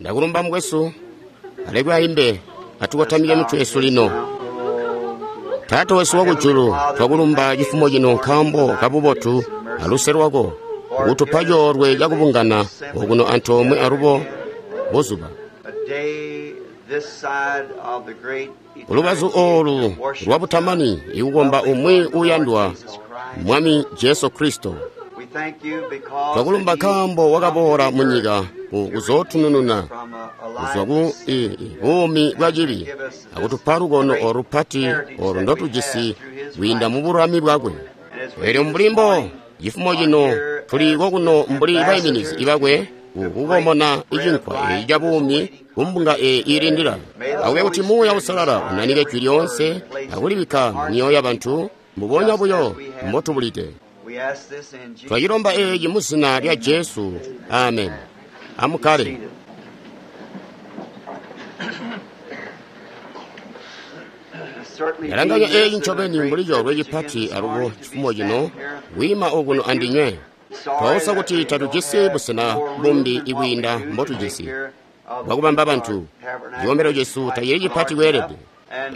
Ndakulumba mukwesu, alekwe aimbe, atukotamike mitwe yesu lino. Taata wesu wakujulu, twakulumba cifumo cino nkaambo kabubotu aluse lwako, kutupa coolwe cakubungana okuno antoomwe alubo buzuba. Lubazu oolu lwa butamani ikukomba umwi uuyandwa, Mwami Jesu Kristo. Twakulumba nkaambo wakaboola munyika kuzootunununa kuzwa ku buumi bwa cibi akutupa lukono olu lupati olu ndotujisi kwiinda mu bululami bwakwe. Eelyo mbuli mbo cifumo cino tuli kokuno mbuli baiminizi bakwe kukomona icinkwa eeci ca buumi kumbunga eeyi iilindila. Akube kuti Muuya Uusalala unanike jwi lyoonse akulibikka mumyoyo yabantu mbubonya buyo mbotubulide. Twacilomba eeci mu zina lya Jesu. Amen. Amukkale. Ndalanganya eeci ncobeni mbuli coolwe cipati alubo cifumo cino kwiima okuno andinywe. Twausa kuti tatujisi busena bumbi ibwiinda mbotujisi bwakubamba bantu. Cikombelo cesu tacili cipati kweelede.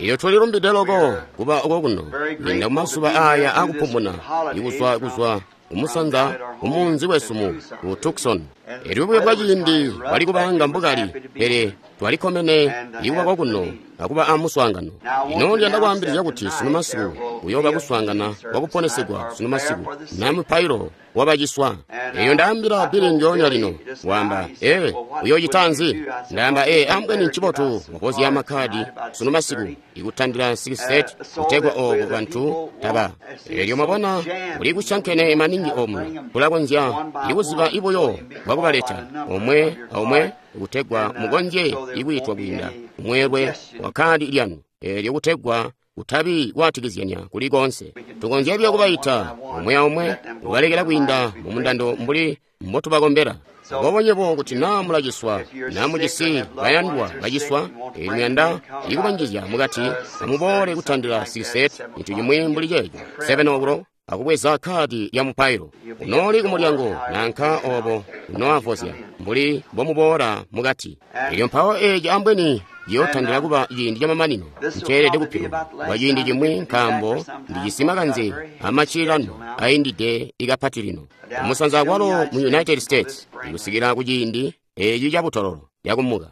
Elyo tulilumbide loko kuba okokuno kwiinda mumazuba aya akupumuna ikuzwa kuzwa kumusanza kumunzi wesu mu Tucson. Elyo buyo bwa ciindi bwali kubanga mbukali, pele twalikkomene ikuba kokuno akuba amuswaangano. Lino ndiyanda kwaambilizya kuti sunu masiku kuyooba kuswaangana kwakuponesegwa sunu masiku na mupailo wabaciswa. Eyo ndaambila Billy ndyoonya lino, waamba, ee, uyoocita nzi? Ndaamba, ee, ambweni ncibotu wavozya makkadi sunu masiku ikutandila 6:30 kutegwa ooko bantu taba. Elyo mwabona kuli kusyankene maningi omuno, kulakonzya ikuziba ibuyo bwakubaleta omwe aomwe kutegwa mukonzye ikwiitwa kwiinda mweelwe wa kkaadi lyanu, eelyo kutegwa kutabi kwaatikizyanya kuli koonse. Tukonzya buyo kubaita omwe aomwe kubalekela kwiinda mumundando mbuli mbotubakombela. Aboobo nywebo kuti naa mulaciswa, naa mujisi bayandwa baciswa, eelyo muyanda ikubanjizya mukati, amuboole kutandila 6:30, cintu cimwi mbuli ceeco, 7 o'clock, akubweza kkaadi lya mupailo. Unooli kumulyango nanka obo unoavozya mbuli mbomuboola mukati. Elyo mpawo eeci ambweni ciyootandila kuba ciindi camamanino nceelede kupiluka kwa ciindi cimwi, nkaambo ndijisi makanze amaccililano aindide ikapati lino kumusanza kwalo mu United States ikusikila kuciindi eeci cabutololo yakumuka.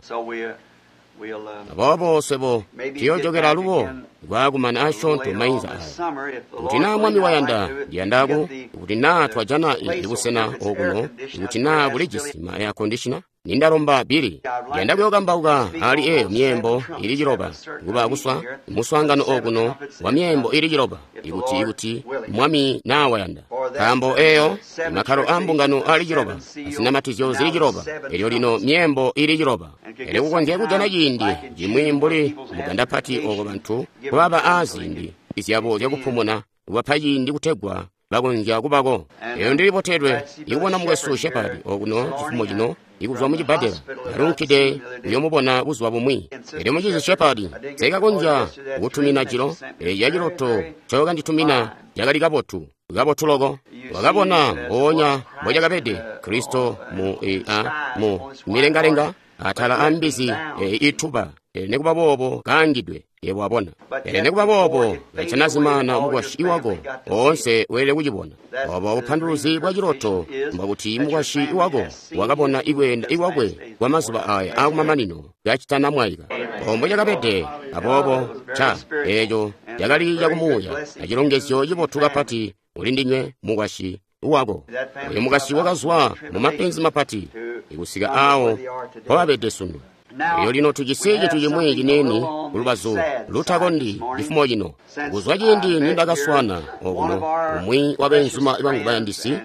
Aboobo swebo tuyoojokela alubo kwaakumana asyoonto mainza aya. Kuti naa Mwami wayanda, ndiyandaku kuti naa twajana ibusena okuno, kuti naa bulijisi ma air conditioner, nindalomba Billy, ndiyanda kuyookambauka ali eeyo myeembo ili ciloba, kuba kuswa muswaangano okuno wa myeembo ili ciloba, ikuti Mwami naa wayanda. Nkaambo eeyo makkalo aambungano ali ciloba, azinamatizyo zili ciloba, elyo lino myeembo ili ciloba. Elyo kukonzya kujana ciindi cimwi mbuli muganda pati ooko bantu kubaba aaziindi zyabo zyakupumuna, kubapa ciindi kutegwa bakonzya kubako. Elyo ndilibotelwe ikubona mukwesu Shepherd okuno cifumo cino ikuzwa mucibbadela, ndalunkide kuyomubona buzuba bumwi. Elyo mucizi Shepherd nseekakonzya kukutumina jilo, eeci aciloto ncokanditumina cakali kabotu, kabotu loko. Wakabona mpoonya mbocakabede Kristo mu mu milengalenga atala ambizi ituba, pele nikuba boobo kaangidwe. Yebo wabona. Pele nikuba boobo kacanazimaana mukwasyi wako oonse weelede kucibona. Obo bupanduluzi bwa ciloto mbwakuti mukwasyi wako wakabona ikweenda ikwakwe kwamazuba aya aakumamanino kacitanamwaika. Obo mbocakabede. Aboobo ca eeco cakali cakumuuya acilongezyo cibotu kapati kulindinywe mukwasyi wako. Oyo mukwasyi wakazwa mumapenzi mapati ikusika aawo mpobabede sunu. Elyo lino tujisi cintu cimwi ciniini kulubazu lutakondi cifumo cino. Kuzwa ciindi nindakaswana okuno umwi wabeenzuma bangu bayandisi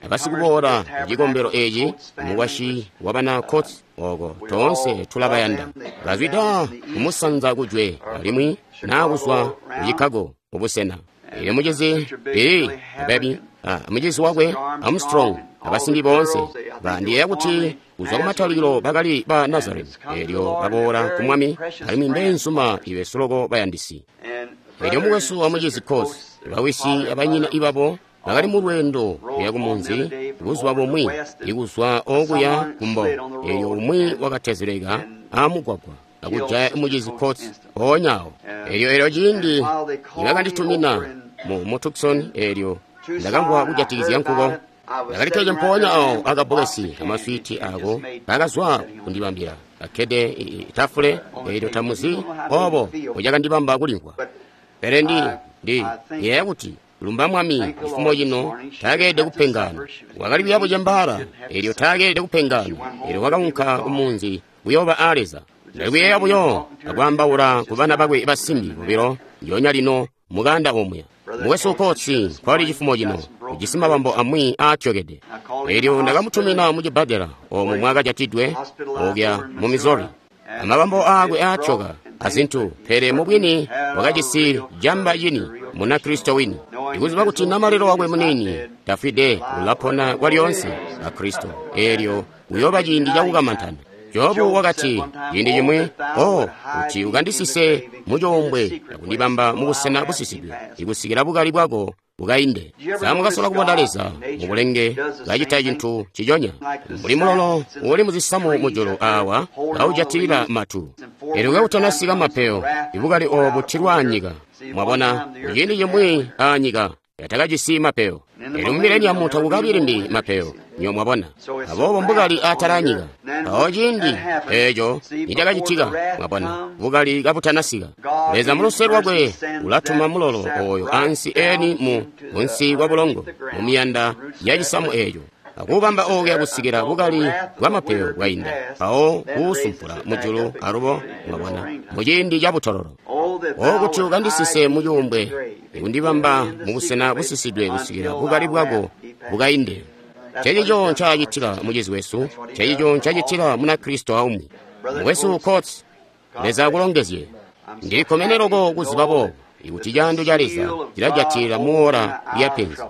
abasikuboola kucikombelo eeci, mukwasyi wabana Coats oko toonse tulabayanda. Bazwida kumusanza kujwe alimwi naa kuzwa ku Chicago kubusena. Elyo mucizi Billy Baby, mucizi wakwe Armstrong, abasimbi boonse bandiyeeya kuti kuzwa kumatalikilo bakali ba Nazarene. Elyo baboola ku Mwami alimwi mbeenzuma ibesu loko bayandisi. Elyo mukwesu wa mucizi Coats, bawisi abanyina ibabo bakali mu lweendo kuya kumunzi buzuba bumwi ikuzwa okuya kumbo, eelyo umwi wakatezeleka aamugwagwa akujaya mucizi Coates mpoonya awo. Eelyo ciindi nibakanditumina mu Tucson, eelyo ndakamvwa kujatikizya nkuko. Ndakalikkede mpoonya awo akabbokesi amaswiiti ako kakazwa kundibambila, kakkede itafule, eelyo tamuzi obo mbucakandibamba kulimvwa. Pele ndi yeeya kuti lumba Mwami cifumo cino taakeelede kupengana. Wakali kuya bucembaala, eelyo taakeelede kupengana, eelyo wakaunka kumunzi kuyooba a Leza. Ndali kuyeeya buyo akwaambaula ku bana bakwe basimbi bobilo ndyoonya lino mukanda omuya. Mukwesu Coates nkwali cifumo cino, ujisi mabambo amwi aatyokede. Eelyo ndakamutumina mu cibbadela oomo mwakajatidwe okuya mu Missouri. Amabambo aakwe aatyoka azintu, pele mubwini wakajisi jamba cini Munakristo wini. Ikuziba kuti namalelo wakwe muniini tafwide, ulapona kwalyoonse a Kristo. Eelyo uyooba ciindi cakukamantana. Jobu wakati ciindi cimwi, o kuti ukandisise mucoombwe akundibamba mubusena busisidwe, ikusikila bukali bwako bukainde. Samwakasola kubona Leza mubulenge kacita cintu ciconya, mbuli mulolo uuli muzisamu mujulu awa kaujatilila matu. Eelyo kautanasika mapeyo, ibukali oobu tilwa anyika. Mwabona, kuciindi cimwi aanyika yatakajisi mapeyo. Eelyo mu mileniamu takukabi limbi mapeyo, nyo mwabona. Aboobo mbukali atala anyika. Mpawo ciindi eeco nicakacitika, mwabona, bukali kabutanasika. Leza muluse lwakwe ulatuma mulolo ooyo ansi eni mu munsi kwa bulongo mu miyanda ya cisamu eeco, akubamba okuya kusikila bukali bwa mapeyo bwainda, mpawo kuusumpula mujulu alubo, mwabona, muciindi ca butololo. O kuti ukandisise mucuumbwe, ikundibamba mubusena busisidwe kusikila bukali bwako bukainde. Ncencico ncaacitila mucizi wesu, ncencico ncaacitila Munakristo aumwi. Mukwesu Coates, Leza akulongezye. Ndilikkomene loko kuziba boobo, ikuti caando ca Leza cilajatilila muora lya penzi.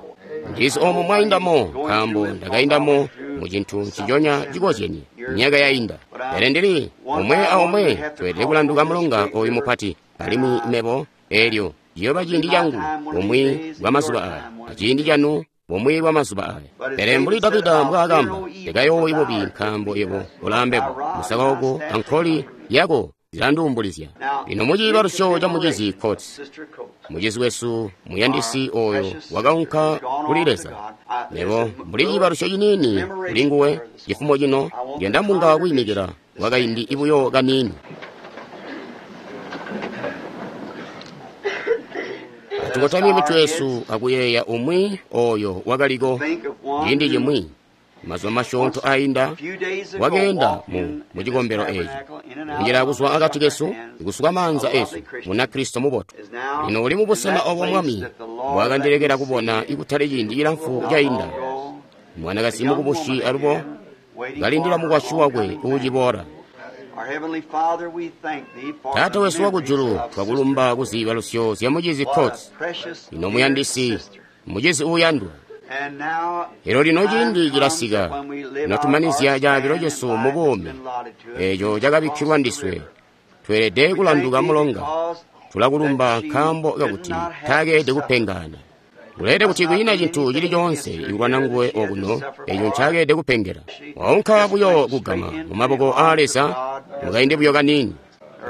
Ndizi oomo mwaindamo, nkaambo ndakaindamo mu cintu nciconya cikozyenye myaka yainda. Pele ndili omwe aomwe tweelede kulanduka mulonga oyu mupati, alimwi mebo eelyo ciyooba ciindi cangu bumwi bwa mazuba aya, aciindi canu bumwi bwa mazuba aya. Pele mbuli Davida mbwaakamba, ndikayoowi bubi nkaambo yebo ulaambebo, musaka wako ankoli yako zilanduumbulizya. Lino muciibalusyo ca mucizi Coates, mucizi wesu muyandisi oyo wakaunka kuli Leza. Mebo mbuli ciibalusyo ciniini kuli nguwe cifumo cino, ndiyanda mbunga kwiimikila kwakaindi ibuyo kaniini. Atukotamye mitwe yesu akuyeeya umwi oyo wakaliko ciindi cimwi mazuba masyoonto ainda wakeenda mu cikombelo eeci, kunjila kuzwa akati kesu, ikusuka maanza esu, Munakristo mubotu. Lino uli mubusena obo Mwami mbwaakandilekela kubona ikutali ciindi cilamfu cainda. Mwanakazi mukubusi alubo kalindila mukwasyi wakwe uuciboola. Taata wesu wakujulu, twakulumba kuziibalusyo zya mucizi Coates, ino muyandisi, mucizi uuyandwa. Elyo lino ciindi cilasika notumanizya caabilo cesu mu buumi eeco cakabikkilwa ndiswe. Tweelede kulanduka mulonga. Tulakulumba nkaambo kakuti taakeelede kupengana. Kuleelede kuti kwiina cintu cili coonse ikulwana nguwe okuno eeco ncaakeelede kupengela. Waunka buyo kugama mu maboko aa Leza mukaindi buyo kaniini.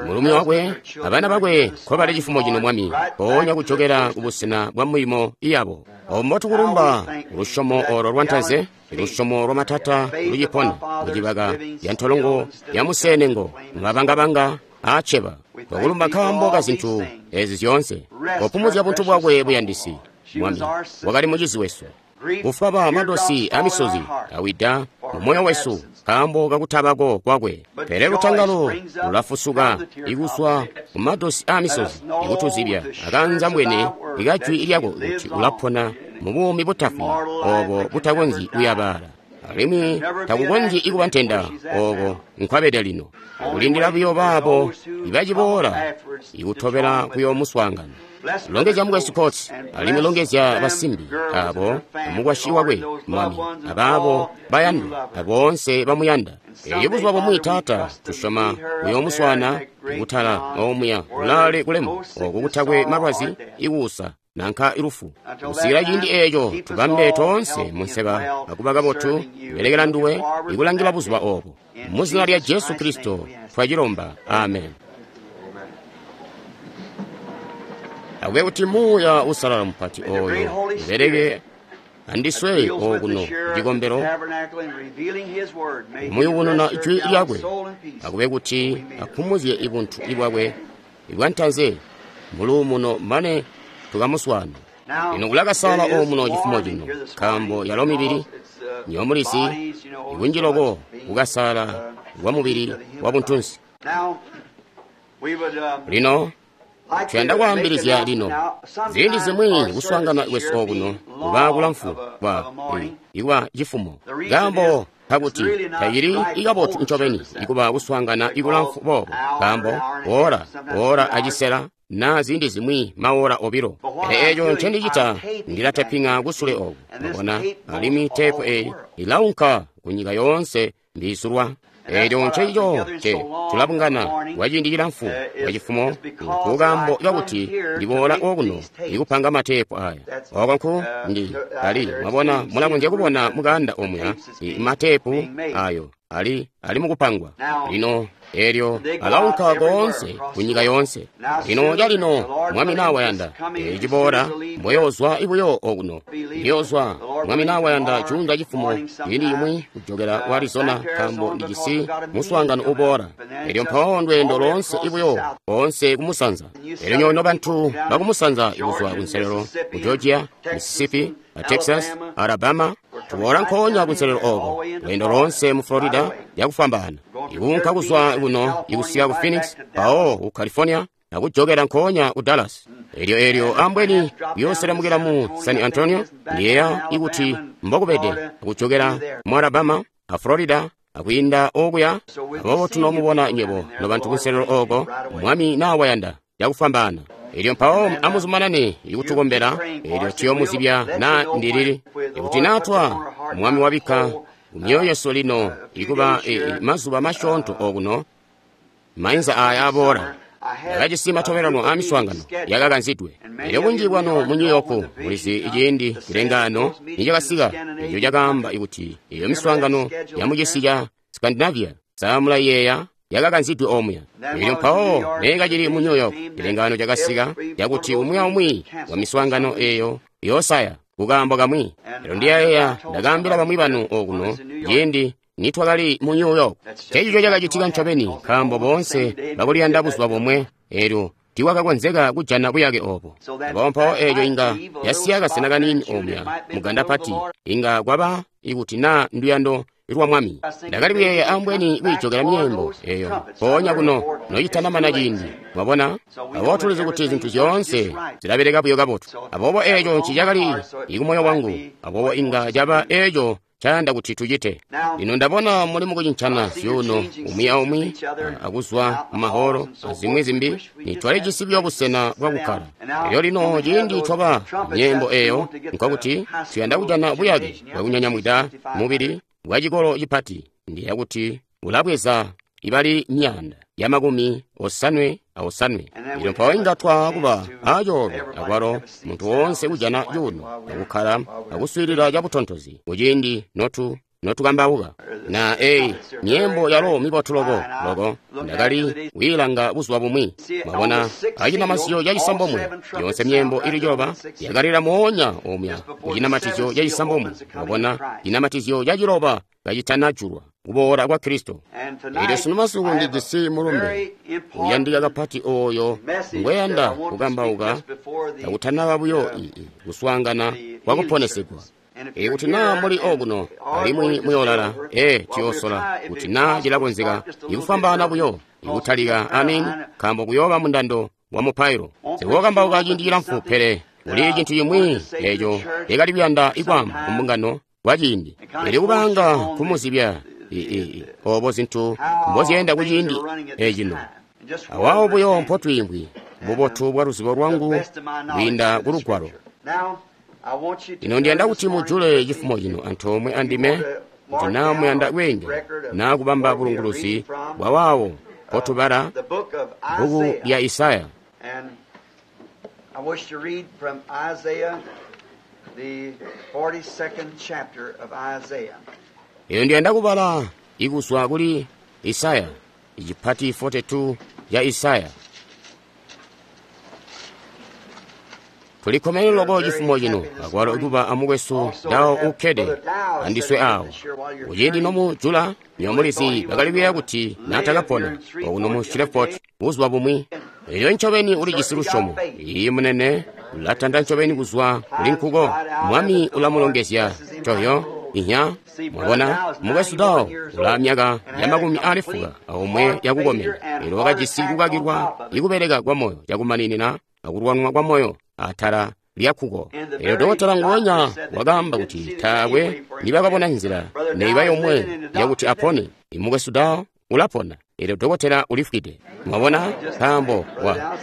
Mulumi wakwe abana bakwe nkobali cifumo cino Mwami, mpoonya kujokela kubusena bwa milimo yabo. Obo mbotukulumba lusyomo olo lwantanze, lusyomo lwa matata lucipona mucibaka ya ntolongo ya museenengo mumabangabanga aaceba. Twakulumba nkaambo ka zintu ezi zyoonse. Kopumuzya buntu bwakwe buyandisi, Mwami, wakali mucizi wesu. Kufwaba madosi amisozi awida mu moyo wesu nkaambo kakutabako kwakwe. Pele lutangalo lulafusuka ikuzwa mu madosi amisozi ikutuzibya akanzambwene ikajwi lyako kuti ulapona mu buumi butafwi obo butakonzyi kuyabaala. Alimwi takukonzyi ikuba ntenda ooko nkwabede lino. Kulindila buyo baabo ibaciboola ikutobela kuyoomuswaangana. Longezya mukwesu Coates, alimwi longezya basimbi abo mukwasyi wakwe, Mwami, abaabo bayandwa, aboonse bamuyanda. Elyo buzuba bumwi, Taata, tusyoma kuyoomuswaana kutala omuya kulaale kulemu, oku kutakwe malwazi, ikuusa nanka lufu. Kusikila ciindi eeco tubambe toonse munseba akuba kabotu kubelekela nduwe ikulangila buzuba oobo. Muzina lya Jesu Kristo twacilomba. Amen. Akube kuti Muuya Uusalala mupati ooyo ubeleke andiswe okuno kucikombelo muyubununa ijwi lyakwe. Akube kuti aphumuzye ibuntu ibwakwe ibwantanze muluumuno mane tukamuswaana. Lino kulakasaala omuno cifumo cino, nkaambo yalo mibili nyomulizi ikunji loko kukasaala kwa mubili wa buntunsi. Lino tuyanda kwaambilizya lino ziindi zimwi kuswaangana kwesu okuno kuba kulamfu kwa ikuba cifumo, nkaambo kakuti tayili ikabotu ncobeni ikuba kuswaangana ikulamfu boobo, nkaambo ora ora acisela na ziindi zimwi maora obilo. Pele eco ncendicita ndilataping'a kusule oku, mwabona, alimwi teepu eyi ilaunka kunyika yoonse mbiisulwa. Eco ncencico nce tulabungana kwa ciindi cilamfu kwa cifumo, nkukambo kakuti ndiboola okuno ikupanga mateepu aya. Oko nku ndi ali, mwabona, mulakonzya kubona mukanda omuya mateepu ayo ali mukupangwa lino. Elyo alaunka koonse kunyika yoonse. Lino calino Mwami nawayanda eciboola mboyoozwa ibuyo okuno. Ndiyozwa Mwami nawayanda juunza cifumo ciindi cimwi kujokela ku Arizona, nkaambo ndijisi muswaangano uboola. Elyo mpawo ndweendo loonse ibuyo koonse kumusanza. Elyo nyono bantu bakumusanza ikuzwa kunselelo ku Georgia, Mississippi, Texas, Alabama, tuboola nkoonya kunselelo oko, lweendo loonse mu Florida yakufwambaana, ikuunka kuzwa kuno ikusika ku Phoenix, mpawo ku California, nakujokela nkoonya ku Dallas. Elyo ambweni kuyooselemukila mu San Antonio, ndiyeeya ikuti mbokubede, akujokela mu Alabama a Florida, akwiinda okuya. Aboobo tunoomubona nywebo nobantu kunselelo oko, Mwami nawayanda yakufwambaana. Elyo mpawo amuzumanane ikutukombela, elyo tuyomuzibya na ndilili. Ikuti natwa Mwami wabikka kumyoyo yesu lino ikuba mazuba masyoonto okuno, mainza aya aboola. Ndakajisi matobelano a miswaangano yakakanzidwe. Elyo bunji bwanu mu New York mulizi ciindi cilengaano nicakasika, eco cakaamba kuti eyo miswaangano yamucisi ca Scandinavia samulayeeya yakakanzidwe omuya. Elyo mpawo neekacili mu New York, cilengaano cakasika cakuti umwi aumwi wa miswaangano eyo yoosaya kukaambo kamwi. Elyo ndiyayeeya ndakaambila bamwi banu okuno ciindi nitwakali mu New York. Ncencico cakacitika ncobeni, nkaambo boonse bakuliyanda buzuba bomwe, elyo tiiwakakonzeka kujana buyake obo. Aboobo mpawo eco inga yasiya kasena kaniini omuya muganda pati, inga kwaba ikuti naa nduyando lwa Mwami. Ndakali kuyeeya ambweni kwiijokela myeembo eyo mpoonya kuno nocitanamana ciindi, mwabona. Aboobo tulizi kuti zintu zyoonse zilabeleka buyo kabotu. Aboobo eco ncicakali ikumoyo wangu, aboobo inga caba eco cayanda kuti tucite. Lino ndabona muli mukucincana zyuuno umwi aumwi akuzwa mumaholo azimwi zimbi, nitwalijisi buyo busena bwakukkala. Elyo lino ciindi twaba myeembo eyo, nkokuti tuyanda kujana buyake bwakunyanyamwida mubili bwa cikolo cipati. Ndiyeeya kuti ulabweza ibali 558. Elyo mpawo inga twakuba acoolwe akwalo muntu woonse kujana cuuno akukkala akuswiilila cabutontozi kuciindi notukambauka. Na eyi myeembo yalo mibotu loko loko, ndakali kwiilanga buzuba bumwi. Mwabona, acinamatizyo cacisambomwe, yonse myeembo ili ciloba yakalila moonya omuya kucinamatizyo cacisambomwe. Mwabona, cinamatizyo caciloba kacitanajulwa kuboola kwa Kristo. Elyo sunu masiku ndijisi mulumbe uyandika kapati ooyo ngweyanda kukambauka kakutanaba buyo kuswaangana kwa kuponesegwa. Ikuti naa muli okuno alimwi muyoolala, tuyoosola kuti naa cilakonzeka ikufwambaana buyo ikutalika, amini, nkaambo kuyooba mundando wa mupailo. Sikukambauka ciindi cilamfu, pele kuli cintu cimwi eco ndakali kuyanda ikwaamba kumbungano kwa ciindi. Elyo kubanga kumuzibya obo zintu mbozyeenda kuciindi ecino. Awawo buyo mpotwiimvwi bubotu bwa luzibo lwangu kwiinda ku Lugwalo. Lino ndiyanda kuti mujule cifumo cino antoomwe andime, kuti naa muyanda kweengela naa kubamba bulunguluzi bwa waawo mpotubala bbuku lya Isaya. I wish to read from Isaiah, the 42nd chapter of Isaiah. Iyo ndiyanda kubala ikuzwa kuli Isaya, icipati 42 ya Isaya. Tulikkomene loko chifumo chino akwalo ikuba amukwesu Dawo ukkede andiswe awo. Kuciindi nomujula nyomulizi bakali kuyeeya kuti naatakapona okuno mu Shreveport buzuba bumwi. Elyo ncobeni ulijisi lusyomo. Iiyi munene ulatanda ncobeni kuzwa kuli nkuko. Mwami ulamulongezya toyo inya mwabona mukwesu Dawo ula myaka ya 40 aomwe yakukomena. Elyo wakajisi kukakilwa ikubeleka kwa moyo cakumaninina akulwanwa kwa moyo atala lyakkuko. Elyo dokotela nguwenya wakaamba kuti taakwe nibakabona nzila neiba yomwe yakuti apone. Mukwesu Dawo ulapona. Elyo dokotela ulifwide. Mwabona nkaambo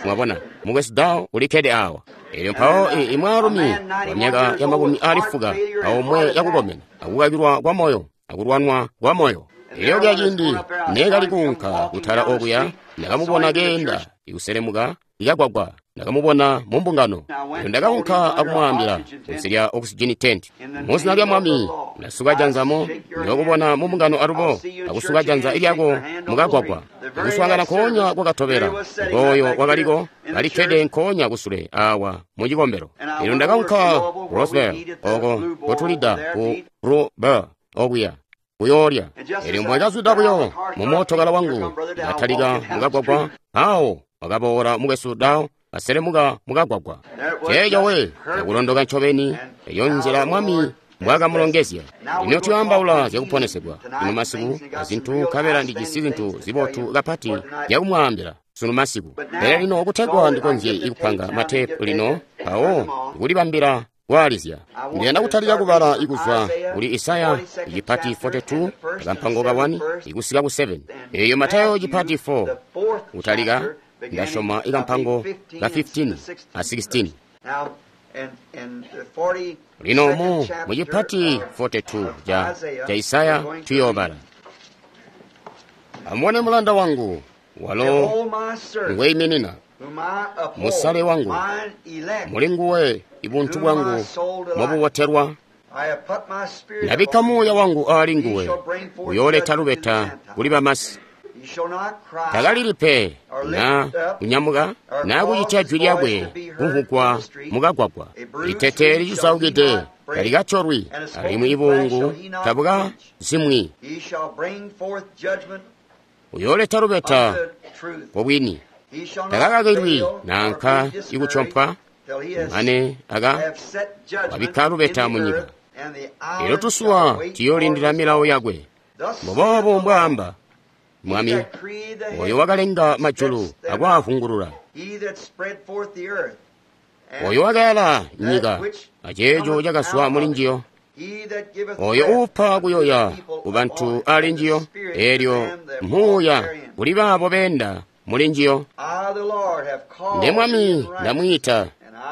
mwabona mukwesu Dawo ulikkede awa. Elyo mpawo imwaalumi wa myaka ya 40 aomwe yakukomena akukakilwa kwa moyo akulwanwa kwa moyo. Elyo kya ciindi neekali kuunka kutala okuya ndakamubona keenda ikuselemuka ikagwagwa. Ndakamubona mu mbungano. Elyo ndakaunka akumwaambila kunsi lya oxygen tent. Muzina lya Mwami ndasuka janzamo ndiyokubona mu mbungano alubo akusuka janza ilyako mukagwagwa. Akuswaangana nkoonya kwakatobela ngooyo wakaliko kalikkede nkoonya kusule awa mu cikombelo. Elyo ndakaunka Roswell oko kotulida ku Blue Bar okuya kuyoolya. Elyo mbwekazwida buyo mu mootokala wangu ndatalika mukagwagwa awo wakaboola mukwesu Dawo aselemuka mukagwagwa. Ceeco we yakulondoka ncobeni eyo nzila Mwami mbwakamulongezya. Lino tuyaambaula zyakuponesegwa lino masiku azintu nkabela ndijisi zintu zibotu kapati zyakumwaambila sunu masiku. Pele lino kutegwa ndikonzye ikupanga matepu lino mpawo kulibambila kwaalizya. Ndiyanda kutalika kubala ikuzwa kuli Isaya icipati 42 akampango ka 1 ikusika ku 7. Eyo Matayo icipati 4 kutalika ndasyoma ikampango ka 15 a 16. Lino mu mucipati 42 ca Isaya tuyoobala. Amubone mulanda wangu walo ngweiminina, musale wangu, muli nguwe ibuntu bwangu mobubotelwa. Ndabikka muuya wangu aali nguwe, uyooleta lubeta kuli bamasi. Takalili pe na kunyamuka na kucitya jwi lyakwe kumvugwa mukagwagwa. Itete licisaukide talikatolwi, alimwi ibungu tabukazimwi. Uyooleta lubeta kobwini. Takakakilwi nanka ikutyompwa mane aka wabikka lubeta munyika. Elyo tusuwa tuyoolindila milawo yakwe. Mbuboobo mbwaamba Mwami oyo wakalenga majulu akwaavungulula, oyo wakayala nyika aceeco cakazwa muli njiyo, oyo uupa kuyoya ku bantu ali njiyo, elyo muuya kuli baabo beenda muli njiyo. Nde Mwami ndamwiita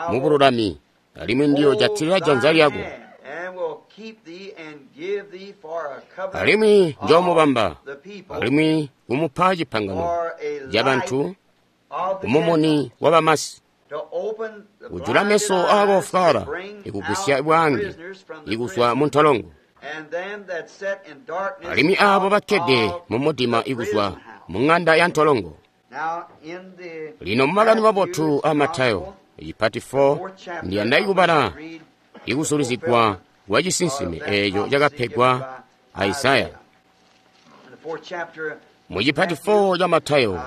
mu bululami, alimwi ndiyojatilila janza lyako, alimwi njoomubamba, alimwi kumupa cipangano ca bantu kumumuni wa bamasi, kujula meso aakofwaala, ikugwisya bwaange ikuzwa mu ntolongo, alimwi aabo bakkede mu mudima ikuzwa mu ŋanda ya ntolongo. Lino mu Makani Mabotu a Matayo icipati 4 ndiyanda ikubala ikusulizigwa kwa cisinsime eeco cakapegwa a Isaya. Mu cipati 4 ca Matayo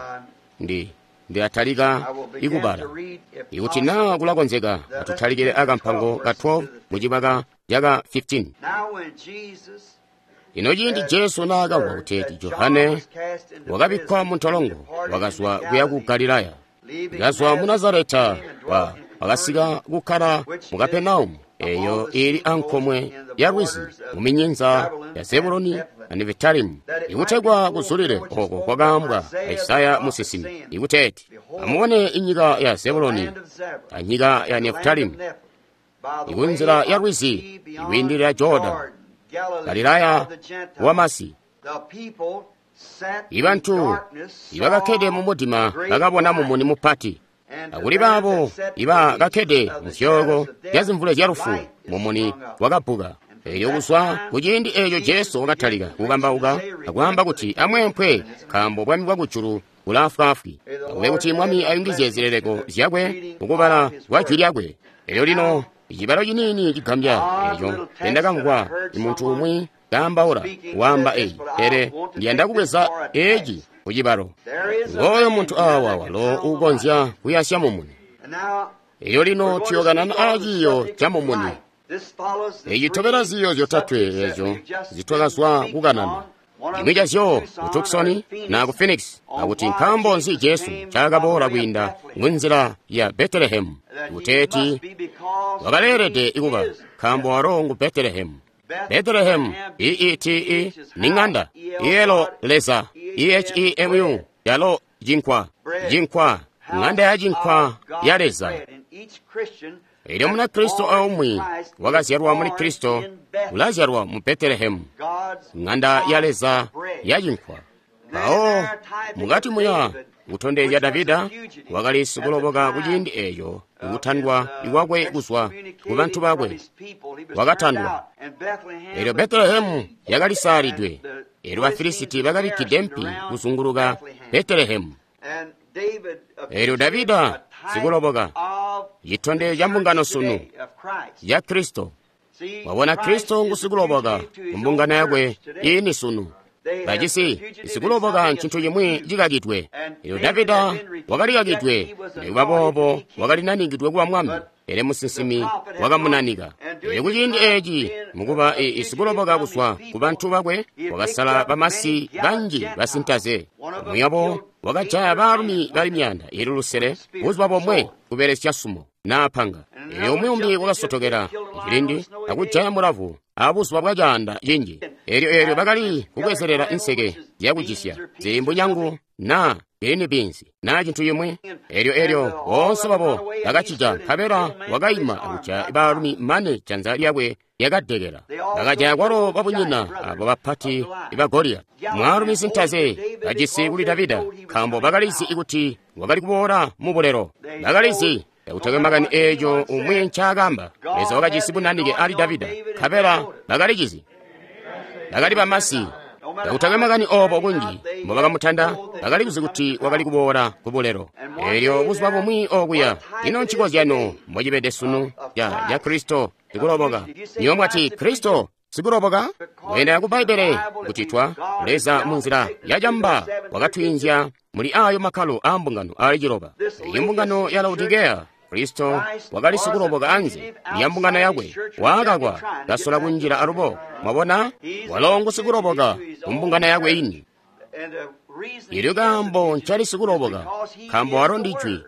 ndilatalika ikubala. Ikuti naa kulakonzeka atutalikile akampango ka 12 mu cibaka caka 15. Lino ciindi Jesu naakamvwa kuti Johane wakabikkwa mu ntolongo, wakazwa kuya ku Galilaya. Kazwa mu Nazareta wakasika kukkala mu Kapenaumu, eyo ili ankomwe ya lwizi mu minyinza ya Zebuloni na Nefitalimu, ikutegwa kuzulile oko kwakaambwa a Isaya musinsimi ikuteeti, amubone inyika ya Zebuloni anyika ya Nefitalimu, ikunzila ya lwizi ikwiindilira Jorodani, Galilaya wamasi. Ibantu ibakakkede mu mudima bakabona mumuni mupati. Akuli baabo ibakakkede muzyooko zyazimvule zyalufu, mumuni wakabbuka. Elyo kuzwa kuciindi eeco Jesu wakatalika kukambauka akwaamba kuti, amweempwe, nkaambo bwami bwakujulu bulaafwaafwi. Akube kuti Mwami ayungizye zileleko zyakwe mukubala kwa jwi lyakwe. Elyo lino icibalo ciniini cigambya eeco ndendakamvwa muntu umwi kaambaula waamba eeci, pele ndiyanda kubweza eeci kucibalo. Ngooyo muntu aawa walo uukonzya kuyasya mumuni. Elyo lino tuyokanana aaciiyo ca mumuni. Eeci tobela ziiyo zyotatwe eezyo zitwakazwa kukanana. Cimwi cazyo ku Tucson na ku Phoenix, akuti nkaambo nzi Jesu ncaakaboola kwiinda munzila ya Betelehemu, kuteeti wakaleelede kuba, nkaambo walo ngu Betelehemu. Betelehemu, E-E-T-E, ni ng'anda, iyelo Leza, E-H-E-M-U, yalo cinkwa, cinkwa, ng'anda ya cinkwa ya Leza. Elyo Munakristo aumwi wakazyalwa muli Kristo ulazyalwa mu Betelehemu, ng'anda ya Leza ya cinkwa. Mpawo mukati muya kutondezya Davida wakali sikuloboka kuciindi eeco kutandwa kwakwe kuzwa ku bantu bakwe, wakatandwa. Elyo Betelehemu yakalisaalidwe, elyo Bafilisiti bakabikkide mpi kuzunguluka Betelehemu. Elyo Davida sikuloboka, citondezyo ca mbungano sunu ya Kristo. Wabona, Kristo ngu sikuloboka ku mbungano yakwe iini sunu. Bajisi sikuloboka ncintu cimwi cikakidwe. Elyo Davida wakalikakidwe, nikuba boobo wakali nanikidwe kuba mwami, pele musinsimi wakamunanika. Elyo kuciindi eeci mukuba sikuloboka kuzwa ku bantu bakwe, wakasala bamasi banji basintaze. Umwi wabo wakajaya baalumi bali 500 buzuba bomwe kubelesya sumo naa panga. Elyo umwi umbi wakasotokela cilindi akujaya mulavu abuzuba bwa caanda cinji. Elyo bakali kubwezelela nseke zyakucisya zimbunyangu naa green beans naa cintu cimwi. Elyo boonse babo bakacija, nkabela wakaima akujaya baalumi mane janza lyakwe lyakadekela. Bakajaya kwalo babunyina abo bapati ba Goliati, mwaalumi sintaze bajisi kuli Davida, nkaambo bakalizi kuti wakali kuboola mu bulelo. Bakalizi kakutakwe makani eeco umwi ncaakamba. Leza wakajisi bunanike ali Davida, nkabela bakalicizi. Bakali bamasi. Kakutakwe makani oobo kunji mbobakamutanda, bakalikuzi kuti wakali kuboola ku bulelo. Elyo buzuba bumwi okuya, ino ncikozyano mbocibede sunu ca Kristo sikuloboka. Niyo mwati Kristo sikuloboka? Kweenda ku Bbaibbele kuti twa Leza munzila yacamba wakatwiinzya muli ayo makkalo aa mbungano aali 7. Eyi mbungano ya Laodikeya, Kristo wakali sikuloboka anze lya mbungano yakwe, waakakwa kasola kunjila alubo. Mwabona, walo ngu sikuloboka ku mbungano yakwe ini. Elyo kaambo ncali sikuloboka, nkaambo walo ndi Jwi,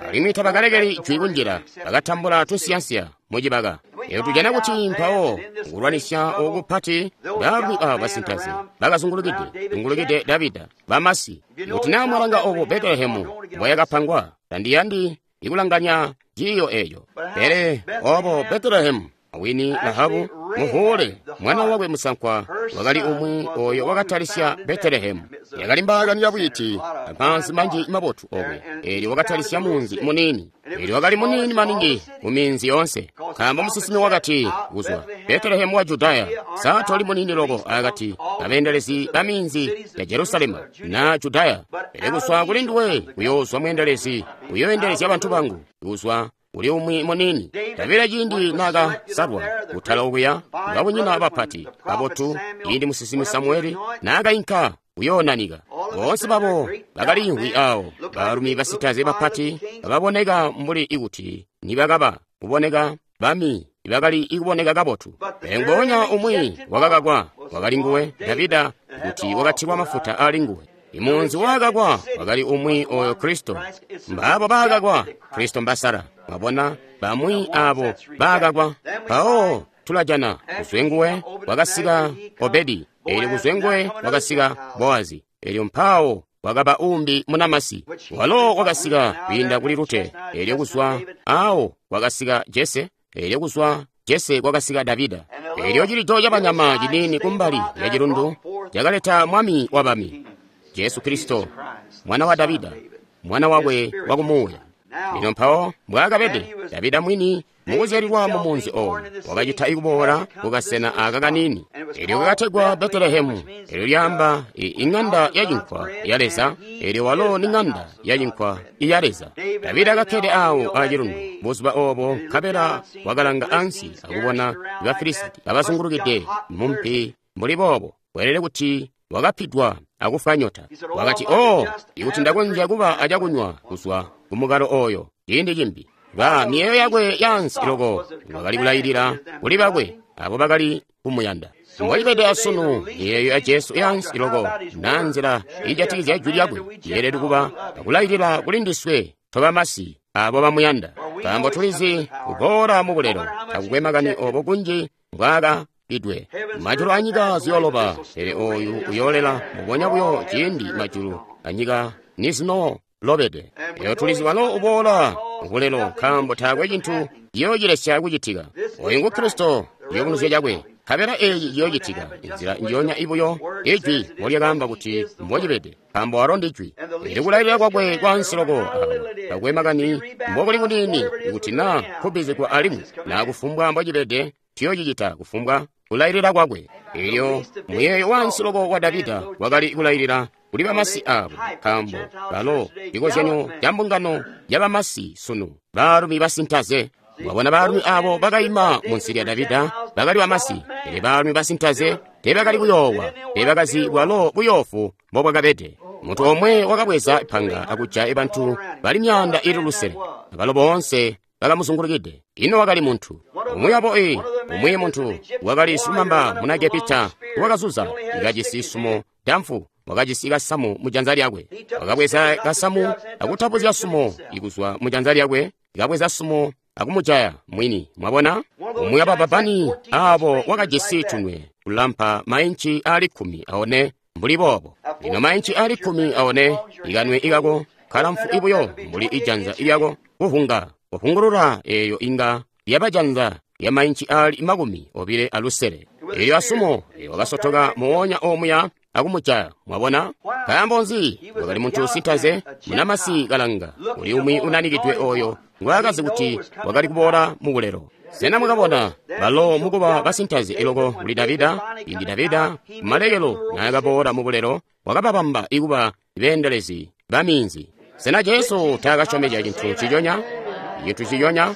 alimwi tabakalekeli Jwi kunjila, bakatambula tunsiyansiya mucibaka. Elyo tujana kuti mpawo kulwanisya oku kupati, baalumi aba basintaze bakazungulukide Davida, bamasi. Kuti naa mwalanga obo Betelehemu mboyakapangwa, tandiyandi ikulanganya ciiyo eeco. Pele obo Betelehemu awini Rahabu muhuule mwana wakwe musankwa wakali umwi oyo wakatalisya Betelehemu. Yakali mbaakani yabwiti amaanzi manji mabotu okwe. Elyo wakatalisya munzi muniini. Elyo wakali muniini maningi mu minzi yoonse, nkaambo musinsimi wakati kuzwa Betelehemu wa Judaya, sa toli muniini loko akati abeendelezi ba minzi ya Jerusalemu na Judaya, pele kuzwa kuli nduwe kuyoozwa mweendelezi uyoendelezya bantu bangu kuzwa uli umwi muniini. Davida ciindi naakasalwa kutala okuya babunyina bapati babotu, ciindi musinsimi Samueli naakainka kuyoonanika, boonse babo bakaliimvwi awo, baalumi basitaze bapati baboneka mbuli ikuti nibakaba kuboneka bami ibakali ikuboneka kabotu. Pele ngoonya umwi wakakakwa wakali nguwe Davida, kuti wakatilwa mafuta ali nguwe. Imunzi wakakwa wakali umwi oyo Kristo. Mbaabo baakakwa Kristo mbasala. Mwabona, bamwi abo baakakwa. Mpawo tulajana kuzwe nguwe wakasika Obedi, elyo kuzwe nguwe wakasika Boazi, elyo mpawo wakaba umbi munamasi walo wakasika kwiinda kuli Rute, elyo kuzwa awo wakasika Jese, elyo kuzwa Jese kwakasika Davida. Elyo cilido cabanyama ciniini kumbali ya cilundu cakaleta mwami wa bami, Jesu Kristo, mwana wa Davida, mwana wakwe wakumuuya. Lino mpawo mbwaakabede Davida mwini mukuzyalilwa mu munzi owo, wakacita ikuboola kukasena aka kaniini, elyo kakategwa Betelehemu, elyo lyaamba ing'anda ya cinkwa ya Leza, elyo walo ni ng'anda ya cinkwa iya Leza. Davida kakkede awo acilundu buzuba obo, nkabela wakalanga ansi akubona Bafilisiti kabazungulukide mumpi mbuli boobo. Weelede kuti wakapidwa akufwa nyota. Wakati, "Oh, ikuti ndakonzya kuba acakunywa kuzwa kumukalo oyo ciindi cimbi." Ba miyeeyo yakwe yaansi loko wakali kulailila kuli bakwe abo bakali kumuyanda. Mbocibede asunu, miyeeyo ya Jesu yaansi loko na nzila ijatikizya jwi lyakwe yeelede kuba akulailila kuli ndiswe tobamasi abo bamuyanda, nkaambo tulizi kuboola mu bulelo takukwe makani obo kunji mbwaaka idwe majulu anyika ziyooloba, pele oyu uyoolela mbubonya buyo ciindi majulu anyika nizinolobede. Eyo tulizi walo uboola ubulelo, nkaambo taakwe cintu ciyoocilesya kucitika. Oyu ngu Kristo, ciyubunuzyo cakwe, nkabela eeci ciyoocitika inzila njionya ibuyo ijwi mbolyakaamba kuti mbocibede, nkaambo walo ndi jwi. Eli kulailila kwakwe kwaansi loko awo, takwe makani mbokuli kuniini, ikuti naa kubbizigwa alimwi naa kufumbwa mbocibede, tuyoocicita kufumbwa kulailila kwakwe. Elyo muyeeyo wansi loko wa Davida wakali kulailila kuli bamasi abo, nkaambo balo cikozyanyo ca mbungano ya bamasi sunu, baalumi basintaze. Wabona baalumi abo bakaima munsi lya Davida bakali bamasi, pele baalumi basintaze teebakali kuyoowa, teebakazi bwalo buyoofu mbobwakabede. Muntu omwe wakabweza ipanga akujaya bantu bali 600, abalo boonse bakamuzungulukide. Ino wakali muntu umwi wabo, umwi muntu wakali silumamba muna Egepita wakazuza kajisi sumo damfu, wakajisi kasamu mujanza lyakwe. Wakabweza kasamu akutapuzya sumo ikuzwa mujanza lyakwe, kabweza sumo akumujaya mwini. Mwabona, umwi wabababani abo wakajisi tunwe kulampa mainci ali 14 mbuli boobo. Lino mainci ali 14 ikanwe ikako kalamfu ibuyo mbuli ijanza lyako kuhunga kuhungulula, eyo inga lyabajanza lya mainci ali 26. Elyo asumo wakasotoka moonya omuya akumujaya. Mwabona, nkaambo nzi? Wakali muntu sintaze, munamasi kalanga uli umwi unanikidwe oyo ngwaakazi kuti wakali kuboola mu bulelo. Sena mwakabona balo mukuba basintaze eloko kuli Davida? Indi Davida kumalekelo naakaboola mu bulelo, wakababamba ikuba beendelezi ba minzi. Sena Jesu taakasyomezya cintu nciconya? Cintu nciconya,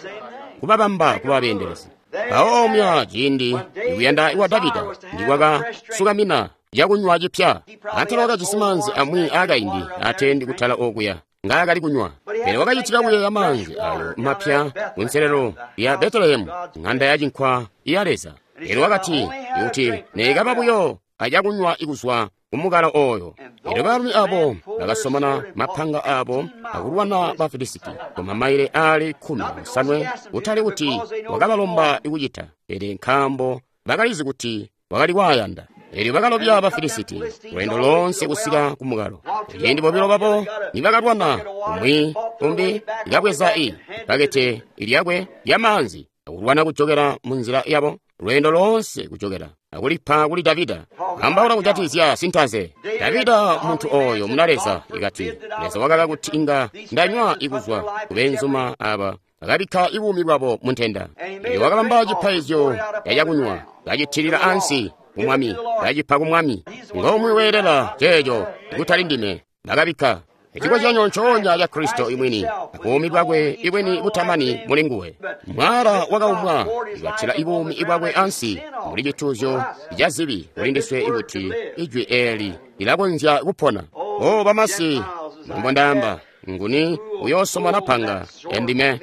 kubabamba kuba beendelezi. Mpawo omuya ciindi ikuyanda kwa Davida ndikwakasukamina cakunywa cipya, antela wakajisi maanzi amwi aakaindi atendi kutala okuya ngaakali kunywa, pele wakacitika kuyeeya maanzi ayo mapya kunselelo ya Betelehemu, ng'anda ya cinkwa ya Leza. Elyo wakati, ikuti neikaba buyo acakunywa ikuzwa kumukalo oyo. Elyo baalumi abo bakasomona mapanga abo akulwana Bafilisiti kumamaile ali 15, kutali kuti wakabalomba ikucita, pele nkaambo bakalizi kuti wakali kwaayanda. Elyo bakalobya Bafilisiti lweendo loonse kusika kumukalo. Ciindi bobilo babo nibakalwana, umwi umbi kabweza ipakete lyakwe lyamaanzi akulwana kujokela munzila yabo lweendo loonse kujokela akulipa kuli Davida. Ambaula kujatikizya sintaze Davida, muntu oyo muna Leza, ikati Leza wakaka kuti inga ndanywa ikuzwa kubenzuma aba bakabikka ibuumi bwabo muntenda. Elyo wakabamba cipaizyo cakunywa, kacitilila ansi kumwami, kacipa kumwami. Ngomwi weelela ceeco, kutali ndime. Bakabikka cikozyanyo ncoonya ca Kristo imwini, abuumi bwakwe ibwini butamani muli nguwe. Mwala wakaumwa ikatila ibuumi bwakwe ansi mbuli cituuzyo ca zibi kuli ndiswe, ikuti ijwi eeli lilakonzya kupona. O bamasi, mbombo ndaamba, nguni uyoosomona panga endime?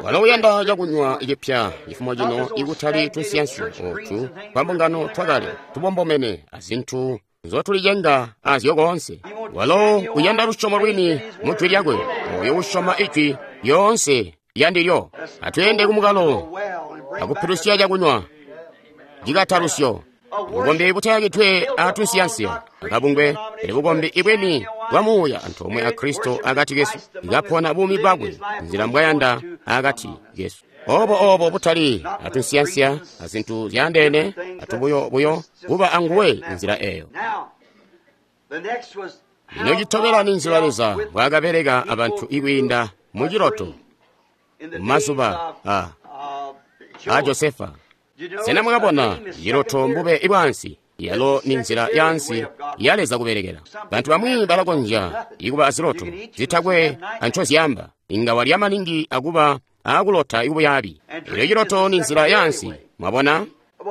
Walo uyanda cakunywa cipya cifumo cino, ikutali tunsiyansi otu twambungano twakale tubombomene azintu nzotulicenga azyo koonse. Walo uyanda lusyomo lwini mu jwi lyakwe, oyo usyoma ijwi lyoonse lyandilyo. Atweende kumukalo akupilusya cakunywa cikatalusyo. Bukombi butayakidwe atunsiyansiya akabungwe, pele bukombi ibweni bwa muuya antoomwe a Kristo akati kesu, ikapona buumi bwakwe nzila mbwayanda akati kesu. Obo butali atunsiyansiya azintu zyaandeene atubuyo-buyo kuba anguwe nzila eyo. Lino citobela ni nzila Leza mbwaakabeleka abantu ikwiinda Mu ciloto, mazuba a Josefa. Sena mwakabona ciloto mbube bwaansi? Yalo ni nzila yaansi ya Leza kubelekela. Bantu bamwi balakonzya ikuba aziloto zitakwe ancozyamba, inga walya maningi akuba akulota ikubuyabi. Elyo ciloto ni nzila yaansi, mwabona?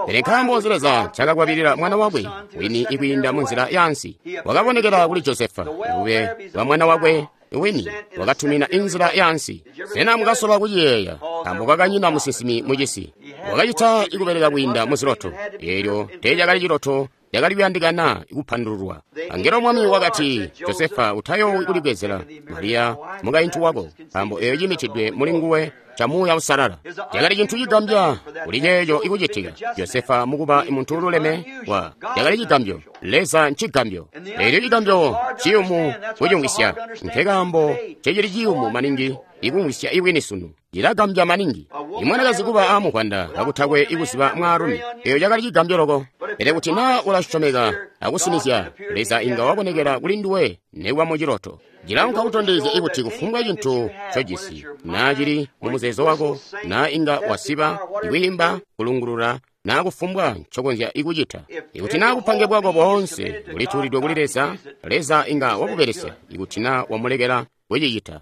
Pele nkaambo nzi Leza ncaakakwabilila mwana wakwe wini ikwiinda mu nzila yaansi? Wakabonekela kuli Josefa, bube bwa mwana wakwe wini, wakatumina inzila yaansi. Sena mukasola kuciyeeya? Nkaambo kwakanyina musinsimi mucisi. Wakacita ikubeleka kwiinda muziloto. Eelyo teecakali ciloto cakali kuyandikana kupandululwa. Angelo Mwami wakati, Josefa, utayoowi kulibwezela Mariya mukaintu wako, nkaambo eeyo cimitidwe muli nguwe ca Muuya Uusalala. Cakali cintu cigambya kuli ceeco ikucitika. Josefa mukuba muntu ululeme wa cakali cigambyo. Leza ncigambyo. Eelyo cigambyo ciyumu kucimvwisya. Nkekaambo cecili ciyumu maningi ikumvwisya ibwini sunu. Cilagambya maningi. Imwanakazi kuba aamuvwanda kakutakwe ikuziba mwaalumi. Eyo cakali cigambyo loko. Pele kuti naa ulasyomeka akusinizya, Leza inga wabonekela kuli nduwe nekuba mu ciloto. Cilaunka kutondezya ikuti kufumbwa cintu ncojisi, naa cili mu muzeezo wako, naa inga wasiba, ikwiimba, kulungulula, naa kufumbwa ncokonzya ikucita. Ikuti naa bupange bwako boonse bulituulidwe kuli Leza, Leza inga wakubelesya ikuti naa wamulekela kucicita.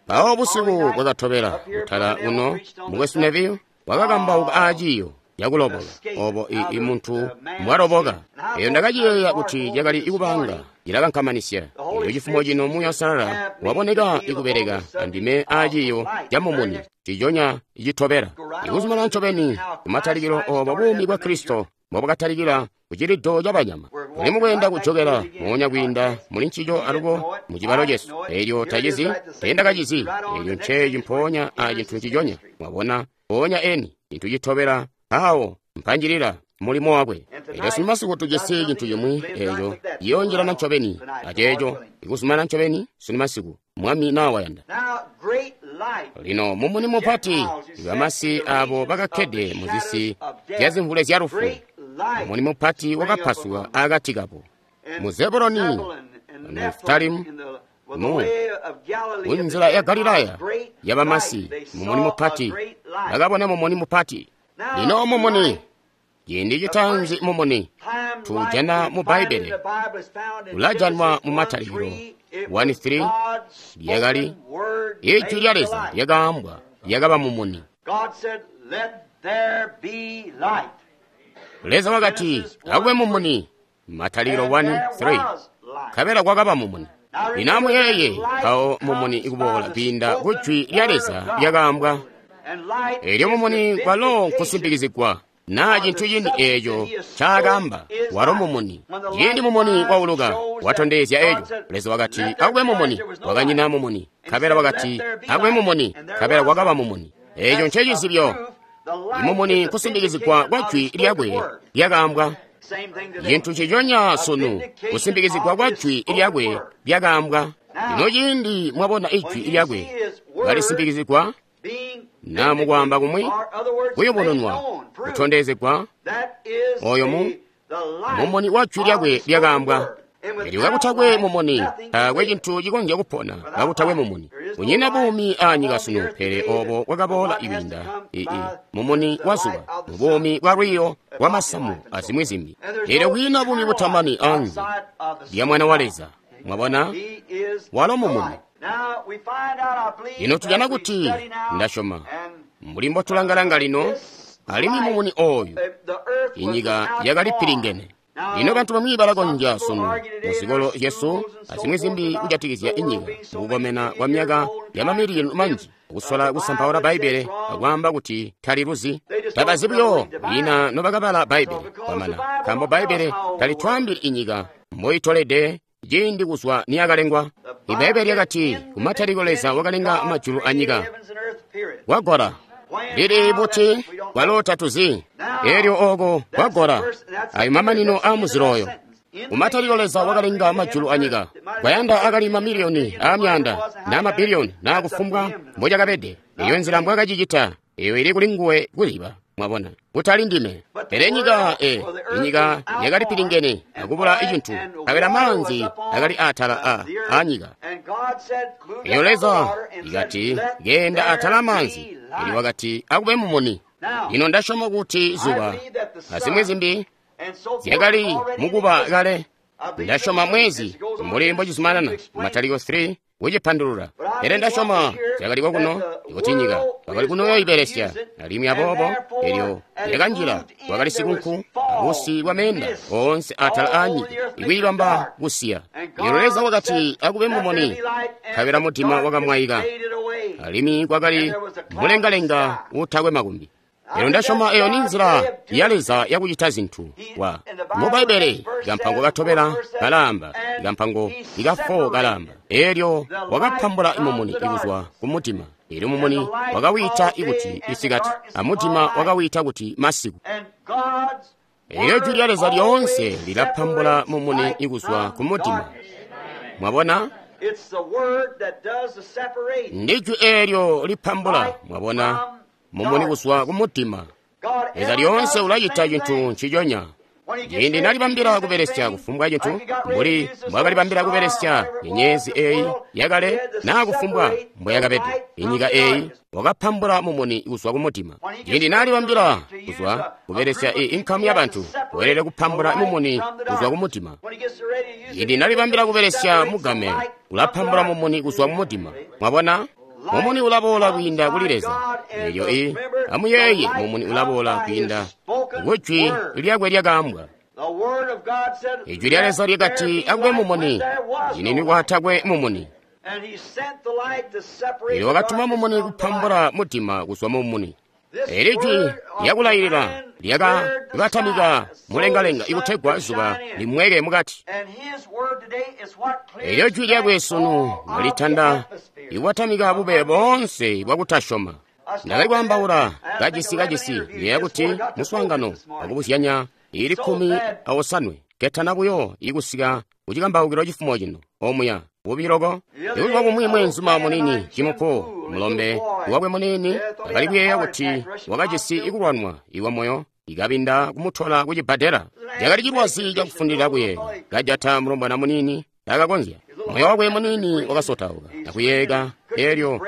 Mpawo busiku bwakatobela kutala kuno, Mukwesu Neville wakakambauka aaciiyo cakuloboka, obo i muntu mbwaloboka. Eyo ndakaciyeeya kuti cakali ikubanga cilakankamanisya. Elyo cifumo cino Muuya Uusalala waboneka ikubeleka andime aaciiyo ca mumuni ciconya citobela. Ikuzumana ncobeni kumatalikilo obo buumi bwa Kristo mbobwakatalikila kucilido ca banyama. Tuli mukweenda kujokela moonya kwiinda muli ncico alubo mu cibalo cesu. Elyo tacizi, teendakacizi. Elyo nceeci mpoonya a cintu nciconya. Mwabona, mpoonya eni, cintu citobela awo mpanjilila mulimo wakwe. Elyo sunu masiku tujisi cintu cimwi eco ciyoonjilana ncobeni aceeco ikuzumana ncobeni sunu masiku, Mwami naa wayanda. Lino mumuni mupati, bamasi abo bakakkede muzisi zyazimvule zya lufu, mumuni mupati wakapasuka akati kabo. Mu Zebuloni, Nefitalimu, mu kunzila ya Galilaya yabamasi, mumuni mupati bakabona mumuni mupati. Lino mumuni, ciindi citaanzi mumuni tuujana mu Bbaibbele, ulajanwa mu Matalikilo 1:3, lyakali ijwi lya Leza lyakaambwa lyakaba mumuni. Leza wakati, akube mumuni, Matalikilo 1:3, nkabela kwakaba mumuni. Lino amuyeeye, mpawo mumuni ikuboola kwiinda ku jwi lya Leza lyakaambwa. Elyo mumuni kwalo nkusimpikizigwa naa cintu cini eeco ncaakaamba, walo mumuni. Ciindi mumuni wauluka, watondezya eco. Leza wakati, akube mumuni, kwakanyina mumuni. Nkabela wakati, akube mumuni, nkabela kwakaba mumuni. Eeco ncecizibyo. Imumuni nkusimpikizigwa kwa jwi lyakwe lyakaambwa. Cintu nciconya sunu, kusimpikizigwa kwa jwi lyakwe lyakaambwa. Lino ciindi mwabona ijwi lyakwe kalisimpikizigwa, naa mukwaamba kumwi, kuyubununwa, kutondezegwa, oyo mumuni wa jwi lyakwe lyakaambwa. Elyo kakutakwe mumuni, taakwe cintu cikonzya kupona kakutakwe mumuni. Kunyina buumi aanyika sunu, pele obo bwakaboola ikwiinda mumuni wa zuba, mubuumi bwa lwiiyo lwa masamu azimwi zimbi. Elyo kwiina buumi butamani anze lya Mwana wa Leza. Mwabona, walo mumuni. Lino tujana kuti, ndasyoma, mbuli mbotulanga-langa lino, alimwi mumuni ooyu, inyika yakali pilingene. Lino bantu bamwi balakonzya sunu muzikolo zyesu azimwi zimbi kujatikizya inyika mukukomena kwa myaka ya mamiliyoni manji, kusola kusampaula Bbaibbele akwaamba kuti taliluzi. Tabazi buyo kwiina nobakabala Bbaibbele kwamana, nkaambo Bbaibbele talitwaambili inyika mboitolede ciindi kuzwa niyakalengwa. Ibbaibbele lyakati, kumatalikilo Leza wakalenga majulu anyika. Kwagola lili buti kwalo tatuzi. Elyo oko kwagola ayo mamanino a muzilo oyo. Kumatalikilo Leza wakalenga majulu anyika. Kwayanda akali mamiliyoni aamyaanda naa mabiliyoni naa kufumbwa mbocakabede. Eyo nzila mbwakacicita, eyo ili kuli nguwe kuziba. Mwabona, kutali ndime. Pele nyika, inyika yakali pilingene akubula cintu, nkabela maanzi akali atala a nyika. Elyo Leza ikati, Genda atala amaanzi. Elyo wakati, Akube mumuni. Lino ndasyoma kuti zuba azimwi zimbi zyakali mukuba kale. Ndasyoma mwezi mbuli mbocizumanana Mataliko 3 kucipandulula. Pele ndasyoma zyakali kokuno kuti nyika bakali kunoyoibelesya, alimwi aboobo elyo lyakanjila kwakali sikunku abusi bwa meenda oonse atala aanyika ikwiibamba kusiya. Elyo Leza wakati, Akube mumuni, nkabela mudima wakamwaika, alimwi kwakali mulengalenga utakwe makumbi. Elyo ndasyoma eyo ni nzila ya Leza yakucita zintu. Wa mu Bbaibbele kampango katobela kalaamba, kampango ika 4 kalaamba, elyo wakapambula mumuni kuzwa ku mudima. Elyo mumuni wakawita ikuti isikati, amudima wakawita kuti masiku. Elyo jwi lya Leza lyoonse lilapambula mumuni ikuzwa ku mudima. Mwabona? Ndi jwi eelyo lipambula, mwabona, mumuni kuzwa ku mudima. Leza lyoonse ulacita cintu nciconya. Ciindi nalibambila kubelesya kufumbwa cintu, mbuli mbwakalibambila kubelesya nyenyezi eyi yakale naa kufumbwa mbweyakabede inyika eyi, wakapambula mumuni kuzwa ku mudima. Ciindi nalibambila kuzwa kubelesya inkamu yabantu, weelede kupambula mumuni kuzwa ku mudima. Ciindi nalibambila kubelesya mugame, ulapambula mumuni kuzwa mu mudima. Mwabona? Mumuni ulaboola kwiinda kuli Leza. Elyo amuyeeye, mumuni ulaboola kwiinda kujwi lyakwe lyakaambwa. Ijwi lya Leza lyakati, Akube mumuni, cinini kwatakwe mumuni. Elyo wakatuma mumuni kupambula mudima kuzwa mu mumuni. Eli jwi lyakulailila lyakabatamika mulengalenga ikutegwa zuba limweke mukati. Elyo jwi lyakwe sunu litanda ikubatamika bube boonse bwakutasyoma. Ndakali kwaambaula kajisi yeeya kuti muswaangano wakubuzyanya ili 19 ketana buyo ikusika kucikambaukilo cifumo cino omuya bubi loko. Ibuzuba bumwi mweenzuma munini Jimupo, mulombe wakwe munini, akali kuyeeya kuti wakajisi ikulwanwa iwa moyo, ikabinda kumutola kucibbadela. Cakali cilwazi cakufundilila kuyeeya, kajata mulombwana munini takakonzya. Moyo wakwe munini wakasotauka akuyeeka, elyo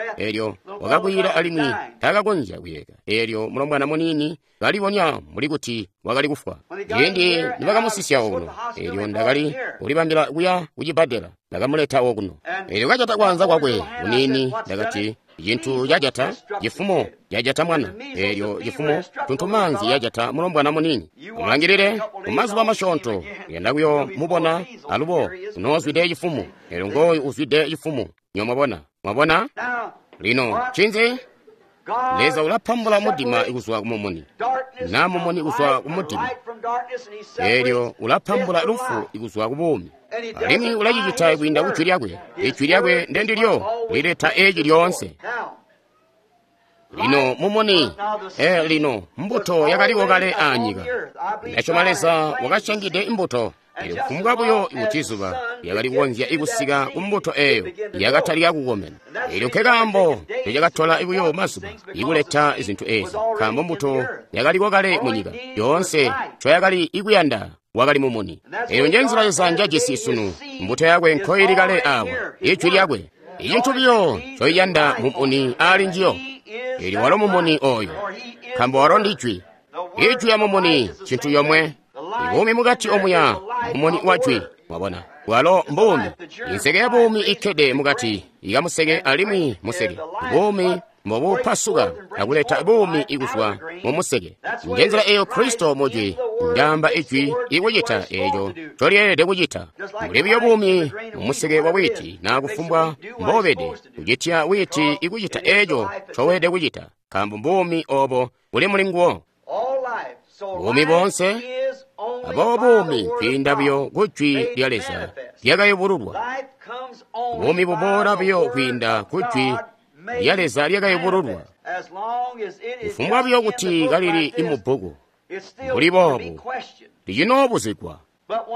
wakakwiila alimwi takakonzya kuyeeka. Elyo mulombwana munini kalibonya mbuli kuti wakali kufwa. Ciindi nibakamusisya okuno, elyo ndakali kulibambila kuya kucibbadela, ndakamuleta okuno. Elyo kajata kwanza kwakwe munini, ndakati, Cintu cajata cifumo cajata mwana. Elyo cifumo tuntumaanzi yajata mulombwana munini. Mulangilile mumazuba masyoonto yenda kuyo mubona alubo unoozwide cifumo. Elyo ngooyu uzwide cifumo. Nyomwabona, mwabona? Lino ncinzi? Leza ulapambula mudima kuzwa ku mumuni, na mumuni kuzwa ku mudima. Elyo ulapambula lufu kuzwa ku buumi. Alimwi ulacicita kwiinda ku jwi lyakwe. Ijwi lyakwe ndendilyo lileta eci lyoonse. Lino mumuni, lino mbuto yakaliko kale aanyika. Ndasyoma Leza wakasyangide imbuto. Elyo kufumbwa buyo kuti zuba lyakali kukonzya ikusika ku mbuto eyo, yakatalika kukomena. Elyo nkekaambo ncecakatola buyo mazuba ikuleta zintu ezi, nkaambo mbuto yakaliko kale munyika. Yoonse ncoyakali ikuyanda wakali mumuni. Eyo njenzila Leza njajisi sunu. Mbuto yakwe nkoili kale awa, ijwi lyakwe. Icintu biyo ncoiyanda mumuni ali njiyo. Elyo walo mumuni oyo, nkaambo walo ndi jwi. Ijwi ya mumuni cintu yomwe. Ibuumi mukati omuya mumuni wa jwi. Mwabona, walo mbuumi. Inseke ya buumi ikkede mukati ikamuseke alimwi museke. Buumi mbobupasuka akuleta buumi ikuzwa mumuseke. Njenzila eyo Kristo mujwi, ndaamba ijwi ikucita eco ncolyeelede kucita. Mbuli buyo buumi mumuseke wa witi na kufumbwa mbobede, kucitya witi ikucita eco ncoweelede kucita, nkaambo mbuumi obo buli muli nguwo. Buumi boonse, aboobo buumi kwiinda buyo ku jwi lya Leza lyakayubululwa. Buumi buboola buyo kwiinda ku jwi lya Leza lyakayubululwa. Kufumbwa buyo kuti kalili imubbuku mbuli boobu, licinoobuzigwa.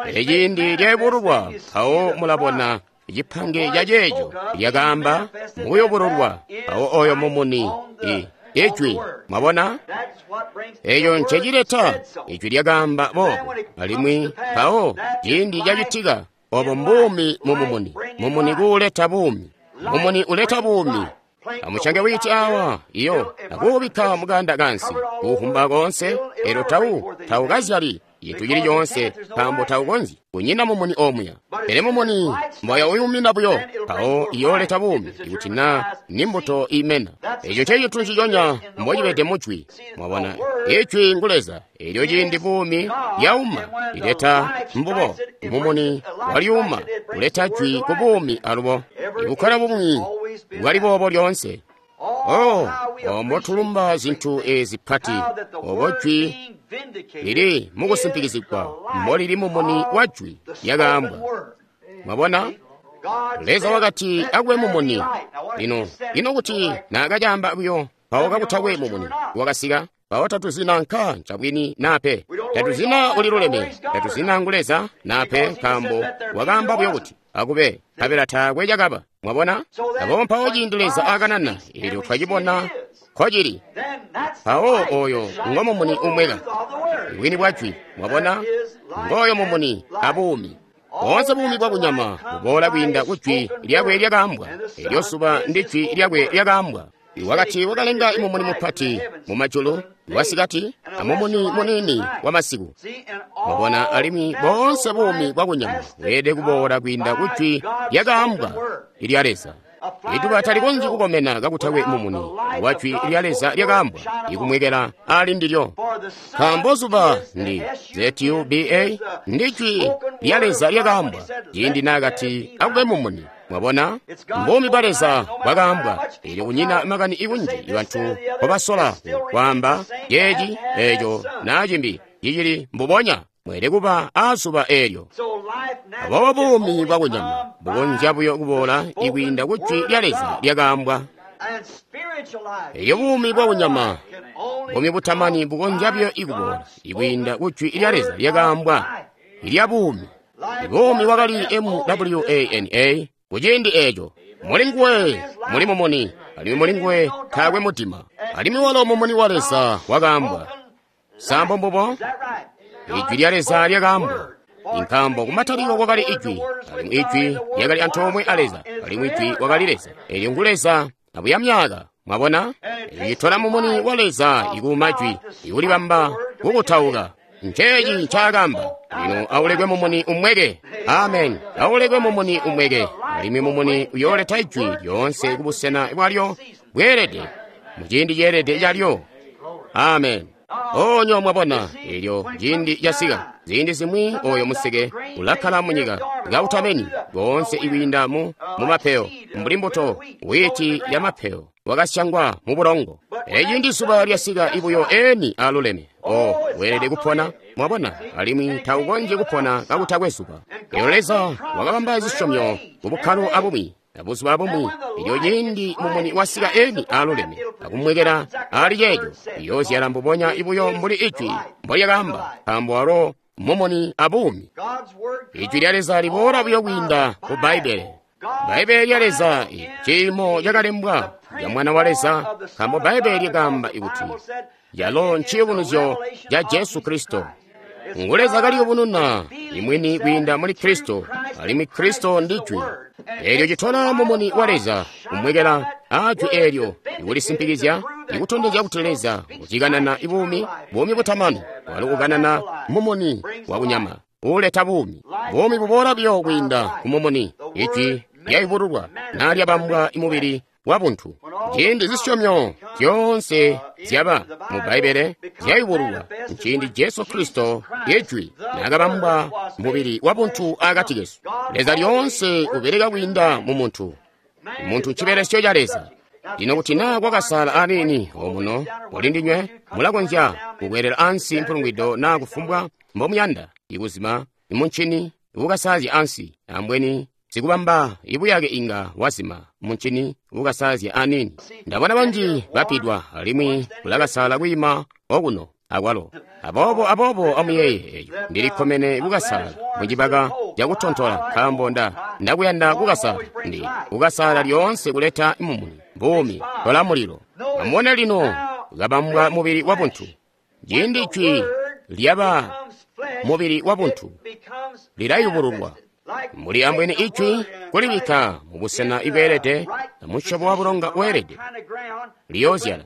Pele ciindi lyayubululwa, mpawo mulabona cipange ca ceeco lyakaamba mukuyubululwa, mpawo oyo mumuni Ijwi. Mwabona? Eco ncecileta. Ijwi lyakaamba boobo. Alimwi mpawo ciindi cacitika, obo mbuumi mu mumuni. Mumuni kuuleta buumi. Mumuni uleta buumi. Amucange witi awa, iyo, akuubikka mukanda kansi, kuufumba koonse, elyo taukazyali cintu cili coonse, nkaambo taukonzyi, kunyina mumuni omuya. Pele mumuni mbwaya uyumina buyo, mpawo iyooleta buumi, ikuti na ni mbuto imena. Eco ncecintu nciconya mbocibede mujwi. Mwabona, Ijwi ngu Leza. Elyo ciindi buumi lyauma, lileta mbubo. Mumuni walyuma, uleta jwi ku buumi alubo. Ibukkala bumwi bwali boobo lyoonse. Oh, mbotulumba zintu ezi pati, obo jwi lili mukusimpikizigwa, mbolili mumuni wa jwi lyakaambwa. Mwabona? Leza wakati akube mumuni. Lino, ino kuti naakacaamba buyo, mpawo kakutakwe mumuni wakasika, mpawo tatuzina nka ncabwini nape. Tatuzina uliluleme, tatuzina ngu Leza nape, nkaambo wakaamba buyo kuti akube, nkabela taakwe cakaba. Mwabona? Aboobo mpawo ciindi Leza akanana, eelyo twacibona nkocili. Mpawo oyo ngo mumuni umweka, bwini bwa jwi. Mwabona? Ngooyo mumuni abuumi. Boonse buumi bwa kunyama buboola kwiinda ku jwi lyakwe lyakaambwa. Elyo zuba ndi jwi lyakwe lyakaambwa. Wakati wakalenga mumuni mupati mu majulu wasikati amumuni muniini wa masiku. Mwabona, alimwi boonse buumi bwa kunyama bweelede kuboola kwiinda ku jwi lyakaambwa ilya Leza. Ituba talikonzyi kukomena kakutakwe mumuni wa jwi lya Leza lyakaambwa ikumwekela ali ndilyo. Nkaambo zuba ndi ZUBA ndi jwi lya Leza lyakaambwa ciindi naakati akube mumuni. Mwabona, mbuumi bwa Leza bwakaambwa. Elyo kunyina makani ikunji bantu mbobasola kwaamba ceeci, eco, naa cimbi, cicili mbubonya. Mweelede kuba aazuba eelyo. Aboobo buumi bwa kunyama bukonzya buyo kuboola ikwiinda ku jwi lya Leza lyakaambwa. Elyo buumi bwa kunyama, buumi butamani bukonzya buyo ikuboola ikwiinda ku jwi lya Leza lyakaambwa ilya buumi. Buumi wakali MWANA kuciindi eeco. Muli nguwe muli mumuni, alimwi muli nguwe taakwe mudima. Alimwi walo mumuni wa Leza wakaambwa. Sambo mbubo? Ijwi lya Leza lyakaambwa. Nkaambo kumatalikilo kwakali Ijwi, alimwi Ijwi lyakali antoomwe a Leza, alimwi Ijwi wakali Leza. Elyo ngu Leza abuya myaka. Mwabona? Icitola mumuni wa Leza ikuuma jwi, ikulibamba kukutauka. Nceeci ncaakamba. Lino aulekwe mumuni umweke. Amen. Aulekwe mumuni umweke. Alimwi mumuni uyooleta ijwi lyoonse kubusena bwalyo bweelede, muciindi ceelede calyo. Amen. Onyo mwabona, elyo ciindi casika. Ziindi zimwi oyo museke ulakkala munyika kautameni boonse ikwiinda mu mapeyo, mbuli mbuto wiiti ya mapeyo wakasyangwa mu bulongo. Pele ciindi zuba lyasika ibuyo eni aluleme, o weelede kupona. Mwabona, alimwi taukonzyi kupona kakutakwe zuba. Elyo Leza wakabamba zisyomyo mu bukkalo abumwi abuzuba abumwi. Elyo ciindi mumuni wasika eni aluleme akumwekela ali ceeco, iyoozyala mbubonya ibuyo mbuli ijwi mbolyakaamba, nkaambo walo mumuni abuumi. Ijwi lya Leza liboola buyo kwiinda ku Bbaibbele. Bbaibbele lya Leza ciimo cakalembwa lya Mwana wa Leza, nkaambo Bbaibbele lyakaamba ikuti yalo nciyubunuzyo ca Jesu Kristo. Ngu Leza kaliyubununa imwini kwiinda muli Kristo, alimwi Kristo ndi Jwi. Eelyo citola mumuni wa Leza kumwekela aa jwi eelyo ikulisimpikizya, ikutondezya kuti Leza ucikanana ibuumi, buumi butamani, walo ukanana mumuni wa kunyama uuleta buumi. Buumi buboola buyo kwiinda ku mumuni, ijwi lyayubululwa naa lyabambwa imubili wa buntu. Ciindi zisyomyo zyoonse zyaba mu Bbaibbele zyayubululwa, nciindi Jesu Kristo Ijwi naakabambwa mubili wa buntu akati kesu. Leza lyoonse ubeleka kwiinda mu muntu. Muntu ncibelesyo ca Leza. Lino kuti naa kwakasala aniini omuno mulindinywe, mulakonzya kukwelela ansi mpulungwido naa kufumbwa mbomuyanda, ikuzima imuncini ukasaazya ansi, ambweni sikubamba ibuyake inga wazima muncini ukasaazya aniini. Ndabona banji bapidwa alimwi kulakasala kwiima okuno akwalo. Aboobo amuyeeye eco, ndilikkomene kukasala mucibaka cakutontola, nkaambo ndakuyanda kukasala. Ndi kukasala lyoonse kuleta mumuni, buumi, tola mulilo. Amubone lino, kabambwa mubili wabuntu. Ciindi Jwi lyaba mubili wabuntu, lilayubululwa. Mbuli ambweni Ijwi kulibikka mubusena ibweelede na musyobo wa bulonga weelede, liyoozyala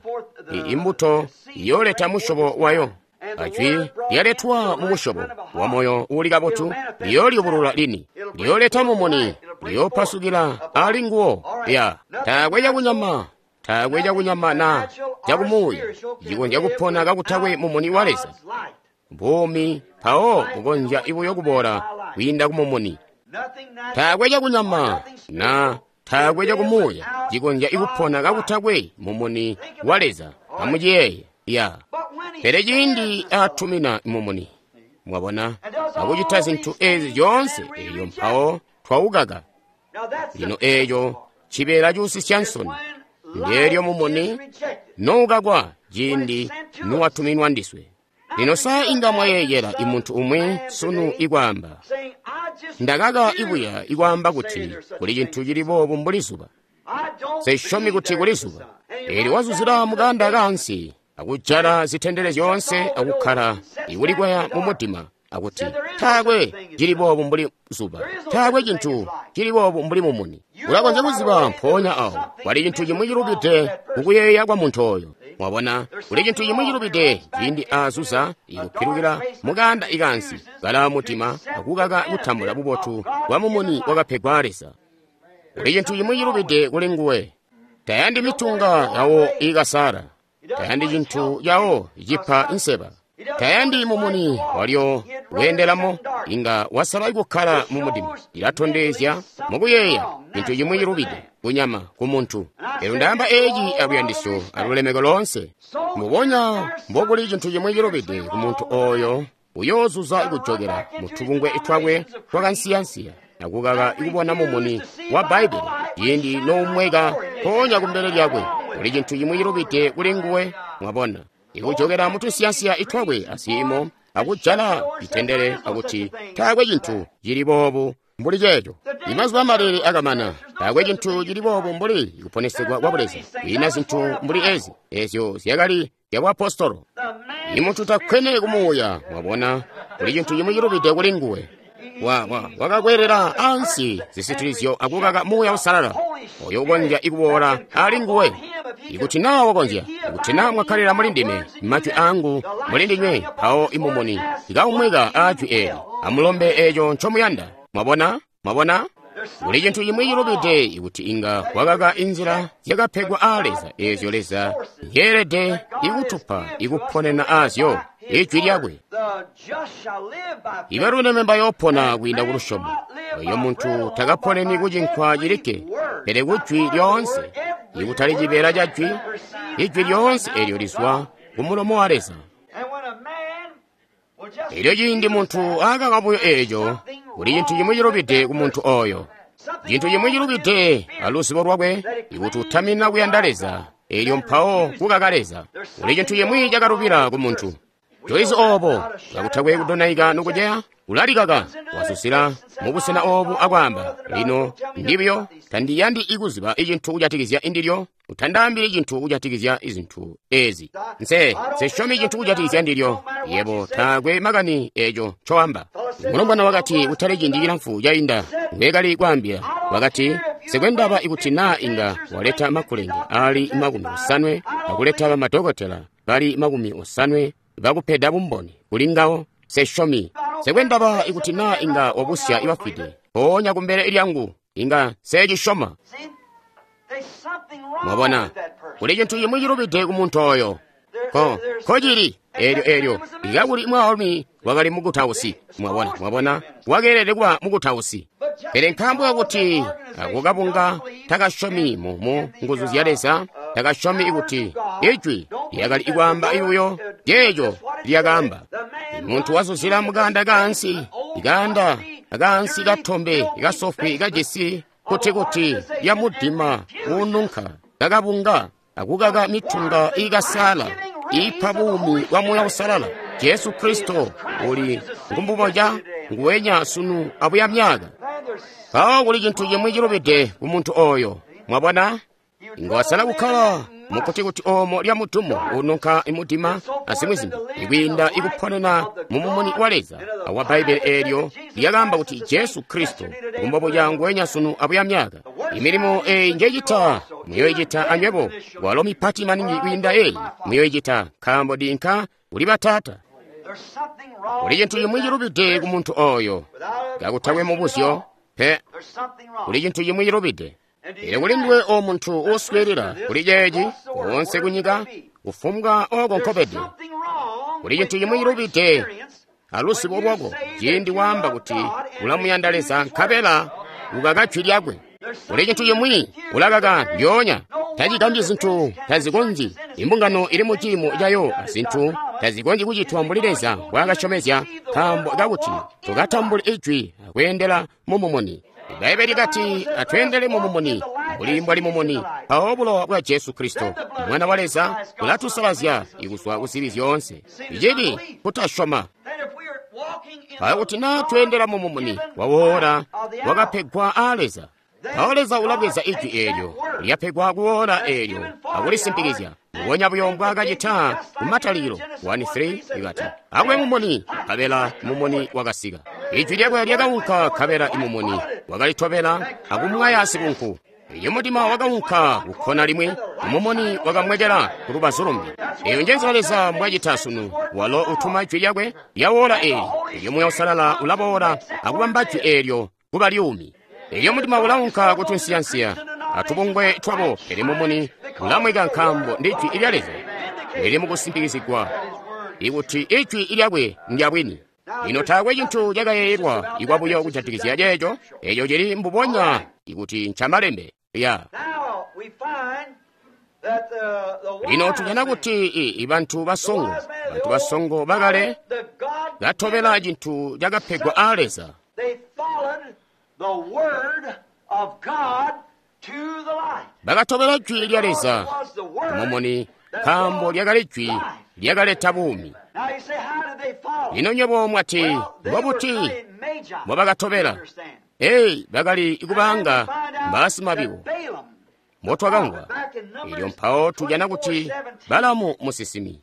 imbuto iyooleta musyobo wayo. Ajwi lyaletwa mu musyobo wa moyo uuli kabotu, liyooliyubulula lini, liyooleta mumuni, liyoopasukila ali nguwo. Ya taakwe cakunyama, taakwe cakunyama na cakumuuya cikonzya kupona kakutakwe mumuni wa Leza. Buumi mpawo bukonzya buyo kuboola kwiinda ku mumuni. Taakwe cakunyama na taakwe cakumuuya cikonzya kupona kakutakwe mumuni wa Leza. Amuciyeeye. Ya pele ciindi atumina mumuni, mwabona, akucita zintu ezi zyoonse, eyo mpawo twawukaka. Lino eeco cibeela cuusisya nsoni, ndeelyo mumuni noukakwa ciindi nuwatuminwa ndiswe. Lino sa inga mwayeeyela imuntu umwi sunu ikwaamba, ndakaka ibuya ikwaamba kuti kuli cintu cili boobu mbuli zuba. Sesyomi kuti kuli zuba. Eelyo wazuzila mukanda kaansi akujala zitendele zyoonse akukkala ikulikwaya mu mudima akuti taakwe cili boobu mbuli zuba, taakwe cintu cili boobu mbuli mumuni. Ulakonzya kuziba mpoonya awo kwali cintu cimwi cilubide kukuyeeya kwa muntu oyo. Mwabona, kuli cintu cimwi cilubide ciindi azuza ikupilukila mukanda ikansi kala mudima akukaka kutambula bubotu bwa mumuni wakapegwa Leza. Kuli cintu cimwi cilubide kuli nguwe. Tayandi mitunga yawo ikasala, tayandi cintu yawo icipa nseba, tayandi mumuni walyo wendelamo, inga wasala kukkala mu mudima. Ilatondezya mukuyeeya cintu cimwi cilubide kunyama ku muntu. Lero ndaamba eci aluyandisyo alulemeko loonse. Mubonya mbokuli cintu cimwi cilubide ku muntu oyo uyoozuza kujokela mu tubungwe twakwe twakansiyansiya akukaka ikubona mumuni wa Bbaibbele ciindi noumweka mpoonya kumbele lyakwe. Kuli cintu cimwi cilubide kuli nguwe. Mwabona, ikujokela mu tunsiyansiya itwakwe asiimo akujala itendele akuti taakwe cintu cili boobu mbuli ceeco. Imazuba amalele akamana, taakwe cintu cili boobu mbuli kuponesegwa kwa buleza, kwiina zintu mbuli ezi ezyo zyakali zyabuapostolo. Imuntu takkwene kumuuya. Mwabona, kuli cintu cimwi cilubide kuli nguwe. Wakakwelela ansi zisitilizyo akukaka Muuya Usalala oyo ukonzya ikuboola ali nguwe. Ikuti naa wakonzya, ikuti naa mwakkalira muli ndime, majwi angu muli ndinywe, mpawo imumuni ikaumweka ajwi eli. Amulombe eco ncomuyanda. Mwabona? Mwabona? Kuli cintu cimwi cilubide ikuti inga wakaka inzila zyakapegwa aa Leza ezyo Leza nyeelede ikutupa ikuponena azyo Ijwi lyakwe. Ibaluleme bayoopona kwiinda ku lusyomo. Oyo muntu takaponeni kucinkwa cilikke, pele kujwi lyoonse, ikutali cibeela ca jwi, ijwi lyoonse elyo lizwa ku mulomo wa Leza. Elyo ciindi muntu akaka buyo eeco, kuli cintu cimwi cilubide ku muntu oyo. Cintu cimwi cilubide aluzibo lwakwe, ikuti utamina kuyanda Leza, elyo mpawo kukaka Leza. Kuli cintu cimwi cakalubila ku muntu. Joizi obo kakutakwe kudonaika nokuceya, ulalikaka wazuzila mubusena obu akwaamba, lino ndibyo tandiyandi ikuziba icintu kujatikizya indilyo, utandaambili cintu kujatikizya izintu ezi. Nse sesyomi cintu kujatikizya ndilyo, yebo taakwe makani eco ncoamba. Mulombwana wakati kutali ciindi cilamfu cainda ngwekali kwaambila, wakati sikwendaba ikuti naa inga waleta makulenge ali 80 akuleta bamadokotela bali 80 bakupeda bumboni kuli ngawo, sesyomi. Sekwendaba ikuti naa inga wabusya ibafwide mpoonya kumbele lyangu, inga secisyoma. Mwabona, kuli cintu cimwi cilubide ku muntu oyo. Kocili eelyo eelyo ikakuli mwaalumi wakali mukutausi. Mwabona, mwabona, wakeelede kuba mukutausi. Pele nkaambo kakuti ako kabunga takasyomi mu nguzu zya Leza, takasyomi kuti ijwi lyakali ikwaamba ibuyo ceeco lyakaamba. Muntu wazuzila mukanda kaansi, ikanda akaansi katombe kasofwi kajisi kuti ya mudima uununka kakabunga akukaka mitunga ikasala ipa buumi bwa Muuya Usalala. Jesu Kristo uli ngumbuboja nguwenya sunu abuya myaka. Mpawo kuli cintu cimwi cilubide ku muntu oyo. Mwabona, inga wasala kukkala Mukuti kuti oomo lya mudumu ununka mudima azimwi zimbi, ikwiinda ikuponena mu mumuni wa Leza awa Bbaibbele eelyo lyakaamba kuti Jesu Kristo ngumbobuca nguwenya sunu abuya myaka. Imilimo eeyi njecita muyoicita anywebo, walo mipati maningi kwiinda eeyi muyoicita, nkaambo ndinka kuli Bataata. Kuli cintu cimwi cilubide ku muntu oyo, kakutakwe mubuzyo pe. Kuli cintu cimwi cilubide. Pele kuli nduwe o muntu uuswiilila kuli ceeci koonse kunyika, kufumbwa oko nkobede, kuli cintu cimwi cilubide aluzibo lwako ciindi waamba kuti ulamuyanda Leza nkabela ukaka jwi lyakwe. Kuli cintu cimwi ulakaka ndyoonya. Tacigambyi zintu tazikonzyi. Imbungano ili mu ciimo cayo azintu tazikonzyi kucitwa mbuli Leza mbwaakasyomezya, nkaambo kakuti tukatambule ijwi akweendela mu mumuni. Ibbaibbele likati atweendele mu mumuni mbuli mbwali mumuni, mpawo bulowa bwa Jesu Kristo Mwana wa Leza bulatusalazya kuzwa ku zibi zyoonse. Icibi kutasyoma. Mpawo kuti naa tweendela mu mumuni wawoora wakapegwa aa Leza, mpawo Leza ulabweza ijwi eelyo lyapegwa kuwoora eelyo akulisimpikizya mbubonya buyo mbwaakacita ku Matalikilo 1:3 ikati, akube mumuni, nkabela mumuni wakasika. Ijwi lyakwe lyakaunka nkabela imumuni wakalitobela akumwaya sikunku. Elyo mudima wakaunka kukkona limwi, mumuni wakamwekela ku lubazu lumbi. Eyo njenzila Leza mbwacita sunu. Walo utuma jwi lyakwe lyawoola eeli, elyo Muuya Uusalala ulaboola akubamba jwi eelyo kuba lyuumi. Elyo mudima ulaunka kutunsiyansiya atubungwe twabo, pele mumuni ulamweka nkaambo ndi jwi lya Leza lili mukusimpikizigwa ikuti ijwi lyakwe ndyabwini. Lino taakwe cintu cakayeeyelwa ikwabuyo kujatikizya ceeco, eco cili mbubonya ikuti ncamalembe ya. Lino tujana kuti ibantu basongo, bantu basongo bakale katobela cintu cakapegwa aa Leza. Bakatobela jwi lya Leza mumuni, nkaambo lyakali jwi lyakaleta buumi. Lino nywebo mwati, mbobuti mbobakatobela? Ei, bakali kubanga mbaasimabibo mbotwakamvwa. Elyo mpawo tujana kuti Balamu musinsimi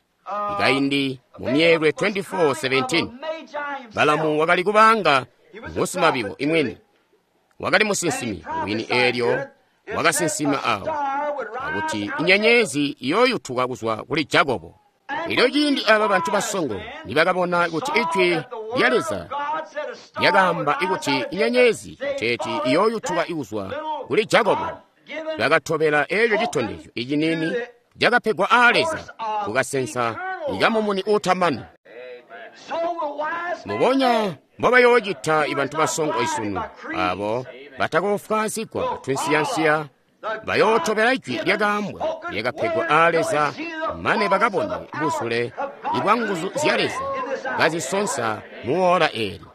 ikaindi mu Myeelwe 24:17, Balamu wakali kubanga ngusimabibo imwini, wakali musinsimi wini. Eelyo wakasinsima awo akuti inyenyezi iyooyutuka kuzwa kuli Jakobo. Elyo ciindi aba bantu basongo nibakabona kuti ijwi lya Leza lyakaamba ikuti inyenyezi teeti iyooyutuka ikuzwa kuli Jakobo, bakatobela eeco citondezyo icinini cakapegwa aa Leza kukasensa ikamumuni uutamani. Mbubonya mbobayoocita ibantu basongo isunu, abo batakofwaazigwa tunsiyansiya bayootobela ijwi lyakaambwa lyakapegwa aa Leza mane bakabone buzule ibwa nguzu zya Leza kazisonsa muwoola eeli.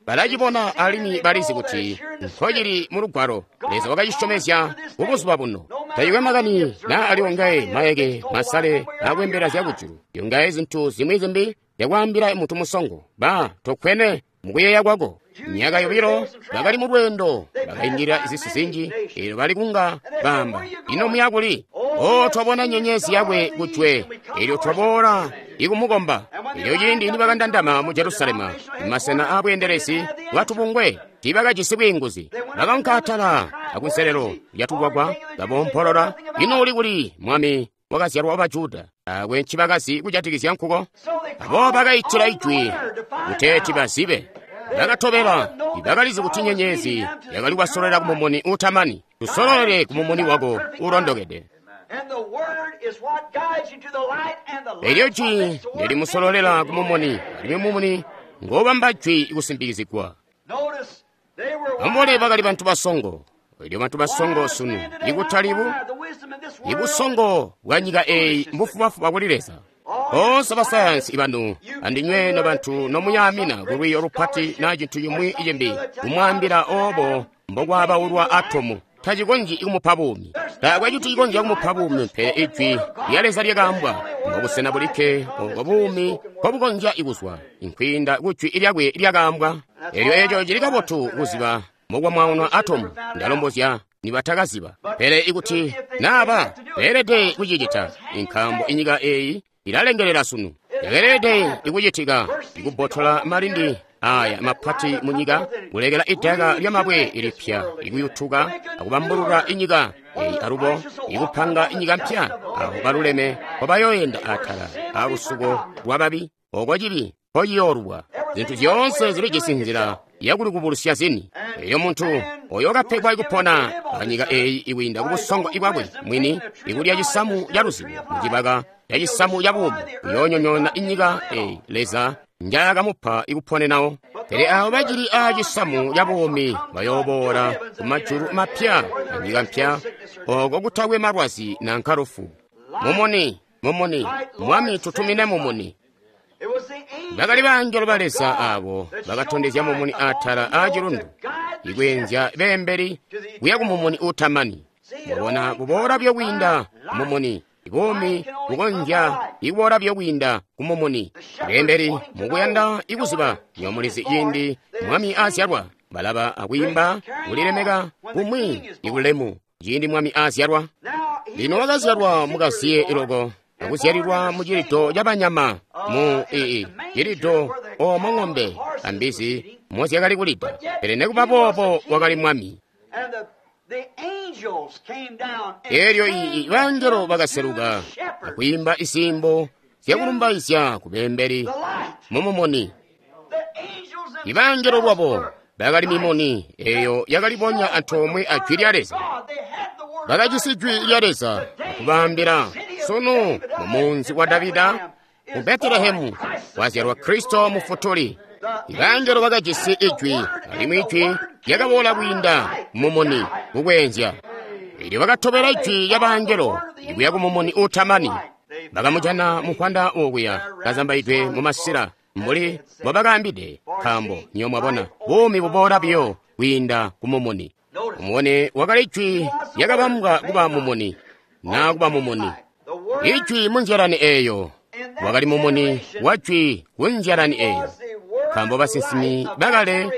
Balacibona alimwi balizi kuti nkocili mu Lugwalo. Leza wakacisyomezya kubuzuba buno. Tacikwe makani naa ali ongaye mayeke masale akwembela zyakujulu, yongaye zintu zimwi zimbi zyakwaambila muntu musongo, ba tokwene mukuyeeya kwako. Myaka yobilo bakali mu lweendo, bakaindilila zisi zinji, eelyo bali kunga baamba, ino muya kuli? O, twabona nyenyezi yakwe kujwe, eelyo twaboola ikumukomba. Elyo ciindi nibakandandama mu Jerusalema, mumasena aabweendelezi bwatubungwe, tiibakajisi bwiinguzi. Bakaunka atala akunselelo lyatugwagwa, kaboompolola, ino uli kuli mwami wakazyalwa wa Bajuda? Taakwe ncibakazi kujatikizya nkuko. Abo bakaitila ijwi kuteeti bazibe. Bakatobela, bakalizi kuti nyenyezi yakali kubasololera ku mumuni uutamani. Tusololele ku mumuni wako uulondokede. Elyo jwi ndelimusololela ku mumuni, alimwi mumuni ngobamba jwi kusimpikizigwa. Ambole bakali bantu basongo. Elyo bantu basongo sunu ikutali ibusongo bwa nyika eeyi mbufubafuba kuli Leza. Boonse basayansi ibanu andinywe nobantu nomuyaamina kulwiiyo lupati naa cintu cimwi cimbi kumwaambila oobo mbokwabaulwa atomu tacikonzyi kumupa buumi. Taakwe cintu cikonzya kumupa buumi pele ijwi lya Leza lyakaambwa. Mbobusena bulikke obo buumi mbobukonzya kuzwa nkwiinda kujwi lyakwe lyakaambwa. Elyo eco cili kabotu kuziba mbokwamwaunwa atomu. Ndalombozya nibatakaziba. Pele ikuti naba beelede kucicita, nkaambo inyika eyi ilalengelela sunu. Yakeelede ikucitika ikubbotola malindi aya mapati munyika, kulekela idaka lyamabwe ilipya ikuyutuka akubambulula inyika eyi alubo ikupanga inyika mpya aho baluleme mpobayoyenda atala alusuko lwababi oko cibi mpociyoolubwa. Zintu zyoonse zilijisi nzila yakulikubulusya zini. Eyo muntu oyo wakapegwa ikupona anyika eyi ikwiinda kubusongo ibwakwe mwini ikulya cisamu ca luzibo mucibaka ca cisamu ca buumi uyoonyonyoona inyika eyi Leza njaakamupa ikuponenawo. Pele abo bacili a cisamu ca buumi bayooboola ku majulu mapya anyika mpya oko kutakwe malwazi nanka lufu. Mumuni, mumuni, Mwami tutumine mumuni. Bakali bangelo ba Leza abo bakatondezya mumuni atala a cilundu, ikweenzya beembeli kuya ku mumuni utamani. Mwabona kuboola buyo kwiinda mumuni, ibuumi bukonzya ikuboola buyo kwiinda ku mumuni. Beembeli mukuyanda ikuziba nyomulizi ciindi mwami azyalwa, balaba akwiimba kulilemeka kumwi ikulemu ciindi mwami azyalwa. Lino wakazyalwa mukaziye iloko, akuzyalilwa mu cilido cabanyama mu cilido omo ng'ombe ambizi mozyakali kulida. Pele nekuba boobo wakali mwami. Elyo bangelo bakaseluka akwiimba iziimbo zyakulumbaizya ku beembeli mumumuni. Ibangelo lwabo bakali mimuni eyo yakalibonya antoomwe a jwi lya Leza. Bakajisi jwi lya Leza akubaambila, sunu mumunzi wa Davida mu Betelehemu wazyalwa Kristo Mufutuli. Ibangelo bakajisi ijwi, alimwi ijwi lyakaboola kwiinda mumuni kukweenzya. Elyo bakatobela ijwi lya bangelo ikuya ku mumuni utamani. Bakamujana mufwanda okuya kazambaidwe mu masila mbuli mbobakaambide, nkaambo nyo mwabona buumi buboola buyo kwiinda ku mumuni. Mumuni wakali ijwi lyakabambwa kuba mumuni naa kuba mumuni. Ijwi munzyalani eyo wakali mumuni wa jwi kunzyalani eyo, nkaambo basinsimi bakale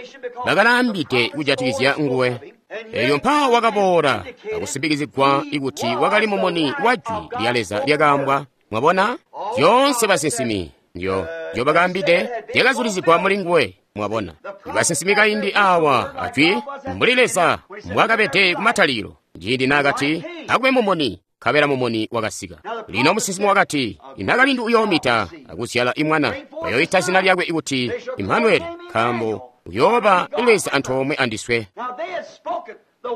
bakalaambide kujatikizya nguwe. Elyo mpawo wakaboola akusimpikizigwa ikuti wakali mumuni wa jwi lya Leza lyakaambwa. Mwabona, zyoonse basinsimi ndyo bakaambide zyakazulizigwa muli nguwe. Mwabona, basinsimi kaindi awa ajwi mbuli Leza mbwakabede kumatalikilo, ciindi naakati akube mumuni, nkabela mumuni wakasika. Lino musinsimi wakati, inakalindu uyoomita akuzyala imwana, bayoyita zina lyakwe ikuti Imanueli, nkaambo uyooba Leza antoomwe andiswe.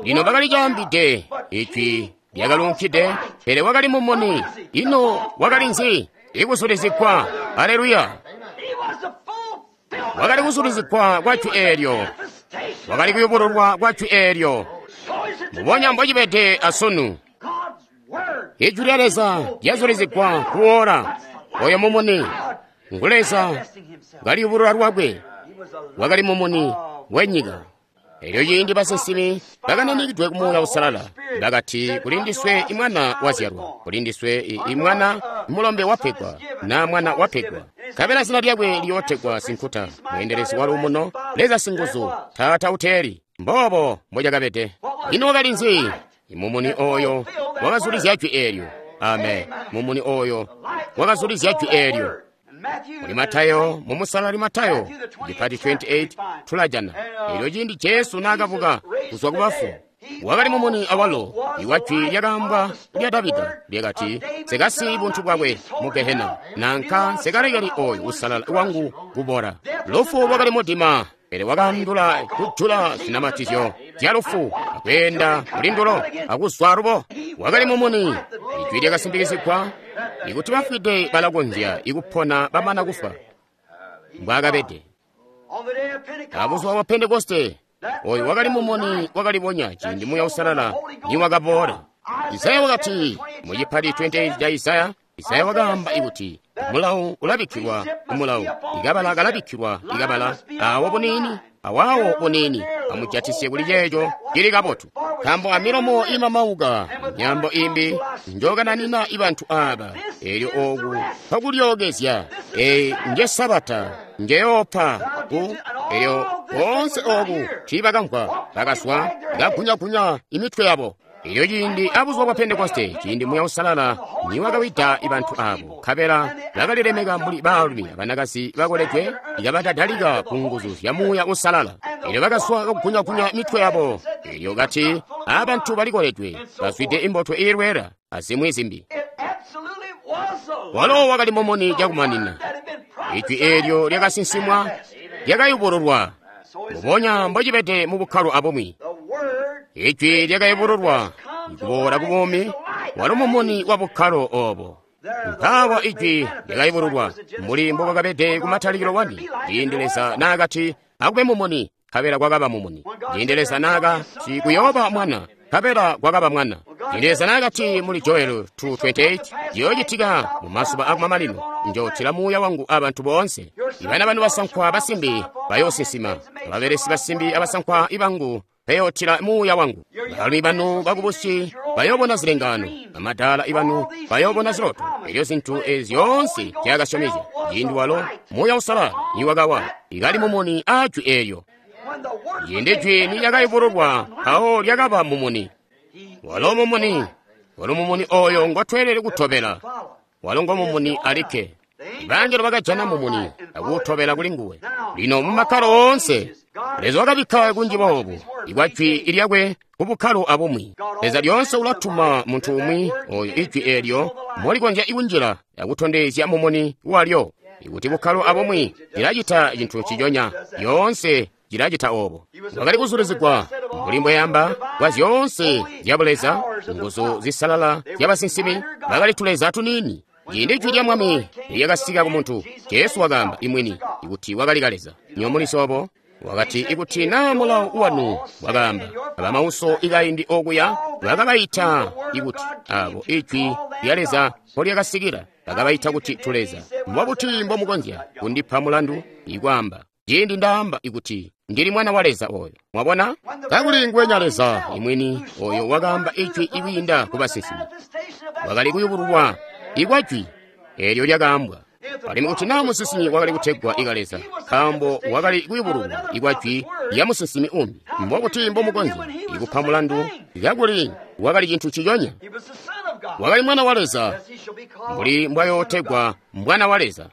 Lino bakali caambide, ijwi lyakalunkide, pele wakali mumuni. Ino wakali nzi? Ikuzulizigwa. Aleluya! Wakali kuzulizigwa kwa jwi eelyo, wakali kuyubululwa kwa jwi eelyo. Mbubonya mbocibede asunu. Ijwi lya Leza lyazulizigwa kuwoola. Oyo mumuni ngu Leza kaliyubulula lwakwe. Wakali mumuni wenyika. Elyo ciindi basinsimi bakananikidwe ku Muuya Uusalala bakati, kuli ndiswe imwana wazyalwa, kuli ndiswe imwana mulombe wapegwa, na mwana wapegwa, nkabela zina lyakwe liyootegwa Sinkuta, Mweendelezi wa Luumuno, Leza Singuzu, Taata Uteeli. Mboobo mbocakabede. Ino wakali nzi? Mumuni oyo wakazulizya jwi eelyo. Amen. Mumuni oyo wakazulizya jwi eelyo. Muli Matayo, mumusalali Matayo, cipati 28 tulajana. Elyo ciindi Jesu naakabuka kuzwa ku bafu, wakali mumuni awalo, iwa jwi lyakaambwa lya Davida lyakati, nsekasiyi buntu bwakwe mu Gehena, nanka nsekalekeli oyo usalala wangu kubora. Lufu lwakali mudima, pele wakaandula kujula zinamatizyo zya lufu, akweenda mulindulo akuzwa alubo. Wakali mumuni, ijwi lyakasimpikizigwa ikuti bafwide balakonzya ikupona bamana kufwa. Mbwaakabede. Abuzuba bwa Pentekoste, oyo wakali mumuni wakalibonya ciindi Muuya Uusalala niwakaboola. Isaya wakati mu cipati 28 ca Isaya, Isaya wakaamba ikuti mulawu ulabikkilwa kumulawu, ikabala kalabikkilwa ikabala, awo buniini awawo buniini, amujatisye kuli ceeco cili kabotu. Nkaambo amilomo imamauka, myambo imbi njokananina ibantu aba. Elyo oku pakulyookezya, eyi nje Sabata njeyoopa ku, elyo Koonse oku tiibakamvwa, bakazwa kagunyagunya imitwe yabo. Elyo ciindi abuzuba bwa Pentekoste, ciindi Muuya Uusalala niwakawida bantu abo, nkabela bakalilemeka mbuli baalumi abanakazi bakoledwe, ikabadadalika ku nguzu zya Muuya Uusalala. Elyo bakazwa kagunyagunya mitwe yabo. Elyo kati, abantu balikoledwe, bazwide imbotwe iilwela, azimwi zimbi. Walo wakali mumuni cakumanina. Ijwi eelyo lyakasinsimwa, lyakayubululwa, mbubonya mbocibede mu bukkalo abumwi. Ijwi lyakayubululwa, kuboola ku buumi, walo mumuni wa bukkalo obo. Mpaawa ijwi lyakayubululwa, mbuli mbobwakabede ku matalikilo wani, ciindi Leza naakati, akube mumuni, nkabela kwakaba mumuni. Ciindi Leza naakati kuyooba mwana, nkabela kwakaba mwana. Ciindi Leza naakati muli Joel 2:28, ciyoocitika mu mazuba akumamanino, njootila Muuya wangu abantu boonse. Ibana banu basankwa basimbi bayoosinsima, ababelesi basimbi abasankwa ibangu bayootila Muuya wangu. Baalumi banu bakubusi bayoobona zilengaano, bamadaala ibanu bayoobona ziloto. Elyo zintu ezi zyoonse zyakasyomezya, ciindi walo Muuya Uusalala niwakawa, ikali mumuni aa jwi eelyo. Ciindi jwi nilyakayubululwa, mpawo lyakaba mumuni. Walo mumuni, walo mumuni oyo ngotweelede kutobela. Walo ngo mumuni alikke. Ibangelo bakajana mumuni akuwutobela kuli nguwe. Lino mu makkalo oonse, Leza wakabikka kunji boobu ikwa jwi lyakwe ku bukkalo abumwi. Leza lyoonse ulatuma muntu umwi oyo ijwi eelyo molikonzya kunjila akutondezya mumuni walyo. Ikuti bukkalo abumwi lilacita cintu nciconya, lyoonse cilacita obo. Wakali kuzulizigwa mbuli mbweyamba kwa zyoonse zya Buleza, nguzu zisalala zya basinsimi, bakali tuleza tuniini. Ciindi jwi lya Mwami lyakasika ku muntu, Jesu wakaamba imwini ikuti wakali Leza. Nyomuliso obo wakati ikuti naa mulawo wanu wakaamba abamauso ikaindi okuya bakabaita ikuti abo ijwi lya Leza mpolyakasikila bakabaita kuti tuleza. Mbobuti mbomukonzya kundipa mulandu ikwaamba ciindi ndaamba ikuti ndili mwana wa Leza oyo? Mwabona, kakuli nguwenya Leza imwini oyo wakaamba ijwi ikwiinda ku basinsimi wakali kuyubululwa ikwa jwi eelyo lyakaambwa. Alimwi kuti naa musinsimi wakali kutegwa ika Leza, nkaambo wakali kuyubululwa ikwa jwi lya musinsimi umbi, mbobuti mbomukonzya ikupa mulandu kakuli wakali cintu ciconya? Wakali mwana wa Leza, mbuli mbwayootegwa mwana wa Leza.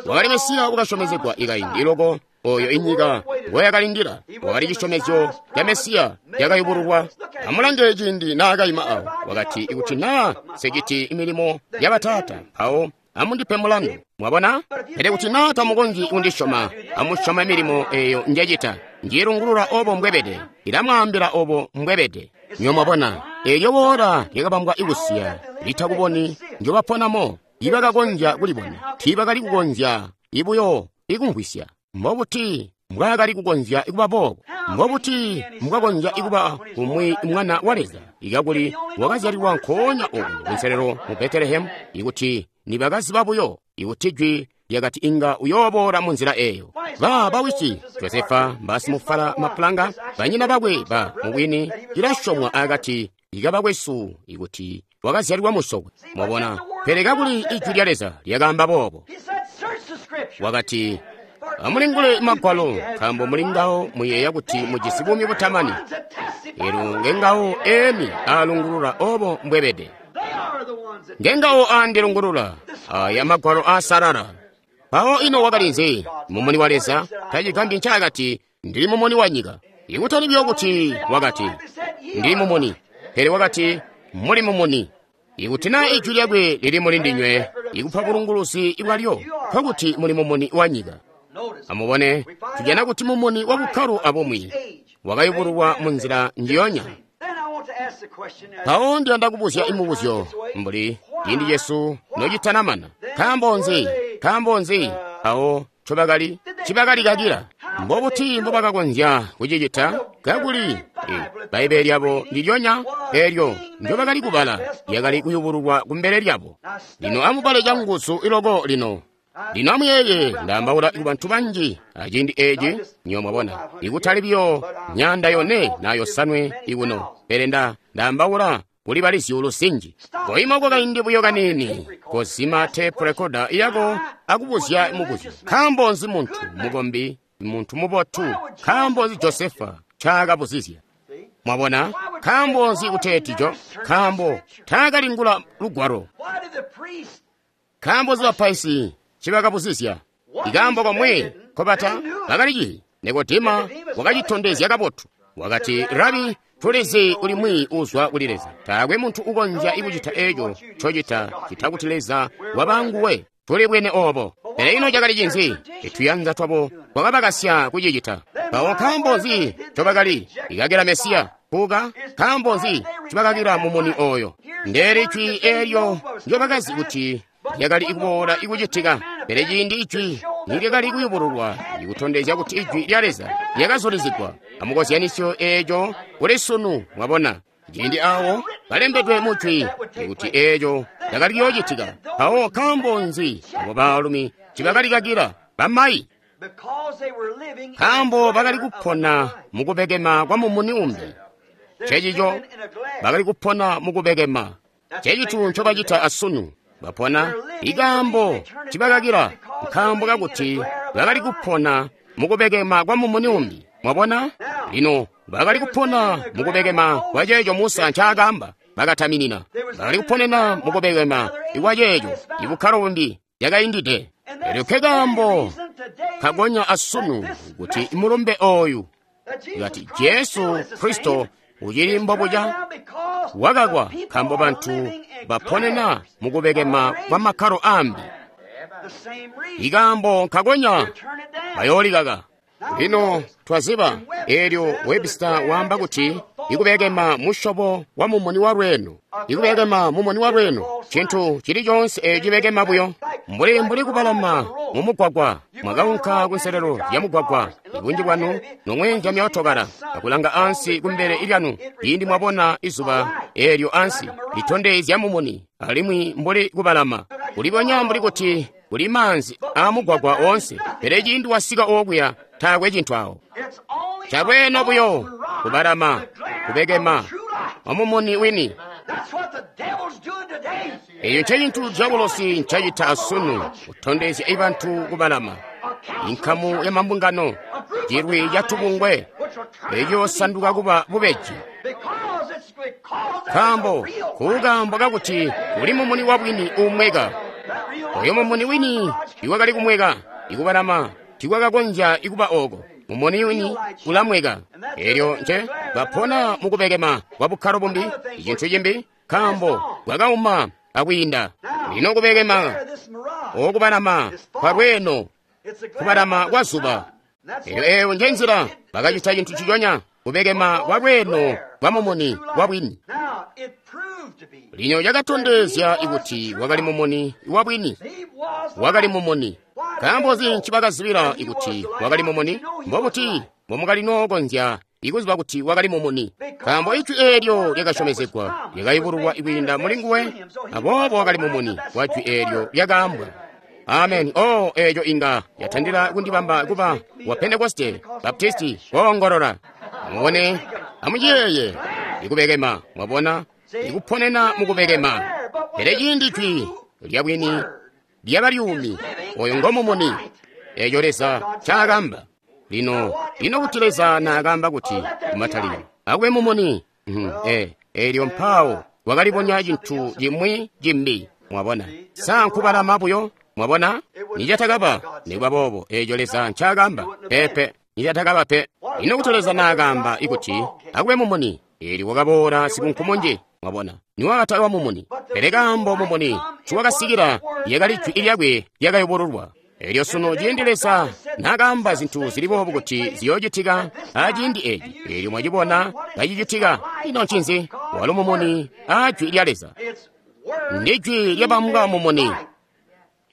Wakali Mesiya wakasyomezegwa ikaindi loko oyo inyika ngoyakalindila. Wakali cisyomezyo ca Mesiya cakayubululwa. Amulange ciindi naakayima awo, wakati ikuti naa nsekiti milimo ya Bataata, mpawo amundipe mulandu. Mwabona? Pele kuti naa tamukonzyi kundisyoma, amusyome milimo eyo njecita. Njilungulula obo mbwebede, ilamwaambila obo mbwebede. Nyo mwabona, eelyo woola lyakabambwa ikusiya litakuboni njobaponamo, ibakakonzya kulibona, tiibakali kukonzya ibuyo ikumvwisya. Mbobuti mbwaakali kukonzya kuba boobo? Mbobuti mbwakonzya kuba umwi mwana wa Leza ikakuli wakazyalilwa nkoonya oku kunselelo mu Betelehemu? Ikuti nibakaziba buyo ikuti jwi lyakati inga uyooboola mu nzila eyo. Ba bawisi Josefa mbasimufala mapulanga, banyina bakwe ba mubwini cilasyomwa akati ikabakwesu ikuti wakazyalilwa musokwe. Mwabona, pele kakuli ijwi lya Leza lyakaamba boobo. Wakati, amulingule magwalo, nkaambo muli ngawo muyeeya kuti mujisi buumi butamani. Elo ngengawo emi aalungulula obo mbwebede. Ngengawo aandilungulula aya magwalo aasalala. Mpawo ino wakali nzi? Mumuni wa Leza tacigambyi ncaakati ndili mumuni wa nyika. Ikutali buyo kuti wakati ndili mumuni, pele wakati muli mumuni. Ikuti naa ijwi lyakwe lili muli ndinywe, ikupa bulunguluzi bwalyo, nkokuti muli mumuni wa nyika. Amubone, tujana kuti mumuni wa bukkalo abumwi wakayubululwa mu nzila njiyonya. Mpawo ndiyanda kubuzya imubuzyo mbuli ciindi cesu nocitanamana. Nkaambo nzi? Nkaambo nzi mpawo ncobakali cibakalikakila? Mbobuti mbobakakonzya kucicita kakuli Bbaibbele lyabo ndilyonya eelyo ndyobakali kubala lyakali kuyubululwa kumbele lyabo. Lino amubale canguzu iloko lino. Lino amuyeeye, ndaambaula ku bantu banji aciindi eeci, nyo mwabona, ikutali buyo 400 na 500 ikuno, pele ndaambaula kuli bali zyuulu zinji. Koima kwakaindi buyo kaniini, kozima tape recorder yako akubuzya mubuzyo. Nkaambo nzi muntu mukombi Muntu mubotu. Nkaambo nzi Josefa ncaakabuzizya? Mwabona? Nkaambo nzi kuteeti Jo? Nkaambo taakalingula lugwalo. Nkaambo nzi bapaizi ncibakabuzizya? Ikaambo komwe nkobata bakalici. Nikodema wakacitondezya kabotu. Wakati, Rabi, tulizi uli mwiiyi uzwa kuli Leza. Taakwe muntu ukonzya kucita eco ncocita cita kuti Leza wabanguwe. Tuli bwene obo. Pele ino cakali cinzi? Ituyanza twabo twakabakasya kucicita. Mpawo nkaambo nzi ncobakali ikakila Mesiya? Kuka? Nkaambo nzi ncobakakila mumuni oyo? Ndeeli jwi eelyo ndyobakazi kuti lyakali kuboola ikucitika. Pele ciindi ijwi nilyakali kuyubululwa ikutondezya kuti ijwi lya Leza lyakazulizigwa amukozyanisyo eeco kuli sunu. Mwabona, ciindi awo balembedwe mu jwi ikuti eeco lyakali kuyoocitika. Mpawo nkaambo nzi abo baalumi ncibakalikakila bamayi? Nkaambo bakali kupona mukubekema kwa mumuni umbi. Ncencico bakali kupona mukubekema. Ncencico ncobacita asunu. Bapona ikaambo ncibakakila, nkaambo kakuti bakali kupona mukubekema kwa mumuni umbi. Mwabona? Lino bakali kupona mukubekema kwa ceeco Musa ncaakaamba. Bakataminina bakali kuponena mukubekema kwa ceeco ibukkalo bumbi yakaindide. Elyo ke kaambo kagonya asunu kuti mulumbe oyu kati Jesu Kristo ucili mbobuca wakakwa nkaambo bantu baponena mukubekema kwa makkalo ambi. Ikaambo nkagonya bayoolikaka. Lino twaziba eelyo Webster waamba kuti ikubekema musyobo wa mumuni wa lweeno. Ikubekema mumuni wa lweeno cintu cili coonse eeco cibekema buyo mbuli kubalama mu mugwagwa. Mwakaunka kunselelo lya mugwagwa, ibunji bwanu nomweenja myootokala akulanga ansi kumbele lyanu ciindi mwabona izuba eelyo ansi litondezya mumuni, alimwi mbuli kubalama kulibonya mbuli kuti kuli maanzi aamugwagwa woonse, pele ciindi wasika okuya taakwe cintu awo. Chalweeno buyo kubalama kubekema amumuni wini. Eyo ncecintu diabolosi ncacita asunu, kutondezya ibantu kubalama. Inkamu ya mambungano, cilwi ca tubungwe, eco sanduka kuba bubeji. Nkaambo kukaambo kakuti kuli mumuni wa bwini uumweka. Oyo mumuni wini iwakali kumweka, ikubalama tikwakakonzya ikuba oko. Mumuni wini ulamweka. Elyo nce bapona mukubekema kwa bukkalo bumbi, icintu cimbi, nkaambo bwakauma akwiinda. Lino kubekema okubalama kwa lweeno, kubalama kwa zuba. Elyo eyo nje nzila bakacita cintu ciconya, kubekema kwa lweeno kwa mumuni wa bwini. Lino cakatondezya kuti wakali mumuni wa bwini. Wakali mumuni. Nkaambo nzi ncibakazibila kuti wakali mumuni? Mbobuti mbomukali nookonzya ikuziba kuti wakali mumuni? Nkaambo ijwi eelyo lyakasyomezegwa lyakayubululwa kwiinda muli nguwe, aboobo wakali mumuni wa jwi eelyo lyakaambwa. Amen. Oh, eeco inga yatandila kundibamba kuba wa Pentekoste, Baptisti, koongolola. Amubone, amuciyeeye, ikubekema, mwabona, ikuponena mukubekema. Pele ciindi jwi lya bwini lyaba lyuumi, oyo ngo mumuni. Eeco Leza ncaakamba. Lino, ino kuti Leza naakamba kuti kumatalikilo akube mumuni, eelyo mpaawo wakalibonya cintu cimwi cimbi. Mwabona, sa nkubalama buyo? Mwabona, nicatakaba nikuba boobo eeco Leza ncaakamba. Peepe, nicatakaba pe. Ino kuti Leza naakamba ikuti akube mumuni, eelyo wakaboola sikunkumunji. Mwabona, niwakataba mumuni. Pele kaambo mumuni nciwakasikila lyakali jwi lyakwe lyakayubululwa. Elyo sunu ciindi Leza naakaamba zintu zili boobu kuti ziyoocitika aciindi eeci, eelyo mwacibona kacicitika. Ino ncinzi? Walo mumuni aa jwi lya Leza. Ndi jwi lyabambwa mumuni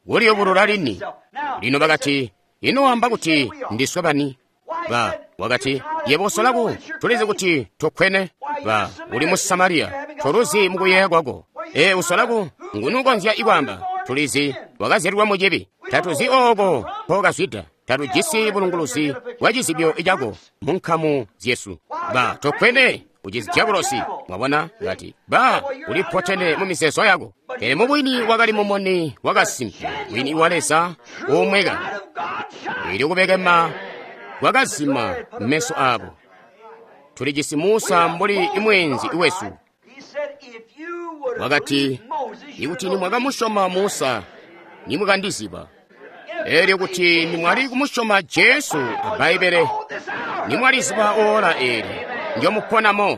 kuliyubulula lini. Lino bakati, ino wamba kuti ndiswe bani? Ba wakati, yebo usolaku tulizi kuti tukkwene. Ba uli mu Samariya, toluzi mukuyeeya kwako. E usolaku nguni ukonzya ikwaamba tulizi wakazyalilwa mu cibi. Tatuzi ooko mpokazwida, tatujisi bulunguluzi bwa cizibyo cako mu nkamu zyesu. Ba tukkwene ucizi diabolosi. Mwabona, kati ba ulipotene mu mizeezo yako. Pele mubwini wakali mumuni wakasimpe, wini wa Leza uumweka. Eelyo kubekema kwakazima meso abo. Tuli jisi Musa mbuli imweenzi wesu. Wakati, ikuti nimwakamusyoma Musa, nimwakandiziba. Elyo kuti nimwali kumusyoma Jesu a Bbaibbele, nimwaliziba ora eli ndyomuponamo.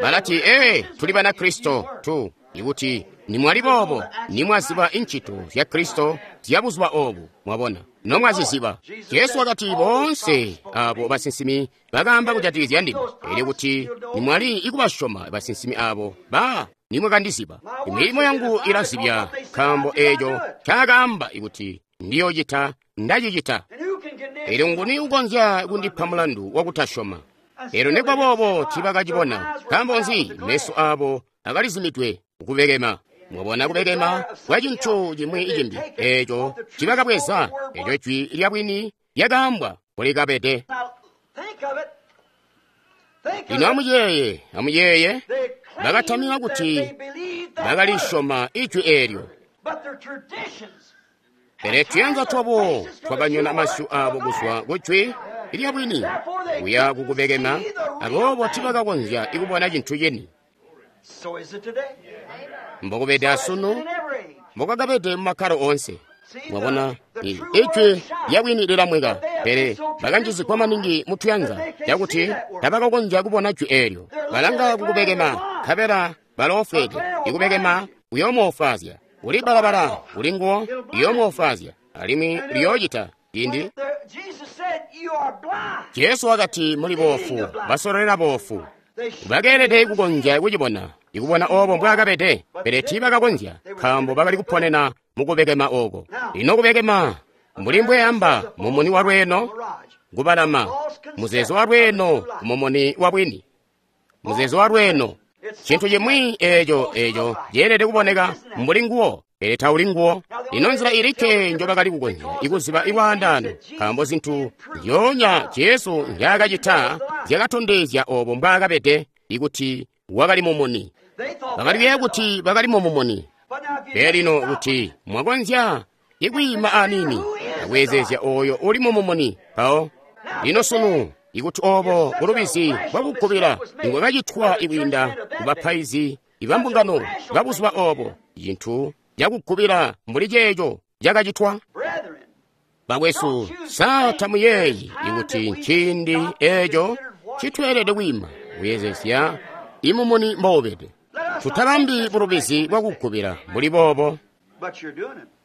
Balati, ee, tuli bana Kristo tu. Ikuti nimwali boobo, nimwaziba incito zya Kristo zya buzuba obu, mwabona, nomwaziziba. Jesu wakati, boonse abo basinsimi bakaamba kujatikizya ndime. Elyo kuti nimwali ikubasyoma basinsimi abo, ba nimwakandiziba. Milimo yangu ilazibya, nkaambo eco ncaakaamba ikuti ndiyocita, ndacicita. Elyo nguni ukonzya kundipa mulandu wakutasyoma? Elyo nikuba boobo tiibakacibona. Nkaambo nzi? Meso abo akalizimidwe kubekema. Mwabona kubekema kwa cintu cimwi cimbi eco cibakabweza, eco jwi lya bwini lyakaambwa kulikabede. Lino amuyeeye, amuyeeye, bakatamina kuti bakalisyoma ijwi eelyo. Pele tuyanza twabo twakanyona masyu abo kuzwa ku jwi lya bwini kuya kukubekema, aboobo tiibakakonzya kubona cintu cini. Mbokubede asunu, mbokakabede mumakkalo oonse. Mwabona, ijwi lya bwini lilamweka, pele bakanjizigwa maningi mutuyanza cakuti tabakakonzya kubona jwi eelyo. Balanga kukubekema, nkabela baloofweede. Ikubekema kuyoomwoofwaazya. Uli balabala uli nguwo liyoomwoofwaazya, alimwi liyoocita ciindi. Jesu wakati, muli boofu, basololela boofu. Bakeelede kukonzya kucibona, ikubona obo mbwaakabede, pele tiibakakonzya, nkaambo bakali kuponena mukubekema oko. Lino kubekema, mbuli mbweamba, mumuni wa lweeno kubalama, muzeezo wa lweeno kumumuni wa bwini, muzeezo wa lweeno cintu cimwi eco ceelede kuboneka mbuli nguwo, pele tauli nguwo. Ino nzila ilikke njobakali kukonzya ikuziba ilwaandaano, nkaambo zintu nzyoonya Jesu nzyaakacita zyakatondezya obo mbwaakabede, ikuti wakali mumuni. Bakali kuyeeya kuti bakali mumumuni. Pele lino kuti mwakonzya ikwiima aniini akweezeezya oyo uli mumumuni mpawo. Lino sunu, ikuti obo bulubizi bwakukubila nibwakacitwa ikwiinda kubapaizi ibambungano babuzuba obo, cintu cakukubila mbuli ceeco cakacitwa. Bakwesu, sa tamuyeeyi ikuti nciindi eeco citweelede kwiima kuyeezesya imumuni mboubede? Tutabambi bulubizi bwakukubila mbuli boobo.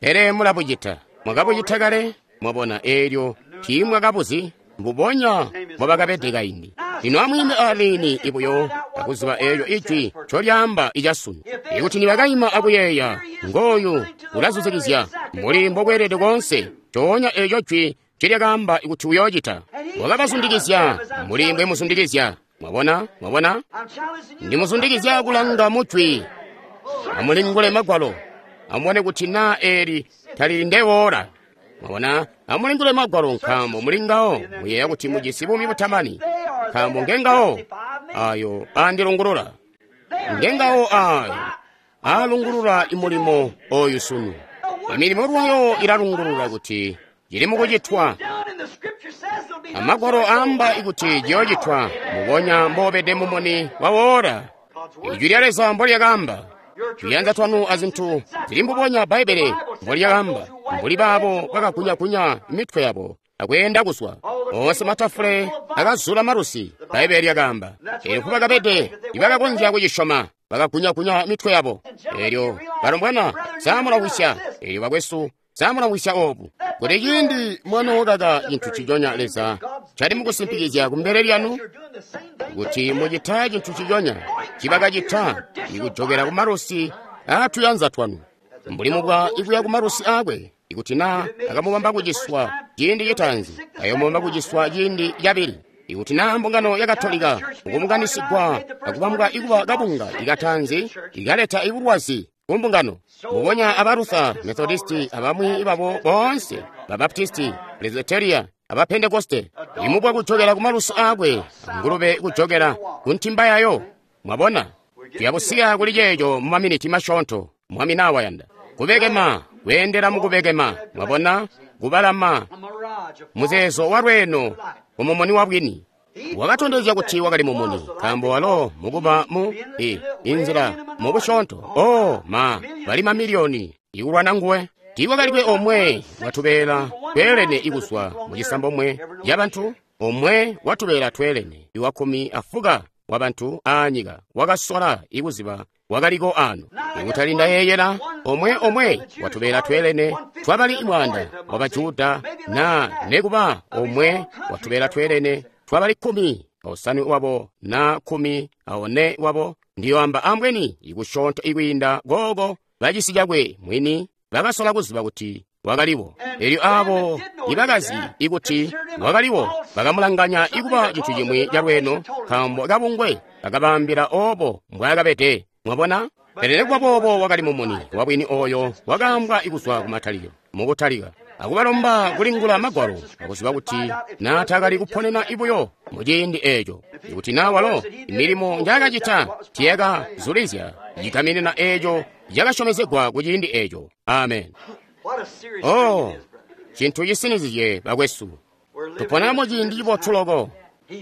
Pele mulabucita. Mwakabucita kale, mwabona, eelyo tiimwakabuzi mbubonya mbobakabede kaindi. Lino amwiime aniini ibuyo akuziba eelyo ijwi ncolyaamba icasunu. Ikuti nibakaima akuyeeya, ngooyu ulazuzikizya mbuli mbokweelede koonse, coonya eeco jwi ncelyakaamba kuti uyoocita. Wakabazundikizya mbuli mbwemuzundikizya. Mwabona, mwabona? Ndimuzundikizya kulanga mujwi. Amulingule magwalo, amubone kuti naa eeli talili ndewoora. Mwabona, amulingule magwalo, nkaambo mulingawo muyeeya kuti mujisi buumi butamani, nkaambo ngengawo ayo andilungulula. Ngengawo ayo alungulula imulimo oyu sunu. Imilimo lwayo ilalungulula kuti cili mukucitwa. Amagwalo aamba ikuti ciyoocitwa mubonya mbobede mumuni wawoora. Ijwi lya Leza mbolyakaamba. Tuyanza twanu azintu zili mbubonya Bbaibbele mbolyakaamba, mbuli baabo bakakunyakunya mitwe yabo akweenda kuzwa. Oonse matafule akazula malusi, Bbaibbele lyakaamba. Elyo nkubakabede ibakakonzya kucisyoma, bakakunyakunya mitwe yabo. Elyo balombwana saamulawisya, elyo bakwesu saamulawisya obu. Kuti ciindi mwanookaka cintu ciconya Leza cali mukusimpikizya kumbele lyanu, kuti mucita cintu ciconya cibakacita ikujokera kumalusi aatuyanza twanu, mbuli mubwa ikuya kumalusi aakwe. Ikuti naa akamubamba kuciswa ciindi citaanzi, ayoomubamba kuciswa ciindi cabili. Ikuti naa mbungano ya Katolika ukubunganisigwa akubambwa ikuba kabunga ikataanzi ikaleta ibulwazi kumbungano, mbubonya aba Luther, Methodisti, abamwi babo boonse, ba Baptisti, Presbyteria, aba Pentekoste, imubwa kujokera kumalusi aakwe, ngulube kujokera ku ntimba yayo. Mwabona, tuyabusiya kuli ceeco mu maminiti masyoonto, Mwami nawayanda. Kubekema, kweendela mukubekema, mwabona, kubalama, muzeezo wa lweeno ku mumuni wa bwini. Wakatondezya kuti wakali mumuni, nkaambo walo mukuba mu inzila mubusyoonto. Oh, ma, bali mamiliyoni ikulwana nguwe. Tiikwakalikwe omwe watubeela tweelene ikuzwa mu cisambomwe cabantu, omwe watubeela tweelene iwa 15 wa bantu aanyika wakasola ikuziba wakaliko ano. Ikutali ndayeeyela omwe omwe watubeela tweelene twabali 100 wa Bajuda na nekuba omwe watubeela tweelene twabali 15 wabo na 14 wabo, ndiyoamba ambweni ikusyoonto ikwiinda gogo bacisi cakwe mwini bakasola kuziba kuti wakaliwo. Elyo abo ibakazi ikuti wakaliwo bakamulanganya ikuba cintu cimwi calweeno, nkaambo kabungwe bakabaambila obo mbwaakabede. Mwabona? Pele nekuba boobo wakali mumuni wabwini oyo wakaambwa ikuzwa kumatalikilo mukutalika, akubalomba kulingula magwalo akuziba kuti naatakali kuponena ibuyo muciindi eeco, ikuti naa walo milimo njaakacita tiyakazulizya cigaminina eeco cakasyomezegwa ku ciindi eeco. Amen. Oh, cintu cisinizye bakwesu, tupona mu ciindi cibotu loko.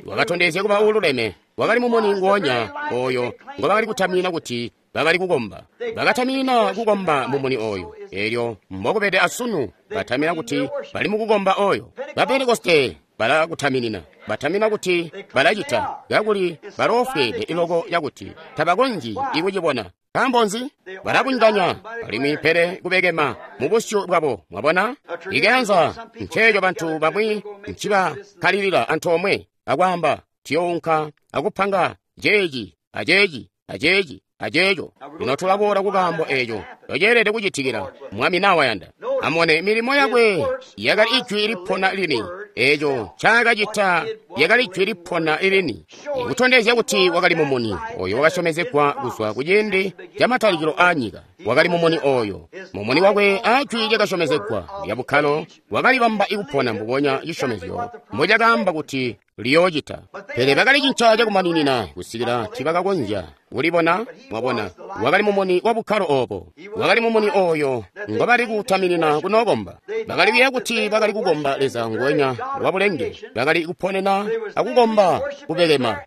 Wakatondezya kuba uululeme, wakali mumuni nguonya oyo ngobakali kutamina kuti bakali kukomba. Bakatamina kukomba mumuni oyo. Elyo mbokubede asunu batamina kuti bali mukukomba oyo. Ba Pentekoste balakutaminina, batamina kuti balacita, kakuli baloofweede iloko yakuti tabakonzyi ikucibona. Nkaambo nzi? Balabunganya alimwi pele kubekema mu busyu bwabo. Mwabona? Ikayanza nceeco bantu bamwi ncibakkalilila antoomwe akwaamba, tuyounka akupanga ceeci aceeci aceeci aceeco. Lino tulaboola kukaambo eeco toceelede kucitikila Mwami nawayanda. Amone milimo yakwe yakali ijwi lipona lini. Eeco ncaakacita lyakali ijwi lipona lini, ikutondezya kuti wakali mumuni oyo wakasyomezegwa kuzwa ku ciindi camatalikilo aanyika. Wakali mumuni oyo, mumuni wakwe ajwi lyakasyomezegwa lya bukkalo wakalibamba ikupona mbubonya cisyomezyo mbocakaamba kuti liyoocita. Pele bakalicinca cakumaninina kusikila tibakakonzya kulibona. Mwabona, wakali mumuni wa bukkalo obo, wakali mumuni oyo ngobali kutaminina kunookomba. Bakali kuyeeya kuti bakali kukomba Leza nguwenya wa bulenge, bakali kuponena akukomba kubekema.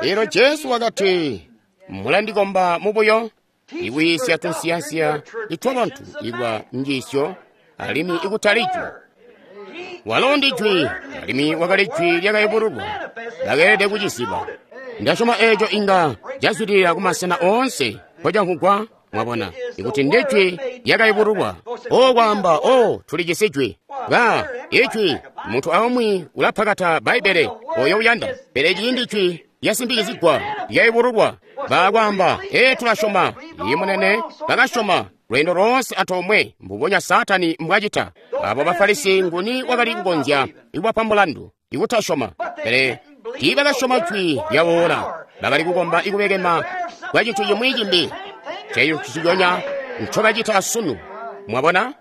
Elyo Jesu wakati, mulandikomba mubuyo, ikwiisya tunsiyansiya itwabantu ikuba njiisyo alimwi ikutali jwi. Walo ndi jwi, alimwi wakali jwi lyakayubululwa. Bakeelede kuciziba. Ndasyoma eeco inga cazwidilila kumasena oonse mpocamvwugwa. Mwabona, ikuti ndi jwi lyakayubululwa. O kwaamba, o tulijisi jwi. Ba, ijwi, muntu aumwi ulapakata Bbaibbele oyo uyanda, pele ciindi jwi lyasimbikizigwa lyayubululwa, bakwaamba, ee tulasyoma. Iye munene, bakasyoma lweendo loonse antoomwe mbubonya Saatani mbwacita. Abo Bafarisi nguni wakali kukonzya ikubapa mulandu ikutasyoma, pele tiibakasyoma jwi lyawoola. Bakali kukomba ikubekema kwa cintu cimwi cimbi. Ceyo nciconya ncobacita asunu. Mwabona?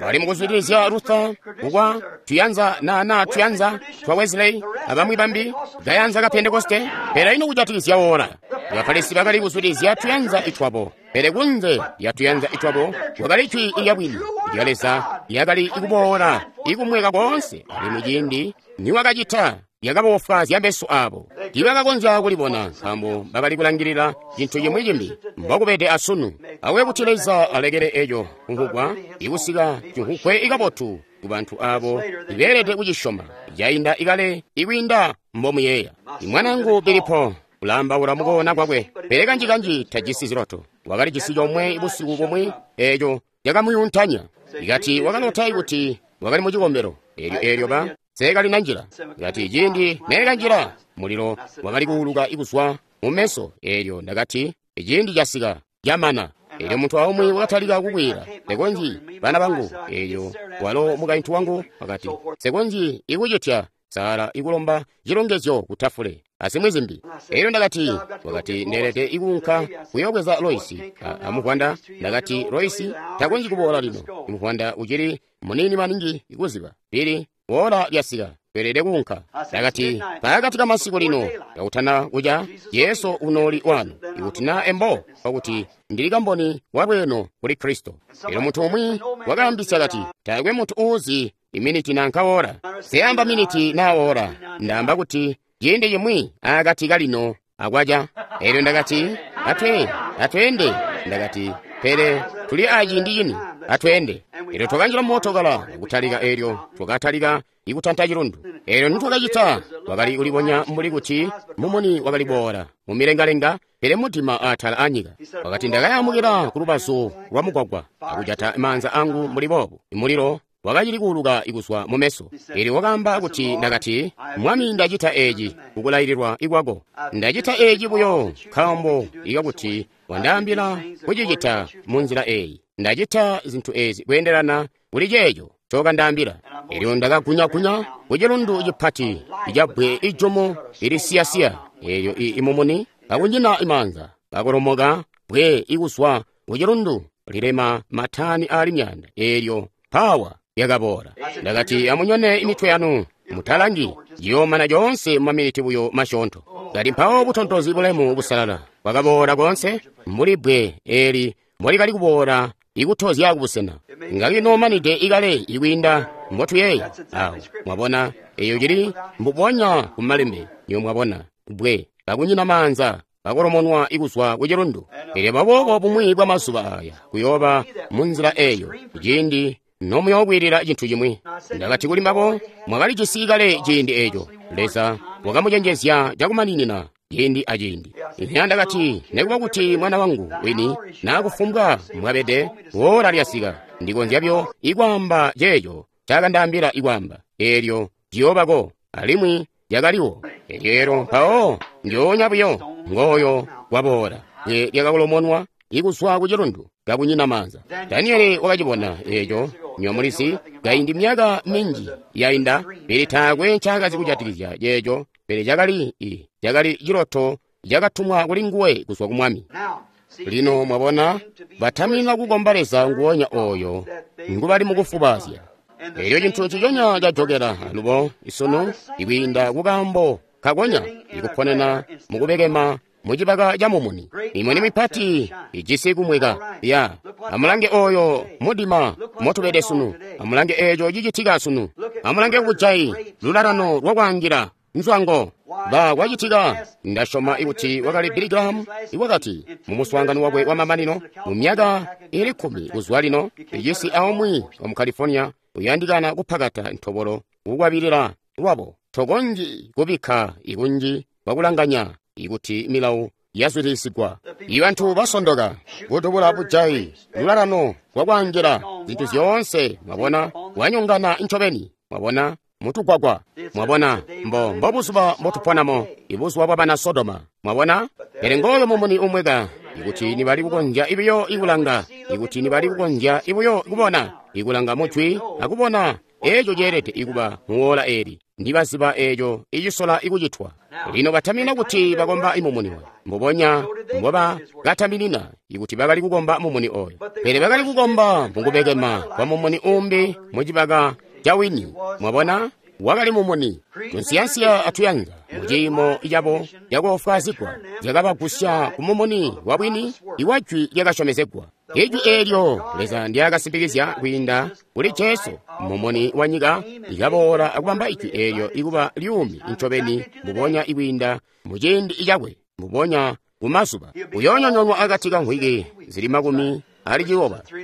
Bali mukuzwidilizya Luther kukwa tuyanza na tuyanza twa Wesley abamwi bambi gayanza ka Pentekoste, pele ino kujatikizya woola. Bafarisi bakali kuzwidilizya tuyanza itwabo, pele kunze lya tuyanza itwabo wakali jwi lyabwini lya Leza lyakali ikuboola ikumweka koonse, alimwi ciindi niwakacita lyakabofwaazya meso abo. Tiibakakonzya kulibona nkaambo bakali kulangilila cintu cimwi cimbi. Mbokubede asunu. Awe kuti Leza alekele eco kumvugwa ikusika cimvugwe ikabotu kubantu abo ibeelede kucisyoma. Cainda ikale ikwiinda mbomuyeeya. Imwanangu Bilipo ulaambaula mukoona kwakwe, pele kanji-kanji tajisi ziloto. Wakalijisi comwe busiku bumwi eeco cakamuyuntanya. Ikati wakalota kuti wakali mucikombelo. Eelyo ba seekalina njila. Kati ciindi neekanjila, mulilo wakali kuuluka ikuzwa mu meso. Eelyo ndakati, ciindi casika, camana. Eelyo muntu aumwi wakatalika kukwiila, sekonzyi bana bangu. Eelyo walo mukaintu wangu wakati, sekonzyi ikucitya Sara ikulomba cilongezyo kutafule azimwi zimbi. Eelyo ndakati, wakati ndeelede ikuunka kuyoobweza Loisi amuvwanda. Ndakati, Loisi takonzyi kuboola lino, muvwanda ucili muniini maningi ikuziba. Pili woola lyasika, tweelede kuunka. Ndakati, pakati kamasiku lino kakutana kuca, Jesu unooli wanu, ikuti na embo pakuti ndili kamboni walweeno kuli Kristo. Elyo muntu umwi wakaambisya kati, taakwe muntu uuzi Iminiti nanka ora. Seyamba miniti na ora. Ndaamba kuti ciindi cimwi akati kalino akwaca. Elyo ndakati, atweende. Ndakati, pele tuli aciindi cini, atweende. Elyo twakanjila mootokala kutalika, elyo twakatalika ikutanta cilundu. Elyo nitwakacita, twakali kulibonya mbuli kuti mumuni wakali boola mumilengalenga, pele mudima atala anyika. Wakati ndakayamukira ku lubazu lwa mugwagwa akujata maanza angu mbuli boobu. Mulilo wakacili kuuluka ikuzwa mu meso. Elyo wakaamba kuti ndakati, Mwami, ndacita eeci kukulaililwa ikwako. Ndacita eeci buyo nkaambo ikakuti wandaambila kucicita munzila eeyi. Ndacita zintu eezi kweendelana kuli ceeco ncokandaambila. Elyo ndakagunyagunya ku cilundu cipati icabbwe ijumu ilisiyasiya. Elyo imumuni kakunyina imaanza kakolomoka bwe ikuzwa ku cilundu lilema matani aali myaanda. Elyo pawa yakaboola. Ndakati, amunyone imitwe yanu, mutalangi, ciyoomana coonse mumaminiti buyo masyoonto. Kati mpawo butontozi bulemu busalala bwakaboola koonse mbuli bbwe eeli mbolikali kuboola ikutozya kubusena. Ngakinomanide ikale ikwiinda mbotuyeeya. Awo mwabona, eyo cili mbubonya kumalembe. Niyo mwabona bbwe kakunyina maanza kakolomonwa ikuzwa ku cilundu. Elyo baboobo bumwi bwa mazuba aya kuyooba munzila eyo ciindi nomuyookwilila cintu cimwi. Ndakati kuli mbabo, mwakalijisi kale ciindi eeco. Leza wakamucenjezya cakumaninina ciindi aciindi. Ine ndakati, nekuba kuti mwana wangu wini naakufumbwa mwabede, woola lyasika, ndikonzya byo ikwaamba ceeco caakandaambila ikwaamba. Eelyo ciyoobako, alimwi lyakaliwo. Elyo mpawo ndyoonya buyo ngooyo waboola bwe lyakakolomonwa ikuzwa ku cilundu kakunyina maanza. Daniele wakacibona eeco, nyomulizi, kaindi myaka minji yainda, pele taakwe ncaakazi kujatikizya ceeco, pele cakali ciloto cakatumwa kuli nguwe kuzwa ku Mwami. Lino mwabona, batamina kukomba Leza nguwonya oyo ngubali mukufubaazya. Elyo cintu nciconya cajokela alubo isunu ikwiinda kukaambo kakonya ikuponena mukubekema mucibaka ca mumuni. Imuni mipati ijisi kumweka. Ya, amulange oyo mudima motubede sunu. Amulange eeco cicitika sunu. Amulange kujayi lulalano lwakwaangila nzwango ba kwacitika. Ndasyoma ikuti wakali Billy Graham iwakati mu muswaangano wakwe wa mamanino mu myaka ili 10 kuzwa lino, icisi aumwi wa mu California uyandikana kupakata ntobolo kukwabilila lwabo. Tokonji kubikka ikunji kwakulanganya ikuti milawu yazwidilisigwa. Ibantu basondoka, kutubula bujayi, lulalano lwakwaangila, zintu zyoonse, mwabona, wanyongana ncobeni, mwabona, mutugwagwa, mwabona, mbo buzuba mbotuponamo, ibuzuba bwa bana Sodoma, mwabona. Pele ngooyo mumuni umweka, ikuti nibali kukonzya ibiyo ikulanga, ikuti nibali kukonzya ibuyo kubona, ikulanga mujwi akubona eeco ceelede ikuba muwola eeli. Ndibaziba eeco icisola ikucitwa. Lino batamina kuti bakomba imumuni oyo, mbubonya mboba kataminina ikuti bakali kukomba mumuni oyo. Pele bakali kukomba mukubekema kwa mumuni umbi mucibaka ca wini. Mwabona, wakali mumuni. Tunsiyansiya atuyanza muciimo cabo cakoofwaazigwa zyakabagusya ku mumuni wa bwini iwa jwi lyakasyomezegwa. Ijwi eelyo Leza ndyakasimpikizya kwiinda kuli Jesu, mumuni wa nyika, likaboola akubamba ijwi eelyo ikuba lyuumi ncobeni mbubonya ikwiinda muciindi cakwe, mbubonya kumazuba. Uyoonyonyonwa akati ka mvwiki zili 60,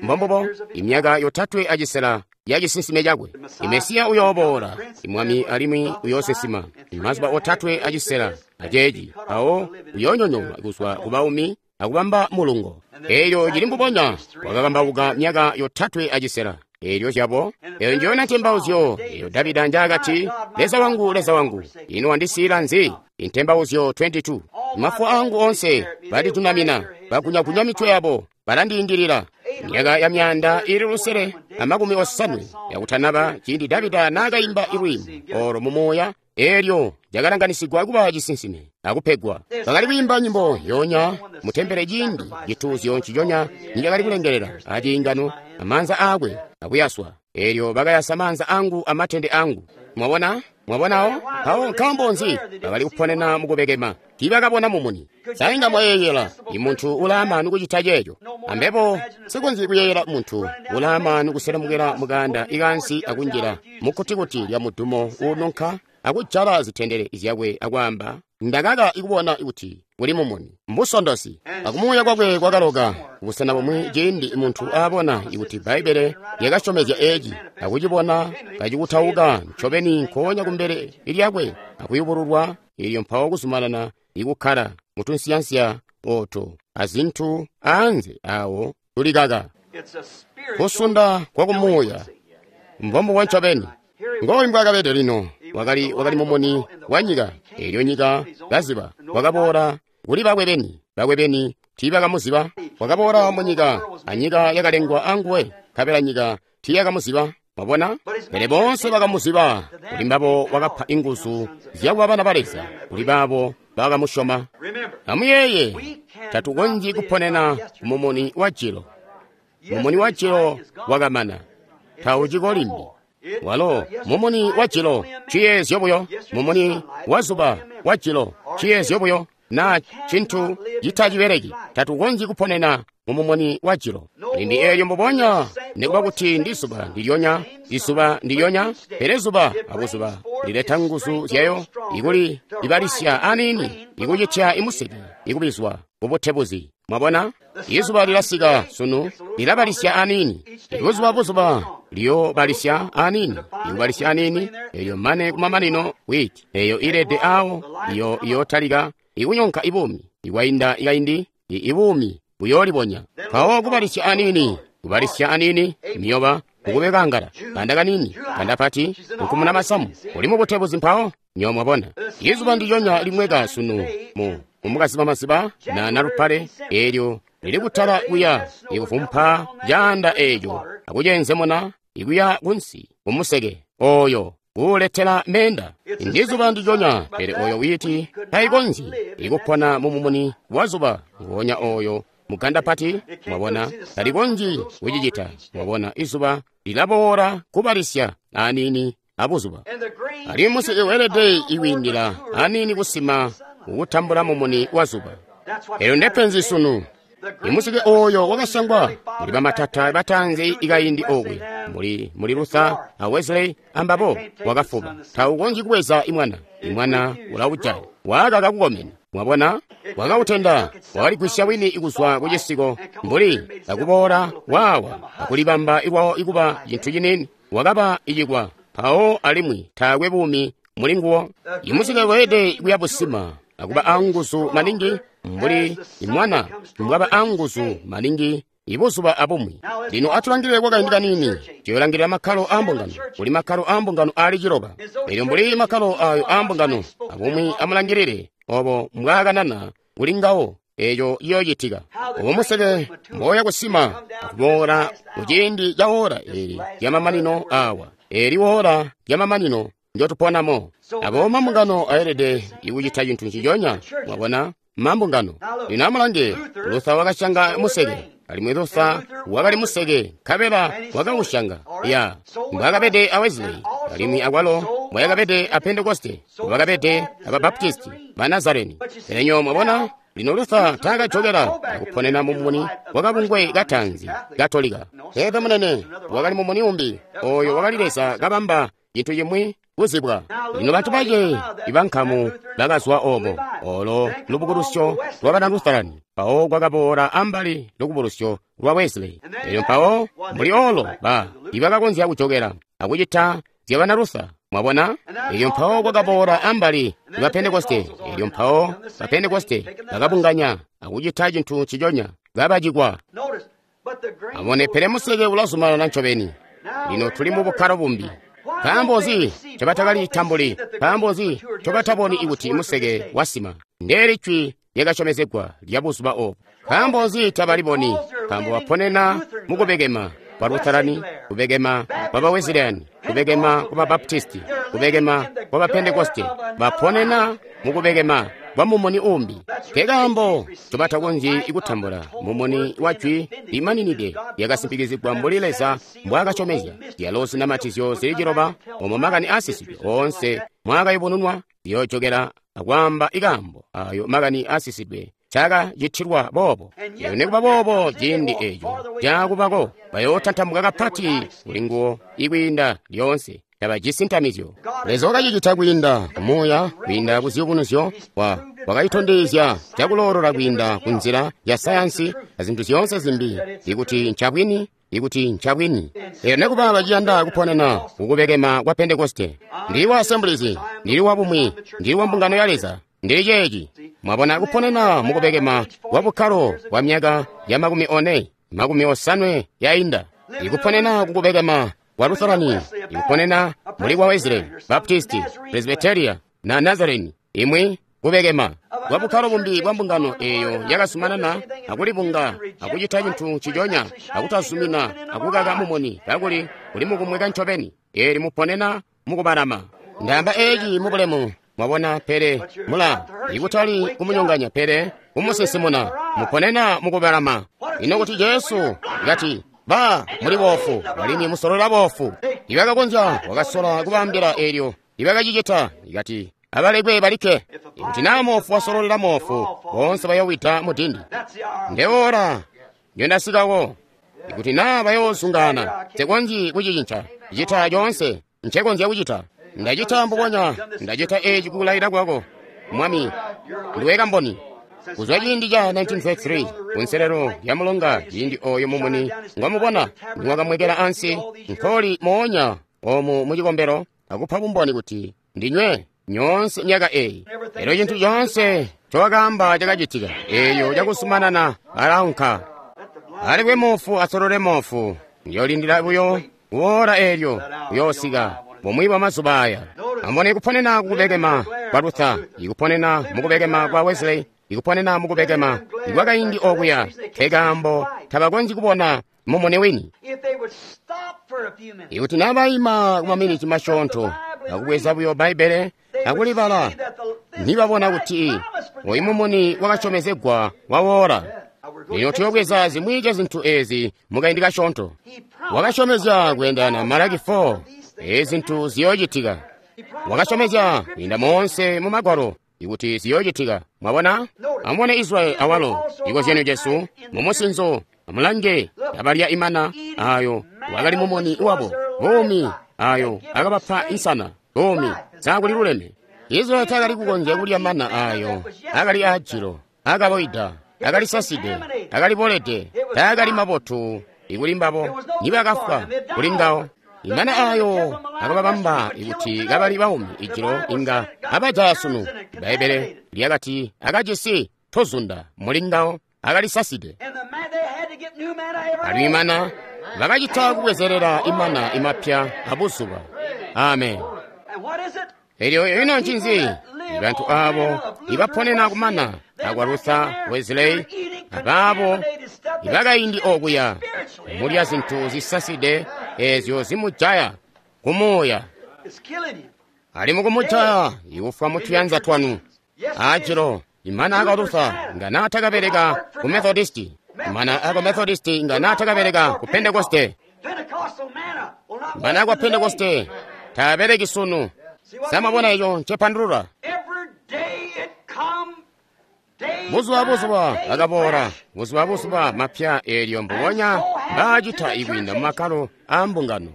mbombubo imyaka 3.5 ya cisinsime cakwe. Imesiya uyooboola, imwami alimwi uyoosesima mazuba 3.5 aceeci, mpawo uyoonyonyonwa kuzwa kubaumi akubamba mulungo. Elyo cili mbubonya wakakambauka myaka 3.5. Elyo zyabo, eyo njiyona ntembauzyo eyo Davida njaakati, Leza wangu, Leza wangu, ino wandisiila nzi? Intembauzyo 22. Mafu angu onse balitunamina, bagunyagunya mitwe yabo, balandiindilila. Myaka ya 650 yakutanaba ciindi Davida naakaimba ilwiimbo olo mumuuya, elyo lyakalanganisigwa kuba cisinsime akupegwa. Bakali kwiimba nyimbo yonya mutembele ciindi cituuzyo nciconya nicakali kulengelela aciingano amaanza aakwe akuyaswa. Elyo bakayasa maanza angu amatende angu. Mwabona? Mwabonawo? Mpawo nkaambo nzi bakali kuponena mukubekema? Tiibakabona mumuni. Sa inga mwayeeyela imuntu ulaamaanu kucita ceeco? Ambebo sikonzyi kuyeeyela muntu ulaamaanu kuselemukela mukanda ikansi akunjila mukkutikuti lya mudumo uununka akujala zitendele zyakwe akwaamba, ndakaka ikubona kuti kuli mumuni. Mbusondosi. Akumuuya kwakwe kwakaloka kubusena bumwi ciindi muntu aabona ikuti Bbaibbele lyakasyomezya eeci akucibona kacikutauka ncobeni nkoonya kumbele lyakwe akuyubululwa, eelyo mpawo kuzumanana ikukkala mutunsiyansiya ooto azintu aanze aawo tulikaka. Kusunda kwa kumuuya mbombubo ncobeni. Ngooyu mbwaakabede lino. Wakali mumuni wa nyika. Eelyo nyika kaziba. Wakaboola kuli bakwe beni. Bakwe beni tiibakamuziba. Wakaboola munyika, anyika yakalengwa anguwe, nkabela nyika tiiyakamuziba. Mwabona? Pele boonse bakamuziba. Kuli mbabo wakapa inguzu zyakuba bana ba Leza, kuli baabo bakamusyoma. Amuyeeye, tatukonzyi kuponena mumuni wa jilo. Mumuni wa jilo wakamana. Tauciko limbi. Walo mumuni wa jilo ciyeezyo buyo, mumuni wa zuba wa jilo ciyeezyo buyo, na cintu citacibeleki. Tatukonzyi kuponena mumumuni wa jilo. Limbi eelyo mbubonya, nikuba kuti ndi zuba ndilyonya, izuba ndilyonya, pele zuba abuzuba lileta nguzu zyayo ikuli ibalisya aniini, ikucitya imuseke ikubizwa kubutebuzi. Mwabona? Izuba lilasika sunu lilabalisya aniini. Ibuzuba buzuba liyobalisya aniini, ikubalisya aniini, eyo mane kumamanino witi eyo ilede awo iyo iyotalika ikunyonka ibuumi. Ikwainda ikaindi ibuumi buyoolibonya. Mpawo kubalisya aniini, kubalisya aniini, miyoba kukubekangala, kanda kanini, kanda pati, kukumuna masamu, uli mubutebuzi mpawo nyo mwabona. Izuba ndilyonya limweka sunu mu mukasiba masiba na nalupale, eelyo lili kutala kuya ikuvumpa caanda eeco akucenzemuna ikuya kunsi kumuseke oyo kuuletela menda. Ndizuba ndilyonya, pele oyo witi taikonzyi ikupona mumumuni wa zuba ngonya oyo muganda pati. Mwabona, talikonzyi kucicita. Mwabona, izuba lilaboola kubalisya aniini abuzuba. Alimwi museke weelede ikwiindila aniini kusima kutambula mumuni wa zuba. Elyo ndepenzi sunu. Imuseke oyo wakasangwa muli bamatata batanzi ikaindi okwe, muli Luther a Wesley ambabo, wakafuba. Taukonzyi kubweza imwana. Imwana ulaujaya. Wakaka kukomena. Mwabona? Wakautenda, wakaligwisya wini ikuzwa kucisiko mbuli akuboola wawa akulibamba ilwawo ikuba cintu ciniini. Wakaba icikwa mpawo alimwi taakwe buumi muli nguwo. Imuseke weelede kuya busima akuba anguzu maningi mbuli imwana mbwaba anguzu maningi ibuzuba abumwi. Lino atulangilile kwakaindi kanini. Tuyolangilila makkalo aambungano. Kuli makkalo aambungano aali 9. Elyo mbuli makkalo ayo aambungano abumwi, amulangilile obo mbwaakanana kuli ngawo eeco ciyoocitika. Obo museke mboya kusima akuboola kuciindi ca woola eeli lyamamanino awa. Eeli woola lyamamanino njotuponamo. Abo mambungano aelede ikucita cintu nciconya. Mwabona? Mambungano. Lino amulange, Luther wakasyanga museke, alimwi Luther wakali museke, nkabela wakausyanga. Ya, mbwaakabede a Wesley, alimwi akwalo mbwayakabede a Pentekoste, mbwakabede aba Baptisti, ba Nazareni. Pele nyo mwabona, lino Luther taakajokela akuponena mumuni wakabungwe katanzi Katolika. Pepe munene, wakali mumuni umbi, oyo wakali Leza kabamba cintu cimwi kuzibwa. Lino bantu bace ibankamu bakazwa obo, olo lubukulusyo lwa bana Lutherani, mpawo kwakaboola ambali lubukulusyo lwa Wesley. Elyo mpawo mbuli olo ba ibakakonzya kujokela akucita zya bana Luther. Mwabona? Elyo mpawo kwakaboola ambali lwa Pentekoste. Elyo mpawo ba Pentekoste bakabunganya akucita cintu nciconya, kabacikwa. Amone, pele museke ulazumanana ncobeni. Lino tuli mu bukkalo bumbi. Nkaambo nzi ncobatakalitambuli? Nkaambo nzi ncobataboni ikuti museke wasima? Ndeeli jwi lyakasyomezegwa lya buzuba obu. Nkaambo nzi tabaliboni? Nkaambo baponena mukubekema kwa Lutherani, kubekema kwa ba Wesleyani, kubekema kwa ba Baptisti, kubekema kwa ba Pentekoste. Baponena mukubekema kwa mumuni umbi. Nkekaambo ncobatakonzyi kutambula mumuni wa jwi limaninide lyakasimpikizigwa mbuli Leza mbwaakasyomezya. Zyalo zinamatizyo zili 9 omo makani aasisidwe oonse mwaakayubununwa ziyoojokela akwaamba ikaambo ayo makani asisidwe cakacitilwa boobo. Elyo nikuba boobo ciindi eco caakubako bayootantamuka kapati kuli nguwo ikwiinda lyoonse. Tabajisi ntamizyo. Leza wakacicita kwiinda kumuuya, kwiinda ku ziyubunuzyo, wakayitondezya cakuloolola kwiinda ku nzila ya sayansi azintu zyoonse zimbi, ikuti ncabwini, ikuti ncabwini. Elyo nekuba baciyanda kuponena kukubekema kwa Pentekoste. Ndili wa Assemblies, ndili wa bumwi, ndili wa mbungano ya Leza, ndili ceeci. Mwabona kuponena mukubekema kwa bukkalo bwa myaka ya 40, 50 yainda. Ikuponena kukubekema kwa Lutherani, ikuponena muli kwa Wesley, Baptisti, Presbyteria na Nazarene, imwi kubekema kwa bukkalo bumbi bwa mbungano eyo yakasumanana akulibunga akucita cintu ciconya akutazumina akukaka mumuni kakuli kuli mukumweka ncobeni. Eli muponena mukubalama. Ndaamba eeci mubulemu, mwabona, pele mula ikutali kumunyonganya pele kumusinsimuna. Muponena mukubalama. Ino kuti Jesu kati, ba muli boofu alimwi musolola boofu. Ibakakonzya wakasola kubaambila eelyo ibakacicita ikati abalekwe balikke. Ikuti naa moofu wasololela moofu, boonse bayowida mudindi. Ndeora nyondasikawo. Ikuti naa bayoozungaana, nsekonzyi kucicinca. Cita coonse ncekonzya kucita. Ndacita mbubonya, ndacita eeci kukulaila kwako, Mwami, ndiwe kamboni. Kuzwa ciindi ca 1933 kunselelo lya mulonga, ciindi oyo mumuni ngwamubona niwakamwekela ansi nkoli moonya omu mucikombelo akupa bumboni kuti ndinywe nyoonse myaka eyi. Elyo cintu coonse cowakaamba cakacitika, eyo cakusumanana alaunka. Alekwe moofu asolole moofu, ndiyolindila buyo kuwola eelyo kuyoosika bumwi bwa mazuba aya. Ambone kuponena kukubekema kwa Luther, ikuponena mukubekema kwa Wesley, ikuponena mukubekema ikwakaindi okuya, kekaambo tabakonzyi kubona mumuni wini. Ikuti nabayima kumaminiti masyoonto akubweza buyo Bbaibbele akulibala, nibabona kuti oyu mumuni wakasyomezegwa wawoola. Lino tuyobweza zimwi zya zintu ezi mukaindi kasyoonto. Wakasyomezya kweendana Malaki 4, ezi zintu ziyoocitika. Wakasyomezya kwiinda moonse mu Magwalo ikuti ziyoocitika. Mwabona? Amubone Israyeli awalo, cikozyanyo cesu mumusinzo. Amulange abalya imana ayo wakali mumuni wabo, buumi ayo akabapa insana, buumi sakuli luleme. Israyeli takali kukonzya kulya mana ayo akali ajilo, akaboida, akali saside, akali bolede, takali mabotu ikuli mbabo nibakafwa kuli ngawo. Imana ayo akababamba ikuti kabali baumi ijilo inga abajaya sunu. Bbaibbele lyakati akajisi tuzunda muli ngawo, akali saside. Alimwi imana bakacita kubwezerera imana imapya abuzuba. Amen. Elyo ino ncinzi? Bantu abo ibaponena kumana akwa Luther, Wesley, abaabo ibakaindi okuya mulya zintu zisaside ezyo zimujaya kumuuya. Ali mukumujaya ikufwa mutuyanza twanu. Ajilo imana akwa Luther nga naatakabereka ku Methodisti, imana akwa Methodisti nga naatakabereka ku Pentekoste, imana akwa Pentekoste taabereki sunu. Samabona eco ncepandulula. Buzuba buzuba akaboola, buzuba buzuba mapya eelyo mbubonya baacita ikwiinda mumakkalo aa mbungano.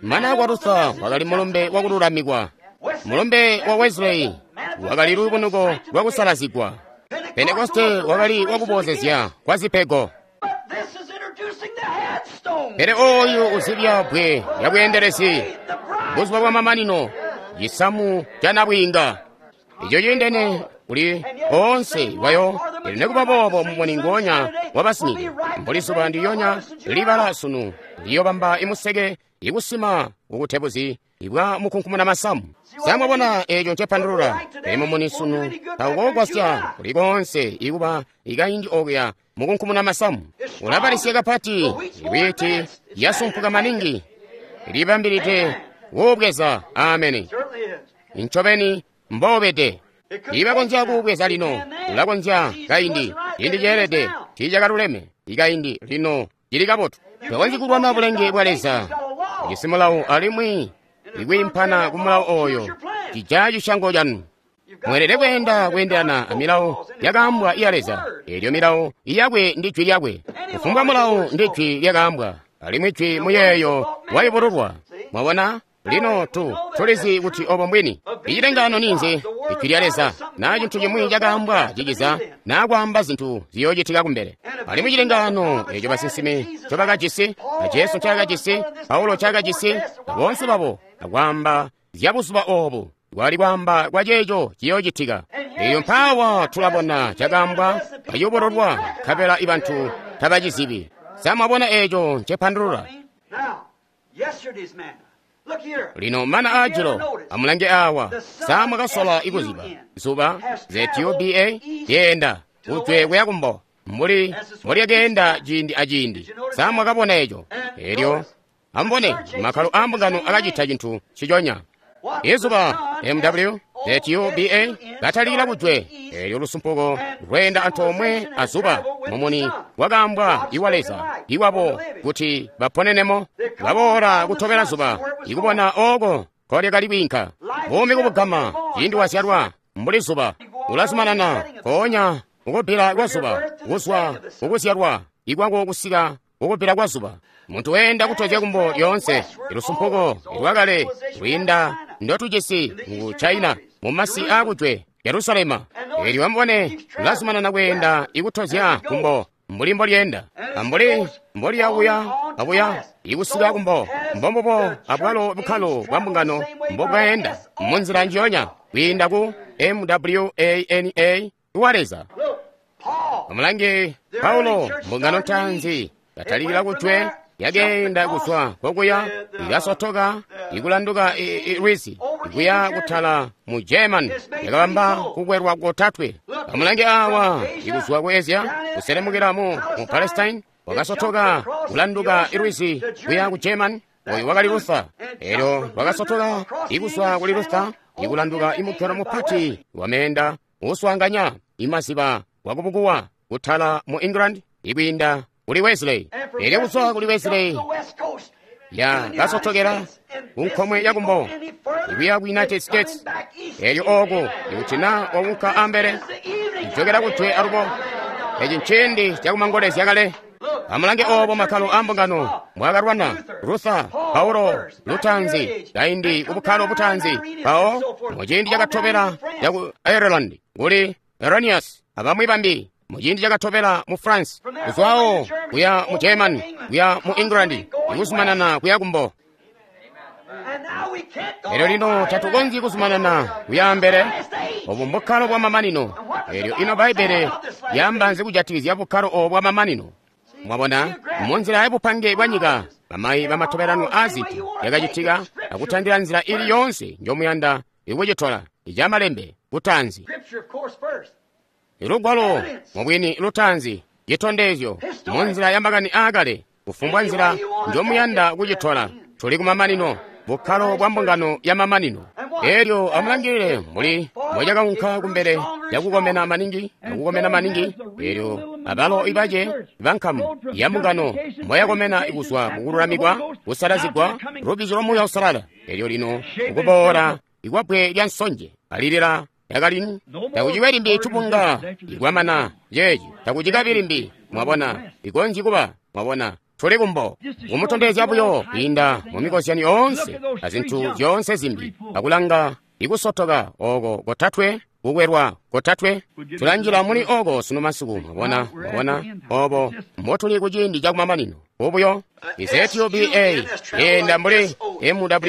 Mana akwa Luther wakali mulumbe wakululamikwa. Mulumbe wa Wesley wakali lubunuko lwakusalazigwa. Pentekoste wakali wakuboozezya kwa zipego. Pele oyu uzibya bbwe lya bweendelezi, buzuba bwa mamanino, cisamu ca nabwiinga. Ico ciindene kuli oonse wayo, elyo nekuba boobo mumuni ngoonya wabasimide, mbuli zuba ndilyonya libala sunu liyobamba imuseke ikusima kukutebuzi ibwa mukunkumuna masamu. Samwabona eco ncepandulula. Pele mumuni sunu tawukogwasya kuli koonse ikuba ikaindi okuya mukunkumuna masamu. Ulabalisya kapati iwiti yasumpuka maningi libambilide kuubweza. Ameni. Ncobeni mbobede. Ibakonzya kuubweza lino, ulakonzya kaindi, ciindi ceelede, tiicakaluleme, ikaindi lino cili kabotu. Tokonzyi kulwana bulenge bwa Leza. Ujisi mulawo alimwi ikwiimpana ku mulawo oyo cijaya cisyango canu. Mweelede kweenda kweendelana amilawo yakaambwa iya Leza. Eelyo milawo iyakwe ndi jwi lyakwe. Kufumbwa mulawo ndi jwi lyakaambwa, alimwi jwi muyeeyo wayubululwa. Mwabona? Lino tulizi kuti obo mbwini. Icilengano ninzi? Ijwi lya Leza, naa cintu cimwi cakaambwa ciciza, naa kwaamba zintu ziyoocitika kumbele. Alimwi cilengano eco basinsimi ncobakajisi, na Jesu ncaakajisi, Paulo ncaakajisi, na boonse babo, akwaamba zya buzuba oobu, kwali kwaamba kwa ceeco ciyoocitika. Elyo mpaawa tulabona cakaambwa, kayubululwa, nkabela ibantu tabacizibi. Sa mwabona eeco ncepandulula? Lino mana aajilo, amulange awa. Sa mwakasola ikuziba zuba ZUBA lyeenda kujwe kuya kumbo mbuli mbolyakeenda ciindi aciindi. Sa mwakabona eco? Elyo amubone makkalo aambungano akacita cintu nciconya. Izuba MW ZUBA katalikila kujwe, elyo lusumpuko lweenda antoomwe azuba, mumuni wakaambwa iwa Leza iwabo kuti baponenemo. Baboola kutobela zuba ikubona ooko nkolyakali kwiinka. Buumi kubugama ciindi wazyalwa mbuli zuba ulazumanana nkoonya kukubbila kwa zuba, kuzwa kukuzyalwa ikwako kusika kukubbila kwa zuba. Muntu weenda kutozya kumbo lyoonse, ilusumpuko lwakale lwiinda ndotujisi mu China, mu masi aakujwe, Yerusalema. Elyo amubone lulazumanana kweenda ikutozya kumbo mbuli mbolyeenda, ambuli mbolyabuya abuya ikusika kumbo. Mbombubo abwalo bukkalo bwa mbungano mbobwaenda munzila njiyonya kwiinda ku MWANA wa Leza. Amulange Paulo, mbungano ntaanzi katalikila kujwe, yakeenda kuzwa kokuya ikasotoka ikulanduka lwizi ikuya kutala mu German, yakabamba kukwelwa kotatwe. Amulange awa ikuzwa ku Asia kuselemukila mu Palestine, wakasotoka kulanduka lwizi kuya ku German. Oyu wakali Luther. Elyo wakasotoka ikuzwa kuli Luther ikulanduka imugelo mupati wameenda uswaanganya imaziba wakubukuwa kutala mu England ikwiinda kuli Wesley. Elyo kuzwa kuli Wesley ya kasotokela kunkomwe yakumbo ikuya ku United States. Elyo ooko ikuti na waunka ambele ijokela kujwe alubo. Eci nciindi cakumangolezya kale. Amulange obo makkalo aambungano mbwaakalwana Luther, Paulo, lutaanzi kaindi kubukkalo butaanzi, mpawo muciindi cakatobela caku Ireland kuli Irenaeus abamwi bambi, muciindi cakatobela mu France, kuzwawo kuya mu German, kuya mu England, ikuzumanana kuya kumbo. Elyo lino tatukonzyi kuzumanana kuya ambele. Obu mbukkalo bwa mamanino. Elyo ino Bbaibbele lyaamba nzi kujatikizya bukkalo obu bwa mamanino? Mwabona, munzila yabupange bwa nyika, bamayi bamatobelano aazintu yakacitika akutandila nzila ili yoonse njomuyanda ikucitola icamalembe kutaanzi. Ilugwalo mubwini lutaanzi, citondezyo munzila ya makani aakale, kufumbwa nzila njomuyanda kucitola. Tuli kumamanino, bukkalo bwa mbungano ya mamanino. Elyo amulangilile mbuli mbocakaunka kumbele yakukomena maningi, akukomena maningi. Elyo abalo ibace bankamu ya mbungano mboyakomena kuzwa kukululamikwa, kusalazigwa, lubbizyo lwa Muuya Uusalala. Elyo lino ukuboola ikwabwe lya nsonje alilila yakalini takucibe limbi tubunga ikwamana ceeci takucikabi limbi. Mwabona, ikonzyi kuba. Mwabona, tuli kumbo kumutondezya buyo kwiinda mu mikozyanyo yoonse azintu zyoonse zimbi, akulanga ikusotoka oko kotatwe, kukwelwa kotatwe. Tulanjila muli oko sunu masiku. Mwabona, mwabona obo mbotuli kuciindi cakumamanino. Ubuyo iZUBA yenda mbuli MWANA,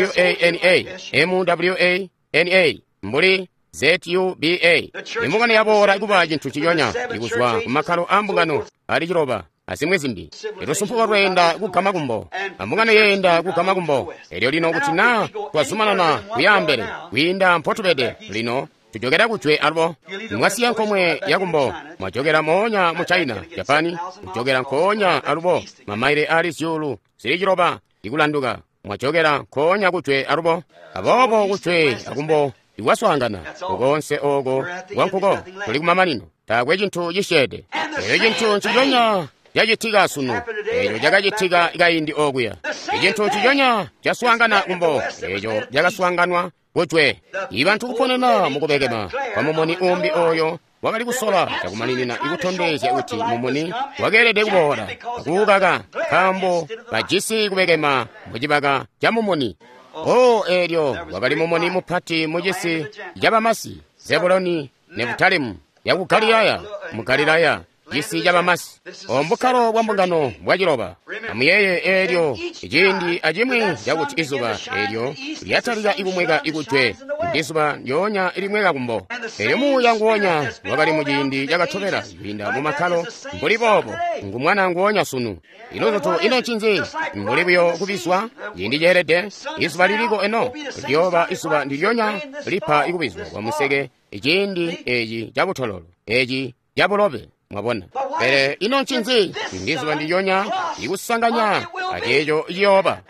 MWANA mbuli ZUBA. Imbungano yaboola kuba cintu ciyonya ikuzwa kumakkalo aambungano ali ciloba azimwi zimbi. Ilusumpuko lweenda kugama kumbo, ambungano yeenda kugama kumbo. Elyo lino kuti naa twazumanana kuya ambele kwiinda mpotubede lino, tujokera kujwe alubo. Mwasiya nkomwe yakumbo, mwajokera moonya mu China, Japani, kujokera nkoonya alubo mamaile ali zyuulu zili ciloba ikulanduka, mwajokera nkoonya kujwe alubo. Aboobo kujwe akumbo ikwaswaangana ukonse oko kwankuko tuli kumamanino, taakwe cintu cisyeede. Elyo cintu nciconya cacitika sunu, eco cakacitika kaindi okuya. Icintu nciconya caswaangana kumbo, eco cakaswaanganwa kujwe. Ibantu kuponena mukubekema kwa mumuni umbi oyo wakali kusola cakumaninina ikutondezya kuti mumuni wakeelede kuboola, akuukaka nkaambo bajisi kubekema mucibaka ca mumuni. O eelyo wakali mumuni mupati mucisi cabamasi, Zebuloni, Nefutalimu, yaku Galilaya, mu Galilaya, cisi cabamasi. Obukkalo bwa mbungano bwaciloba. Amuyeeye eelyo ciindi acimwi cakuti izuba eelyo lyatalika ikumweka ikujwe, ndizuba ndyoonya ilimweka kumbo. Eelyo muuya nguwonya wakali muciindi cakatobela kwiinda mu makkalo mbuli boobo, ngu mwana nguwonya sunu. Iluzutu ino ncinzi? Mbuli buyo kubizwa ciindi ceelede, izuba liliko eno liyooba izuba ndilyonya lipa ikubizwa kwa museke ciindi eci cabutololo, eci cabulobe. Mwabona? Pele ino ncinzi? Ndizuba ndilyonya ikusanganya aceeco ciyooba.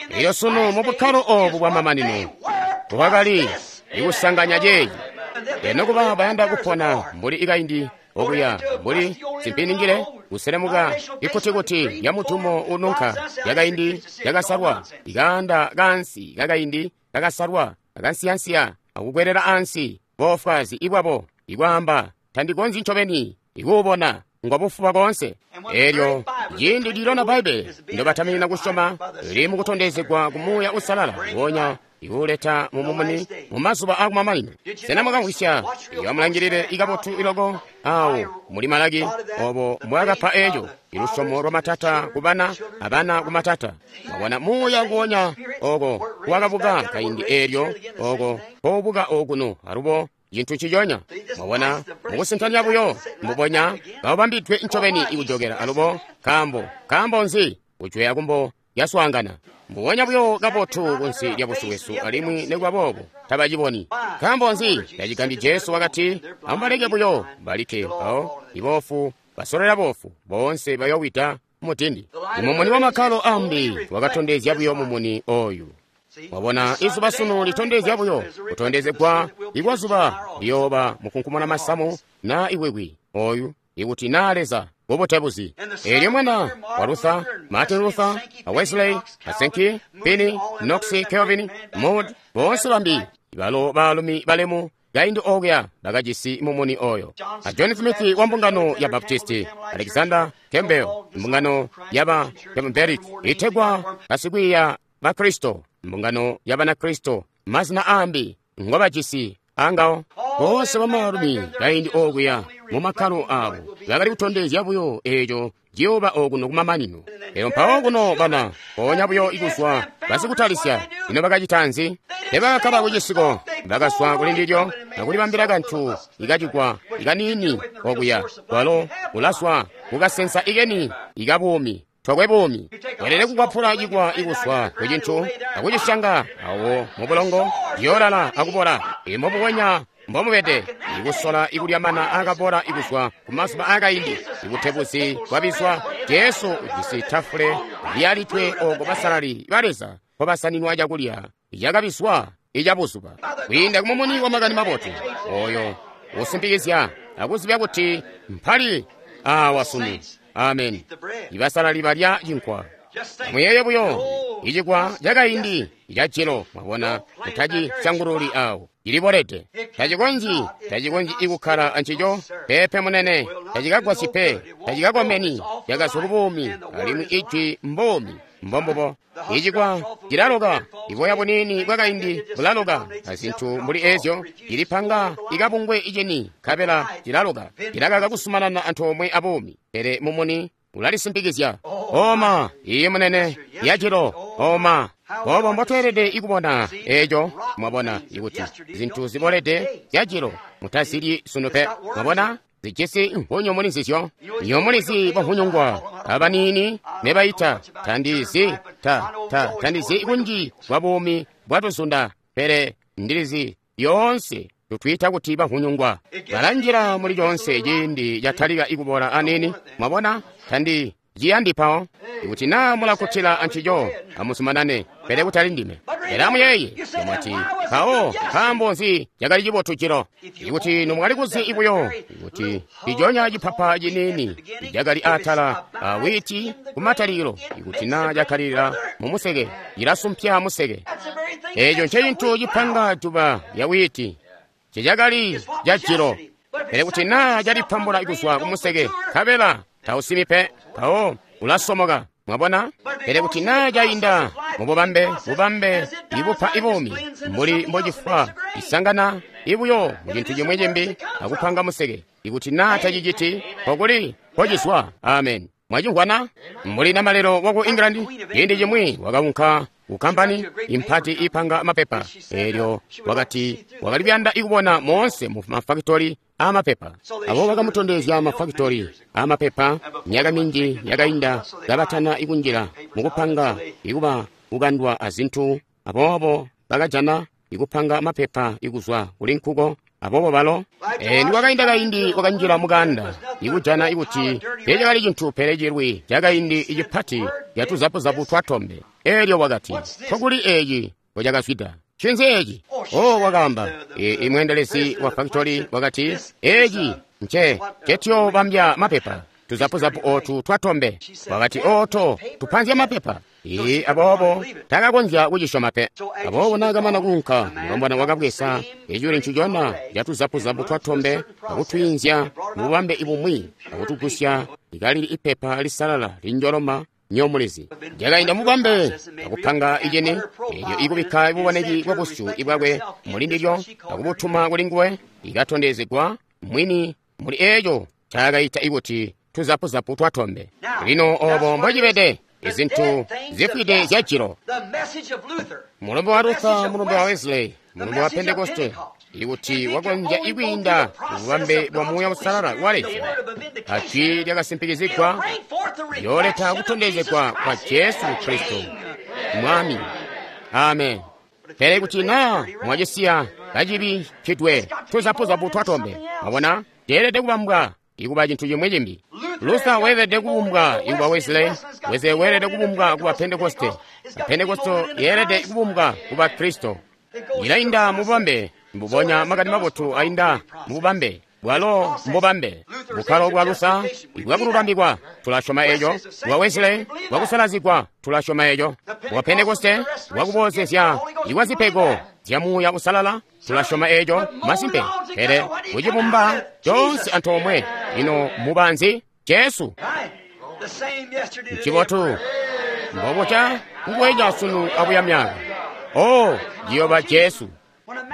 Elyo sunu mu bukkalo obu bwamamanino bwakali ikusanganya ceeci. Eno kuba bayanda kupona mbuli ikaindi okuya, mbuli simpiningile kuselemuka ikutikuti lya mutumo ununka yakaindi yakasalwa, ikaanda kaansi kakaindi kakasalwa akansiyansiya akukwelela ansi boofwazi ibwabo ikwaamba tandikonzyi ncobeni ikuubona ngwabufuba koonse. Eelyo ciindi lilona Bbaibbele ndobataminina kusyoma lili mukutondezegwa ku Muuya Uusalala wonya ikuuleta mumumuni mu mazuba akumamanino. Sena mwakamvwisya? Iyo amulangilile ikabotu iloko awo muli Malaki obo mbwakapa eco ilusyomo lwa matata ku bana abana ku matata. Mwabona muuya nguwonya oko wakabuka kaindi eelyo oko koubuka okuno alubo cintu nciconya. Mwabona mukusintanya buyo mbubonya kabambidwe ncobeni ikujokela alubo. Nkaambo nzi? Kujwe akumbo yaswaangana mbubonya buyo kabotu kunsi lya busyu bwesu, alimwi nikuba boobo tabaciboni. Nkaambo nzi? Tacigambyi Jesu wakati, amubaleke buyo balike, mpawo iboofu basolela boofu boonse bayowida mutindi. Imumuni wa makkalo ambi wakatondezya buyo mumuni oyu. Mwabona izuba sunu litondezya buyo kutondezegwa ikwazuba liyooba mukunkumuna masamu na iwikwi oyu ikuti naa Leza bubutebuzi. Eelyo mwana wa Luther, Martin Luther, a Wesley, a Sankey, Finney, Knox, Calvin, Moody, boonse bambi balo baalumi balemu kaindi okuya bakajisi mumuni oyo. A John Smith wa mbungano ya Baptisti, Alexander Campbell mbungano yaba Campbellic itegwa basikwiiya ba Kristo, mbungano ya Banakristo, mazina ambi ngobajisi angawo. Boonse bamaalumi kaindi okuya mu makkalo abo bakali kutondezya buyo eco ciyooba okuno kumamanino. Elyo mpawo kuno bana mpoonya buyo ikuzwa basikutalisya, ino bakacita nzi? Tebakakkala kucisiko, bakazwa kuli ndilyo akulibambila kantu ikacigwa ikaniini okuya, kwalo ulazwa kukasensa ikeni ikabuumi. Twakwe buumi welele kukwapula cikwa ikuswa kucintu akucisyanga awo mubulongo ciyoolala akubola. Imbubonya mbomubede ikusola ikulya mana akabola ikuzwa kumazuba akaindi ibutebuzi bwabizwa. Jesu ujisi tafule lyalitwe oko basalali ba Leza mpobasaninwa cakulya cakabizwa icabuzuba kwiinda kumumuni wa makani mabotu oyo usimpikizya akuzibya kuti mpali awa sunu. Amen. Ibasalali balya cinkwa. Amuyeeye buyo icikwa cakaindi icajilo, mwabona, mutacisyangululi awo, cilibolede. Tacikonzyi ikukkala ancico, pepe munene, tacikagwasyi pe, tacikakomeni, cakazwa kubuumi, alimwi ijwi mbuumi, mbombubo. Icikwa cilaloka, iboya buniini bwakaindi bulaloka, azintu mbuli ezyo, cilipanga ikabungwe iceni, nkabela cilaloka, cilakaka kusumanana antoomwe abuumi, pele mumuni ulalisimpikizya. Oma, iye munene, yajilo, oma. Obo mbotweelede ikubona eco, mwabona, ikuti zintu zibolede zyajilo mutazilyi sunu pe. Mwabona, zijisi nvunyu muli nzizyo. Iyo mulizi bwavunyungwa abaniini nebaita tandizi tandizi kunji bwa buumi bwatuzunda, pele ndilizi yoonse tutwiita kuti bavunyungwa balanjila muli conse ciindi catalika ikubola anini. Mwabona, tandi ciyandi mpawo. Ikuti naa mulakkutila ancico, amuzumanane, pele kutali ndime. Pele amuyeeye, mwati, mpawo nkaambo nzi cakali cibotu jilo? Ikuti nomwali kuzi buyo kuti iconya cipapa ciniini cakali atala a wiiti kumatalikilo, ikuti naa cakkalilila mumuseke, cilasumpya museke. Eeco ncecintu cipanga juba lya wiiti, cecakali cajilo. Pele kuti naa calipambula kuzwa kumuseke, nkabela tausimi pe, mpawo ulasomoka. Mwabona? Pele kuti naa cainda mububambe, bubambe ibupa ibuumi, mbuli mbocifwa, isangana ibuyo mucintu cimwi cimbi akupanga museke. Ikuti naa taciciti, nkokuli mpocizwa. Amen. Mwacimvwana? Mbuli namalelo waku England, ciindi cimwi wakaunka ku kampani impati ipanga mapepa. Eelyo wakati wakali kuyanda ikubona moonse mu mafakitori amapepa. Abo bakamutondezya mafakitori amapepa myaka minji yakainda kabatana ikunjila mukupanga ikuba kukandwa azintu. Aboobo bakajana ikupanga mapepa ikuzwa kuli nkuko. Aboobo balo nikwakainda kaindi wakanjila mukanda ikujana ikuti teecakali cintu pele cilwi cakaindi icipati catuzapuzapu twatombe. Eelyo wakati, nkokuli eeci mbocakazwida? Ncinzi eeci? Oh, wakaamba imweendelezi wa fakitori wakati, eeci nce cetyoobambya mapepa, tuzapuzapu ootu twatombe. Wakati, ooto tupanzya mapepa. Ee, aboobo takakonzya kucisyoma pe. Aboobo naakamana kuunka, mulombwana wakabweza eculi ncicona catuzapuzapu twatombe akutwiinzya mububambe bumwi akutugusya ikalili ipepa lisalala linjoloma nyomulizi. Lyakainda mububambe akupanga icini, eelyo ikubikka buboneki bwa busyu bwakwe mulindilyo akubutuma kulinguwe, ikatondezegwa mwini muli eeco ncaakaita ikuti tuzapuzapu twatombe. Lino oobo mbocibede izintu zifwide zyajilo. Mulumbe wa Luther, mulumbe wa Wesley, mulumbe wa Pentekoste, ikuti wakonzya ikwiinda mububambe bwa Muuya Uusalala wa Leza, ajwi lyakasimpikizigwa yooleta kutondezegwa kwa Jesu Kristo Mwami. Amen. Pele kuti naa mwacisiya kacibikkidwe tuzapuzapu twatombe, mwabona, ceelede kubambwa ikuba cintu cimwi cimbi. Luther weelede kubumbwa ikuba Wesley, Wesley weelede kubumbwa kuba Pentekoste, Pentekoste yeelede kubumbwa kuba Kristo. Ilainda mububambe, mbubonya makani mabotu ainda mububambe bwalo mbubambe. Bukkalo bwa Luther bwakululambikwa, tulasyoma eeco. Bwa Wesley bwakusalazigwa, tulasyoma eeco. Bwa Pentekoste bwakuboozezya ikwa zipego zya Muuya Uusalala, tulasyoma eeco. Masimpe, pele kucibumba coonse antoomwe, ino mubanzi Jesu. Ncibotu mbobuca nguwenya sunu abuya myaka. Oh, ciyoba Jesu.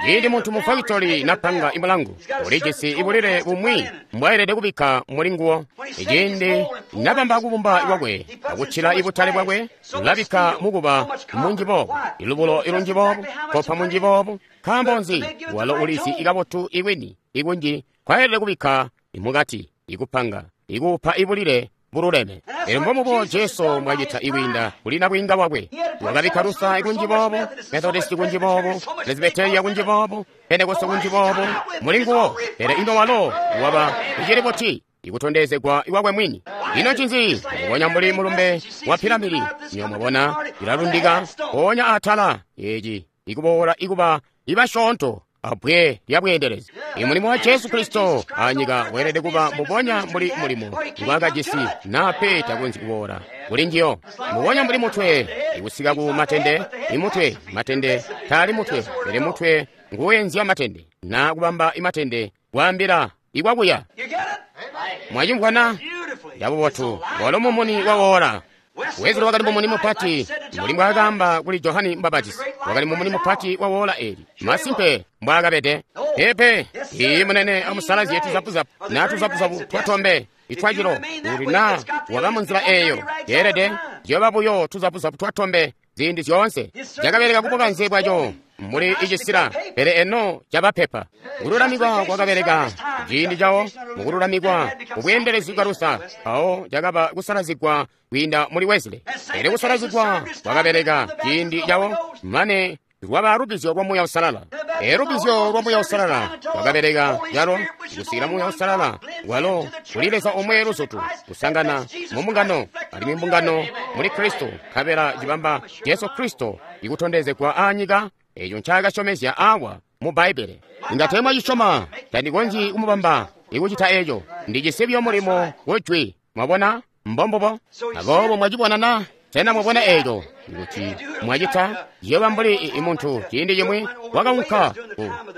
Ciindi muntu mu fakitori napanga imulangu, ulijisi ibulile bumwi mbwaelede kubikka mulinguwo. Ciindi nabamba kubumba kwakwe akucila ibutale bwakwe, ulabikka mukuba munji boobu, ilubulo ilunji boobu, kopa munji boobu. Nkaambo nzi? Walo ulizi ikabotu ikwini ikunji kwaelede kubikka imukati, ikupanga, ikupa ibulile bululeme. Elyo mbomubo Jesu mwacita ikwiinda kuli nabwiinga bwakwe. Wakabikka Luther ikunji boobo, Methodist kunji boobo, Presbyteria kunji boobo, Pentekoste kunji boobo, mulinguwo. Pele ino walo waba icili buti ikutondezegwa iwakwe mwini. Ino ncinzi? Mbubonya mbuli mulumbe wa piramidi, nyo mwabona ilalundika mpoonya atala eeci ikuboola ikuba ibasyoonto abbwe lya bweendelezi. Imulimo wa Jesu Kristo anyika weelede kuba mbubonya mbuli mulimo ngwaakajisi naa pe takonzyi kuboola kuli njiyo. Mbubonya mbuli mutwe ikusika ku matende, imutwe matende taali mutwe, pele mutwe nguwenzya matende naa kubamba imatende kwaambila ikwakuya. Mwacimvwana? Yabubotu walo mumuni wawoola. Wesley wakali mumuni mupati mbuli mbwaakaamba kuli Johani Mbapatizi. Wakali mumuni mupati wa woola eli. Masimpe mbwaakabede. Pepe, iyi munene amusalazie tuzapuzapu naa tuzapuzapu twatombe itwacilo kuti naa waba munzila eeyo yeelede zyoba buyo tuzapuzapu twatombe ziindi zyoonse. Cakabeleka kubukanze bwaco muli icisila, pele eno cabapepa. Kululamikwa kwakabeleka ciindi cawo mukululamikwa kubweendelezi bwa Luther, mpawo cakaba kusalazigwa kwiinda muli Wesley. Pele kusalazigwa kwakabeleka ciindi cawo mane lwaba lubbizyo lwa Muuya Uusalala. E lubbizyo lwa Muuya Uusalala lwakabeleka calo kusikila Muuya Uusalala walo kuli Leza omwe luzutu kusangana mu mbungano, alimwi mbungano muli Kristo, nkabela cibamba Jesu Kristo ikutondezegwa aanyika eco ncaakasyomezya awa mu Bbaibbele. Inga teemwacisyoma, tandikonzyi kumubamba ikucita eco. Ndijisi buyo mulimo ku Jwi. Mwabona? Mbombubo. Aboobo mwacibona na? Sena mwabona eco? Kuti mwacita, ciyooba mbuli muntu ciindi cimwi wakaunka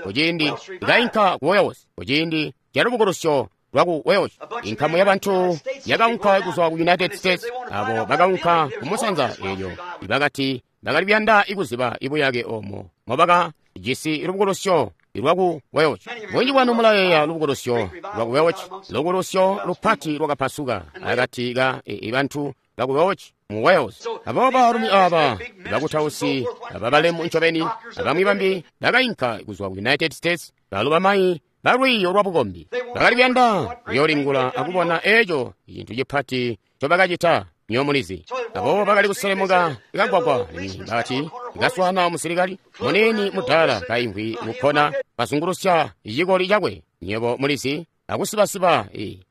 ku ciindi kainka ku Wales, ku ciindi ca lubukulusyo lwaku Wales. Inkamu ya bantu yakaunka kuzwa ku United States, abo bakaunka kumusanza eelyo bakati bakali kuyanda ikuziba ibuyake omo mobaka jisi lubukulusyo lwaku Wales. Bunji bwanu mulayeeya lubukulusyo lwaku Wales, lubukulusyo lupati lwakapasuka akati ka bantu baku Wales mu Wales. Aboobo baalumi aba bakutausi ababalemu ncobeni abamwi bambi bakainka kuzwa ku United States, balo bamayi balwiiyo lwa bukombi bakali kuyanda kuyoolingula akubona eco cintu cipati ncobakacita. Nyo mulizi. Aboobo bakali kuselemuka kagwagwa, alimwi bakati kaswaana musilikali muniini mudaala kaimvwi mukkona kazungulusya cikoli cakwe. Nywebo mulizi, akusibasiba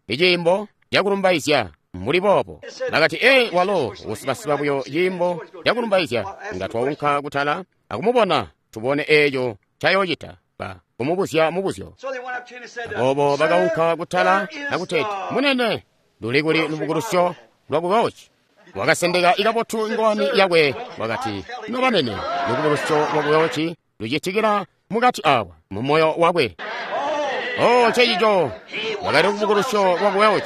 iciimbo cakulumbaizya mbuli boobo. Bakati, ee, walo usibasiba buyo ciimbo cakulumbaizya. Nga twaunka kutala akumubona, tubone eco ncayoocita. Ba kumubuzya mubuzyo. Aboobo bakaunka kutala akuteeti, munene, luli kuli lubukulusyo lwaku Wales? Wakasendeka ikabotu ngowani yakwe, wakati, nobanene, lubukulusyo lwaku Wales lucitikila mukati awa mu moyo wakwe. Oh, ncecico wakali lubukulusyo lwaku Wales.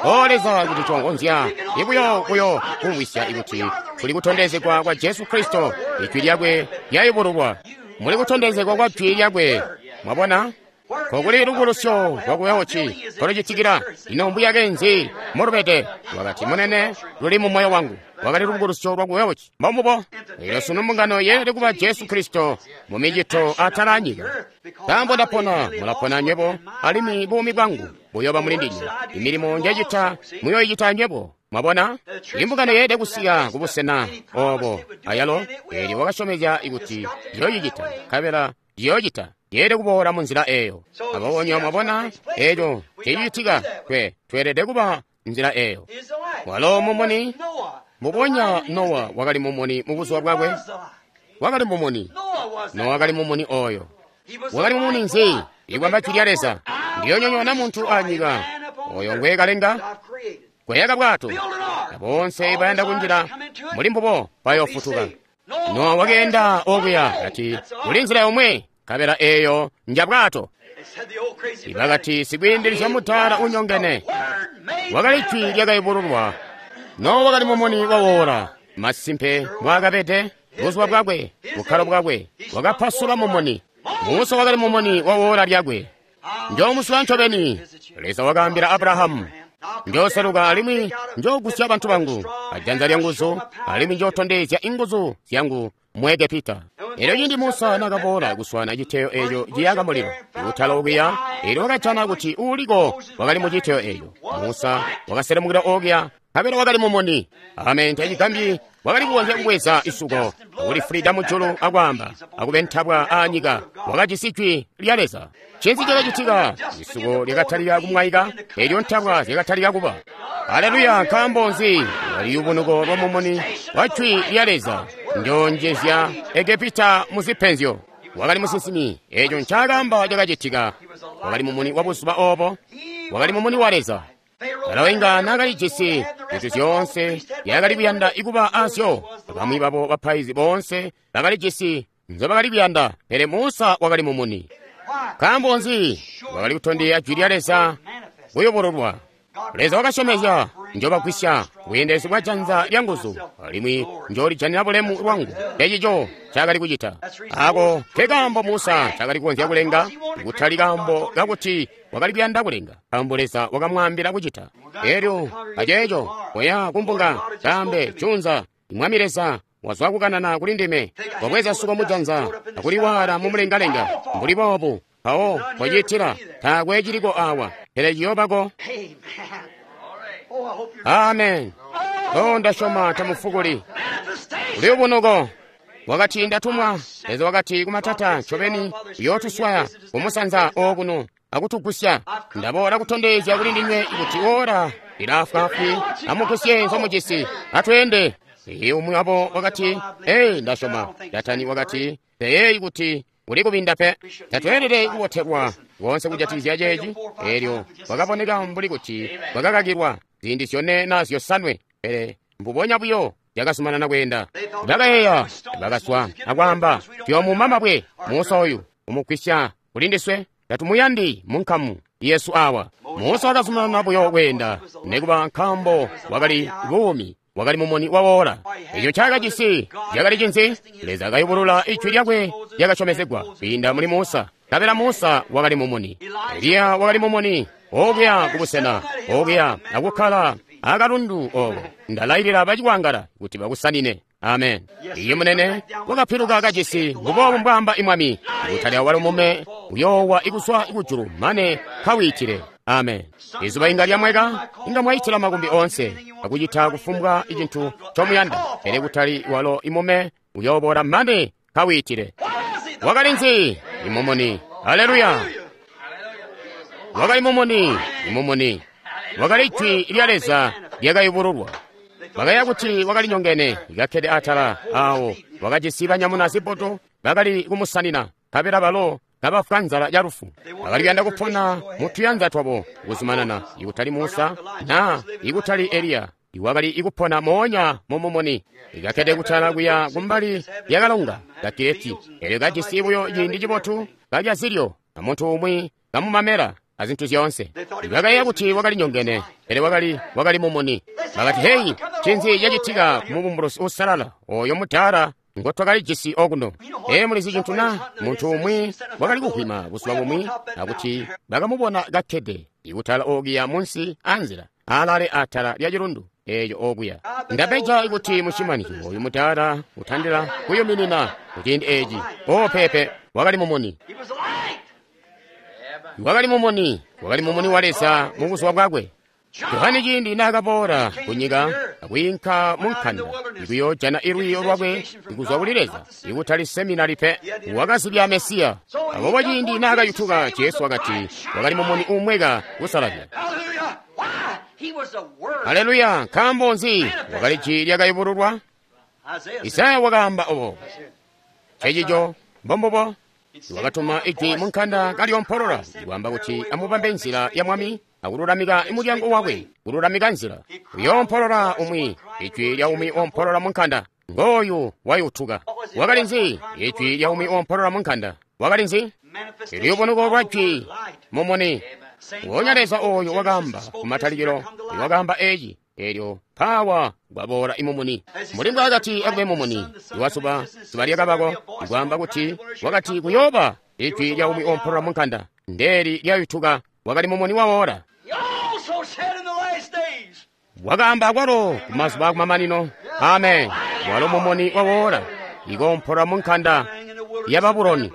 O Leza, kuti twongonzya ibuyo kuyo kumvwisya ikuti kuli kutondezegwa kwa Jesu Kristo, ijwi lyakwe lyayubululwa. Muli kutondezegwa kwa jwi lyakwe. Mwabona? Kokuli lubukulusyo lwaku Wales kolucitikila. Ino mbuyake nzi mulubede? Wakati, munene, luli mu moyo wangu. Wakali lubukulusyo lwaku Wales. Mbombubo. Elyo sunu mbungano yeelede kuba Jesu Kristo mu micito atala anyika. Nkaambo ndapona, mulapona nywebo, alimwi buumi bwangu buyooba muli ndinywe. Imilimo njecita muyoicita nywebo. Mwabona? Imbungano yeelede kusika kubusena obo ayalo, eelyo wakasyomezya kuti ciyoocicita, nkabela ciyoocita. Yeelede kuboola mu nzila eyo. Aboobo nywebo mwabona eco cicitika, tweelede kuba nzila eyo. Walo mumuni, mbubonya Nowa wakali mumuni mu buzuba bwakwe. Wakali mumuni. Nowa wakali mumuni oyo. Wakali mumuni nzi? Ikwamba jwi lya Leza. Ndiyonyonyoona muntu anyika oyo ngwekalenga, kweyaka bwato, na bonse bayanda kunjila muli mbubo bayoofutuka. Nowa wakeenda okuya kati kuli nzila yomwe, nkabela eyo nja bwato. Ibakati sikwiindilizya mudaala unyongene. Wakali jwi lyakayubululwa. Nowa wakali mumuni wawoola. Masimpe mbwaakabede buzuba bwakwe, bukkalo bwakwe, wakapasula mumuni. Musa wakali mumuni wawoola lyakwe. Njoomusula ncobeni, Leza wakaambila Abrahamu. Njooseluka alimwi njoogusya bantu bangu ajanza lyanguzu, alimwi njootondezya inguzu zyangu mu Egepita. Elyo ciindi Musa nakaboola kuswaana citeyo eco ciyaka mulilo kutala okuya, elyo wakajana kuti uuliko wakali mu citeyo eco. Musa wakaselemukila okuya, nkabela wakali mumuni. Amen. Tacigambyi wakali kukonzya kubweza isuko akulifulida mujulu akwaamba akubentabwa aanyika. Wakajisi jwi lya Leza. Ncinzi cakacitika? Isuko lyakatalika kumwaika, elyo ntabwa zyakatalika kuba. Aleluya! Nkaambo nzi? Luyubunuko lwa mumuni wa jwi lya Leza. Njoonjezya Egepita mu zipenzyo. Wakali musinsimi. Eco ncaakaamba cakacitika. Wakali mumuni wa buzuba obo. Wakali mumuni wa Leza. Farao inga naakalijisi zintu zyoonse yakali kuyanda ikuba azyo. Bamwi babo bapaizi boonse bakalijisi nzobakali kuyanda, pele Musa wakali mumuni. Nkaambo nzi? Wakali kutondezya jwi lya Leza kuyubululwa. Leza wakasyomezya, njobagwisya bweendelezi bwa janza lya nguzu, alimwi njoolijanina bulemu lwangu. Ecico ncaakali kucita. Ako nkekaambo Musa ncaakali kukonzya kulenga, kutali kaambo kakuti wakali kuyanda kulenga, nkaambo Leza wakamwaambila kucita. Elyo aceeco koya kumbunga, kaambe junza, Mwami Leza wazwa kukanana kuli ndime, wabweza suko mujanza akuliwaala mumulengalenga mbuli boobu. Mpawo kociitila, taakwe ciliko awa, pele ciyoobako. Amen. Oh, ndasyoma tamufukuli. Luyubunuko. Wakati, Ndatumwa. Leza wakati kumatata, ncobeni uyootuswaya kumusanza okuno akutugusya. Ndaboola kutondezya kuli ndinywe kuti ora lilaafwaafwi. Amugusye nzomujisi, atweende. Umwi wabo wakati, Ei, ndasyoma. Datani wakati, Teyeeyi kuti uli kubinda pe. Tatweelede kubotelwa konse kujatikizya ceeci. Eelyo kwakaboneka mbuli kuti kwakakakilwa ziindi 4 na 5, pele mbubonya buyo yakazumanana kweenda. Bakayeeya, bakaswa akwaamba, Tuyoomuma mabwe Musa oyu, umugwisya kuli ndiswe. Tatumuyandi munkamu yesu awa. Musa wakazumanana buyo kweenda, nekuba nkaambo wakali buumi, wakali mumuni wawola. Eco ncaakajisi cakali cinzi? Leza akayubulula ijwi lyakwe lyakasyomezegwa kwiinda muli Musa. Nkabela Musa wakali mumuni, Eliya wakali mumuni, okuya kubusena okuya akukkala akalundu oko. Ndalailila bacikwangala kuti bakusanine. Amen. Iye munene wakapiluka kajisi mbuboobu mbwaamba imwami, kutali awalo mume uyoowa ikuswa kujulu mane kawiitile. Amen. Izuba inga lyamweka, inga mwaitila makumbi onse akucita kufumbwa icintu ncomuyanda, pele kutali walo imume uyooboola mane kawiitile. Wakali nzi? Imumuni. Haleluya. Wakali mumuni, imumuni. Wakali ijwi lya Leza lyakayubululwa. Bakaya kuti wakali nyongene, kakkede atala awo, wakajisi banyamuna zibboto bakali kumusanina, nkabela balo kabafwa nzala ya lufu. Bakali kuyanda kupona mutuyanza twabo kuzumanana, ikutali Musa na ikutali Eliya, iwakali ikupona moonya mumumuni. Ikakkede kutala kuya kumbali lyakalonga ka Kireti, elyo kajisi buyo ciindi cibotu, kalya zilyo, amuntu umwi kamumamela azintu zyoonse. Bakayeeya kuti wakali nyongene, pele wakali mumuni. Bakati, Heyi, ncinzi cacitika ku mubumbulusi uusalala oyo mudaala ngo twakalijisi okuno? Ee, mulizi cintu na? Muntu umwi wakali kuhwima buzuba bumwi, akuti bakamubona kakkede ikutala okuya munsi anzila, alale atala lya cilundu eeco okuya. Ndabeja kuti mushimani oyu mudaala utandila kuyuminina kuciindi eeci. O pepe, wakali mumuni. Wakali mumuni, wakali mumuni wa Leza mu buzuba bwakwe. Yohane ciindi naakaboola kunyika akwiinka munkanda ikuyoojana ilwiiyo lwakwe kuzwa kuli Leza, ikutali seminari pe, wakazibya Mesiya. Aboobo ciindi naakayutuka, Jesu wakati wakali mumuni uumweka kusalazya. Haleluya! Nkaambo nzi? Wakali jwi lyakayubululwa. Isaya wakaamba obo. Ncecico, mbombubo. Wakatuma ijwi munkanda kalyompolola, kwaamba kuti amubambe nzila ya Mwami, akululamika mulyango wakwe, kululamika nzila. Uyoompolola umwi, ijwi lya umwi oompolola munkanda. Ngooyu wayutuka. Wakali nzi? Ijwi lya umwi oompolola munkanda. Wakali nzi? Iliyubunuko lwa jwi mumuni. Wonya Leza oyo wakaamba kumatalikilo, wakaamba eci, elyo mpawa kwaboola imumuni. Mbuli mbwaakati akube mumuni, iwazuba, zuba lyakabako, ikwaamba kuti wakati kuyooba ijwi lya umwi oompolola munkanda. Ndeeli lyayutuka, wakali mumuni wawola. Wakaamba akwalo kumazuba akumamanino. Amen. Walo mumuni wawola, ikoompolola munkanda ya Babuloni.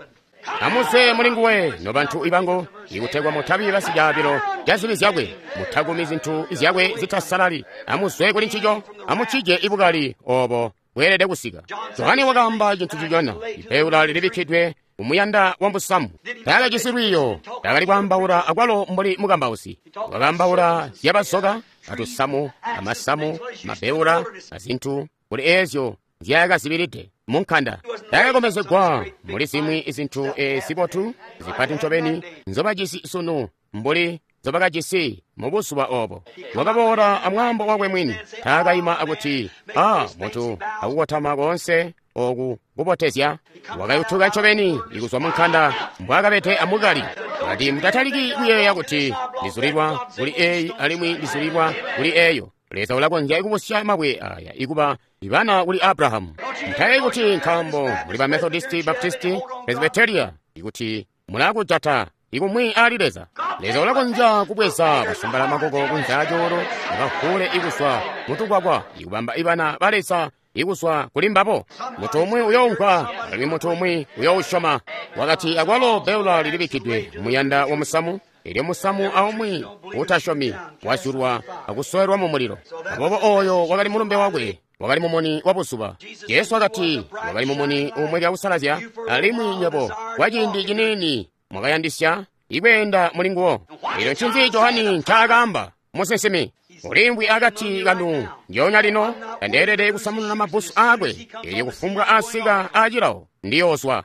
Amuzwe muli nguwe, nobantu ibangu, ikutegwa mutabi basicaabilo ca zibi zyakwe, mutakumi zintu zyakwe zitasalali. Amuzwe kuli ncico, amucije ibukali obo bweelede kusika. Johane wakaamba cintu cicona, ipeula lilibikkidwe kumuyanda wa musamu. Taakajisi lwiiyo, taakali kwaambaula akwalo mbuli mukambausi. Wakaambaula zyabasoka, atusamu, amasamu, mabeula, azintu kuli eezyo nzyaakazibilide munkanda. Taakakomezegwa muli zimwi zintu zibotu zipati ncobeni nzobajisi sunu mbuli nzobakajisi mubuzuba obo. Wakaboola amwaambo wakwe mwini. Taakaima akuti, a muntu akukotama koonse oku kubotezya. Wakayutuka ncobeni ikuzwa munkanda mbwaakabede amukali. Kati mutataliki kuyeeya kuti ndizulilwa kuli eyi alimwi ndizulilwa kuli eyo. Leza ulakonzya kubusya mabwe aya ikuba ibana kuli Abrahamu. Mutayeeyi kuti nkaambo muli ba Methodisti, Baptisti, Presbyteria, ikuti mulakujata ikumwi ali Leza. Leza ulakonzya kubweza basambala makoko kunze acoolo, bakahule ikuswa mutukwakwa, ikubamba ibana ba Leza ikuswa kuli mbabo. Muntu umwi uyoumvwa, alimwi muntu umwi uyousyoma. Wakati akwalo beula lilibikkidwe muyanda wa musamu, elyo musamu aumwi utasyomi wazyulwa akusowelwa mu mulilo. Aboobo oyo wakali mulumbe wakwe. Wakali mumuni wa buzuba. Jesu wakati, wakali mumuni umweka kusalazya, alimwi nywebo kwa ciindi ciniini mwakayandisya ikweenda muli nguwo. Elyo ncinzi Johani ncaakaamba? Musinsimi uliimvwi akati kanu ndyoonya lino, tandeelede kusamununa mabbusu aakwe. Elyo kufumbwa asika acilawo ndiyoozwa.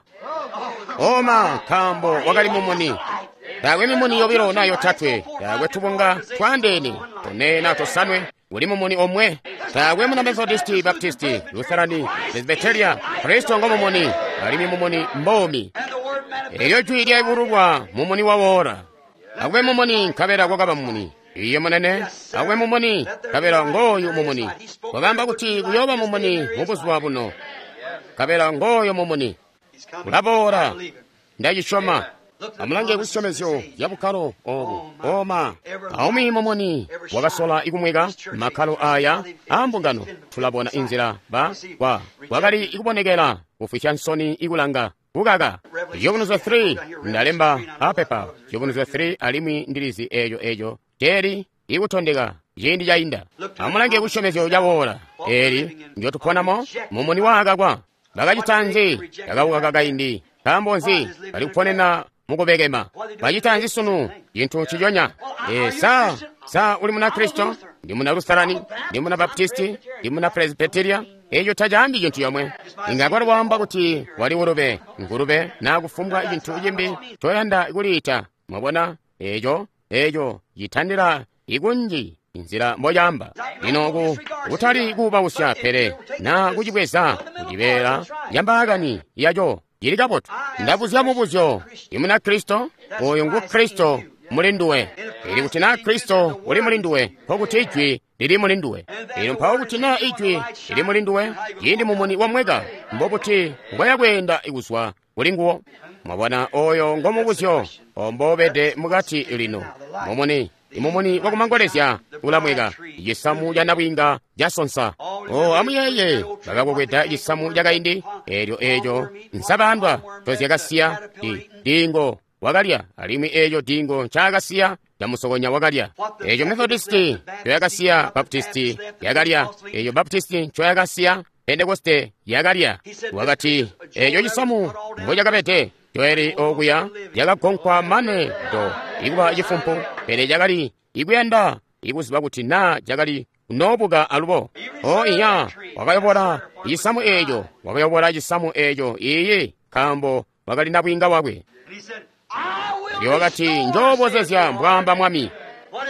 Oma, nkaambo wakali mumuni. Taakwe mimuni yobilo na yotatwe, taakwe tubunga twaandeene, tone na tosanwe, uli mumuni omwe. Taakwe muna Methodisti, Baptisti, Lutherani, Presbyteria. Kristo ngo mumuni, alimwi mumuni mbomi. Elyo jwi lyayubululwa mumuni wawoora. Akube mumuni, nkabela kwakaba mumuni. Iye munene, akube mumuni, nkabela ngooyu mumuni. Wakaamba kuti kuyooba mumuni mubuzuba buno, nkabela ngooyo mumuni. Ulaboola, ndacisyoma. Amulange kusyomezyo ya bukkalo obu. Oma, aumwi mumuni wakasola ikumweka makkalo aya a mbungano. Tulabona inzila ba kwa wakali ikubonekela kufwisya nsoni ikulanga kukaka. Ciyubunuzyo 3 ndalemba apepa. Ciyubunuzyo 3 alimwi ndilizi eeco eeco ceeli ikutondeka ciindi cainda. Amulange kusyomezyo caboola eeli njotuponamo mumuni waakakwa. Bakacita nzi? Bakawukaka kaindi. Nkaambo nzi? Bali kuponena mukubekema. Bacita nzi sunu? Cintu nciconya. Sa uli muna Kristo? Ndi muna Lutherani? Ndi muna Baptisti? Ndi muna Presbyteria? Eco tacaambi cintu yomwe. Inga kwali kwaamba kuti wali ulube, ngulube, naa kufumbwa cintu cimbi coyanda kuliita. Mwabona? Eco citandila ikunji inzila mbocaamba. Lino ku kutali kuubausya, pele naa kucibweza kucibeela yambaakani yaco cili kabotu. Ndabuzya mubuzyo, imuna Kristo? Oyo ngu Kristo muli nduwe. Ili kuti naa Kristo uli muli nduwe, nkokuti Ijwi lili muli nduwe. Elyo mpawo kuti naa Ijwi lili muli nduwe, ciindi mumuni wamweka, mbokuti ngoya kweenda kuzwa kuli nguwo. Mwabona, oyo ngo mubuzyo ombobede mukati lino. Mumuni, imumuni wakumangolezya ulamweka, cisamu ca nabwiinga casonsa. O, amuyeeye, bakakokweda cisamu cakaindi, eelyo eeco nsabaandwa tozyakasiya diingo wakalya, alimwi eeco diingo ncaakasiya camusokonya wakalya. Eeco Methodisti ncoyakasiya, Baptisti yakalya. Eeco Baptisti ncoyakasiya, Pentekoste yakalya. Wakati eeco cisamu mbocakabede Joeli okuya yakagonkwa mane do ikuba cifumpu, pele cakali ikuyanda ikuziba kuti naa cakali kunoobuka alubo. O iya, wakayobola cisamu eeco, wakayobola cisamu eeco, iiyi, nkaambo wakali nabwiinga wakwe. Elyo wakati, njoobozezya, mbwaamba Mwami.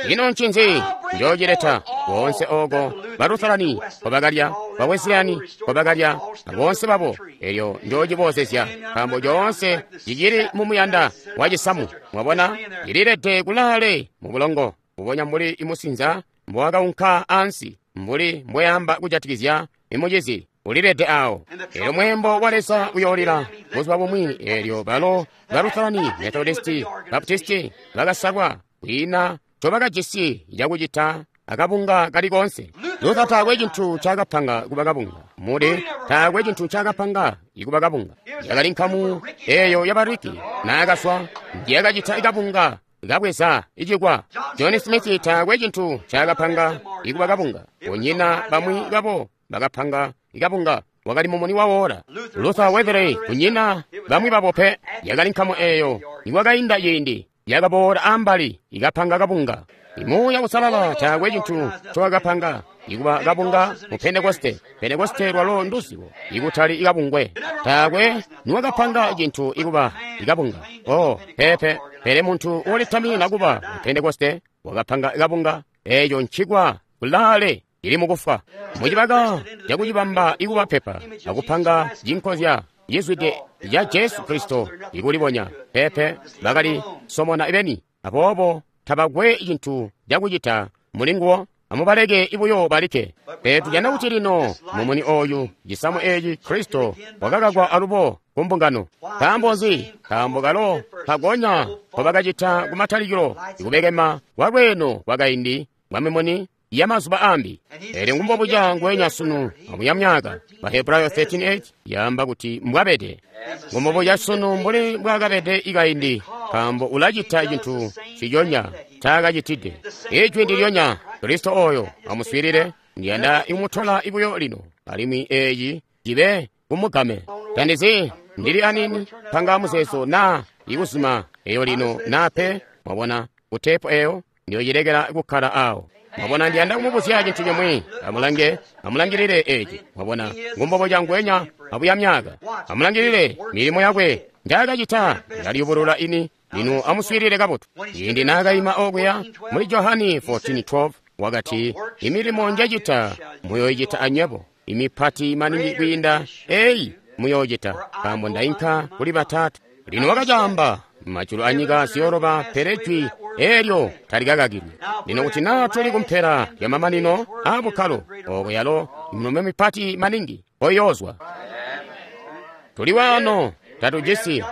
Ino ncinzi? Njoocileta boonse ooko ba Lutherani nkobakalya, ba Wesleyani nkobakalya, boonse babo. Elyo njoocibozezya, nkaambo coonse cicili mumuyanda wa cisamu. Mwabona, cililede kulaale mu bulongo, mbubonya mbuli imusinza mbowakaunka ansi, mbuli mbweamba kujatikizya imucizi ulilede awo. Elyo mweembo wa Leza uyoolila buzuba bumwi. Elyo balo ba Lutherani, Methodisti, Baptisti bakasalwa, kwiina ncobakajisi cakucita akabunga kali koonse. Luther taakwe cintu ncaakapanga kuba kabunga. Moody taakwe cintu ncaakapanga ikuba kabunga. Yakali nkamu eeyo yabariki naakazwa ndiyakacita kabunga kabweza icikwa. John Smith taakwe cintu ncaakapanga ikuba kabunga. Kunyina bamwi babo bakapanga ikabunga. Wakali mumuni wawoora. Luther, Wesley, kunyina bamwi babo pe. Yakali nkamu eeyo nikwakainda ciindi yakaboola ambali ikapanga kabunga. Imuuya Usalala taakwe cintu ncowakapanga ikuba kabunga mu Pentekoste. Pentekoste lwalo nduzibo, ikutali ikabungwe. Taakwe niwakapanga cintu ikuba ikabunga. Oh, pepe, pele muntu ulitamina kuba mu Pentekoste wakapanga kabunga. Eeco ncikwa kulaale ili mukufwa. Mucibaka cakucibamba ikuba pepa akupanga cinkozya cizwide ca Jesu Kristo ikulibonya. Pepe, bakali somona beni, aboobo tabakwe cintu cakucita mulinguwo. Amubaleke ibuyo balike. Pele tujana kuti lino mumuni oyu, cisamu eeci Kristo wakakakwa alubo ku mbungano. Nkaambo nzi? Nkaambo kalo kagonya nkobakacita kumatalikilo ikubekema kwa lweeno kwakaindi kwa mimuni ya mazuba ambi. Elyo ngumbobuca ngwenya sunu amuya myaka. Bahebrayo 13:8 yaamba kuti mbwabede. Ngumbobuca sunu mbuli mbwakabede ikaindi, nkaambo ulacita cintu ciconya ncaakacitide. Ijwi ndilyonya, Kristo oyo amuswiilile. Ndiyanda ikumutola ibuyo lino. alimwi eeci cibe kumugame. Tandizi ndili anini panga muzeezo naa ikuzima eyo lino naa pe. Mwabona, kutepo eyo ndiyocilekela kukkala awo. Mwabona, ndiyanda kumubuzya cintu cimwi. Amulange, amulangilile eci. Mwabona, ngumbobo cangwenya abuya myaka. Amulangilile milimo yakwe njaakacita yaliyubulula ini. Lino amuswiilile kabotu. Ciindi naakaima okuya muli Johani 14:12 wakati, imilimo njacita muyoicita anywebo, imipati maningi kwiinda eyi muyoocita, nkaambo ndainka kuli Batata. Lino wakacaamba, majulu anyika ziyoloba, pele jwi eelyo talikakakilwi. Lino kuti naa tuli kumpela lya mamanino aa bukkalo, ooko yalo milimo mipati maningi koyoozwa. Tuli waano tatujisi.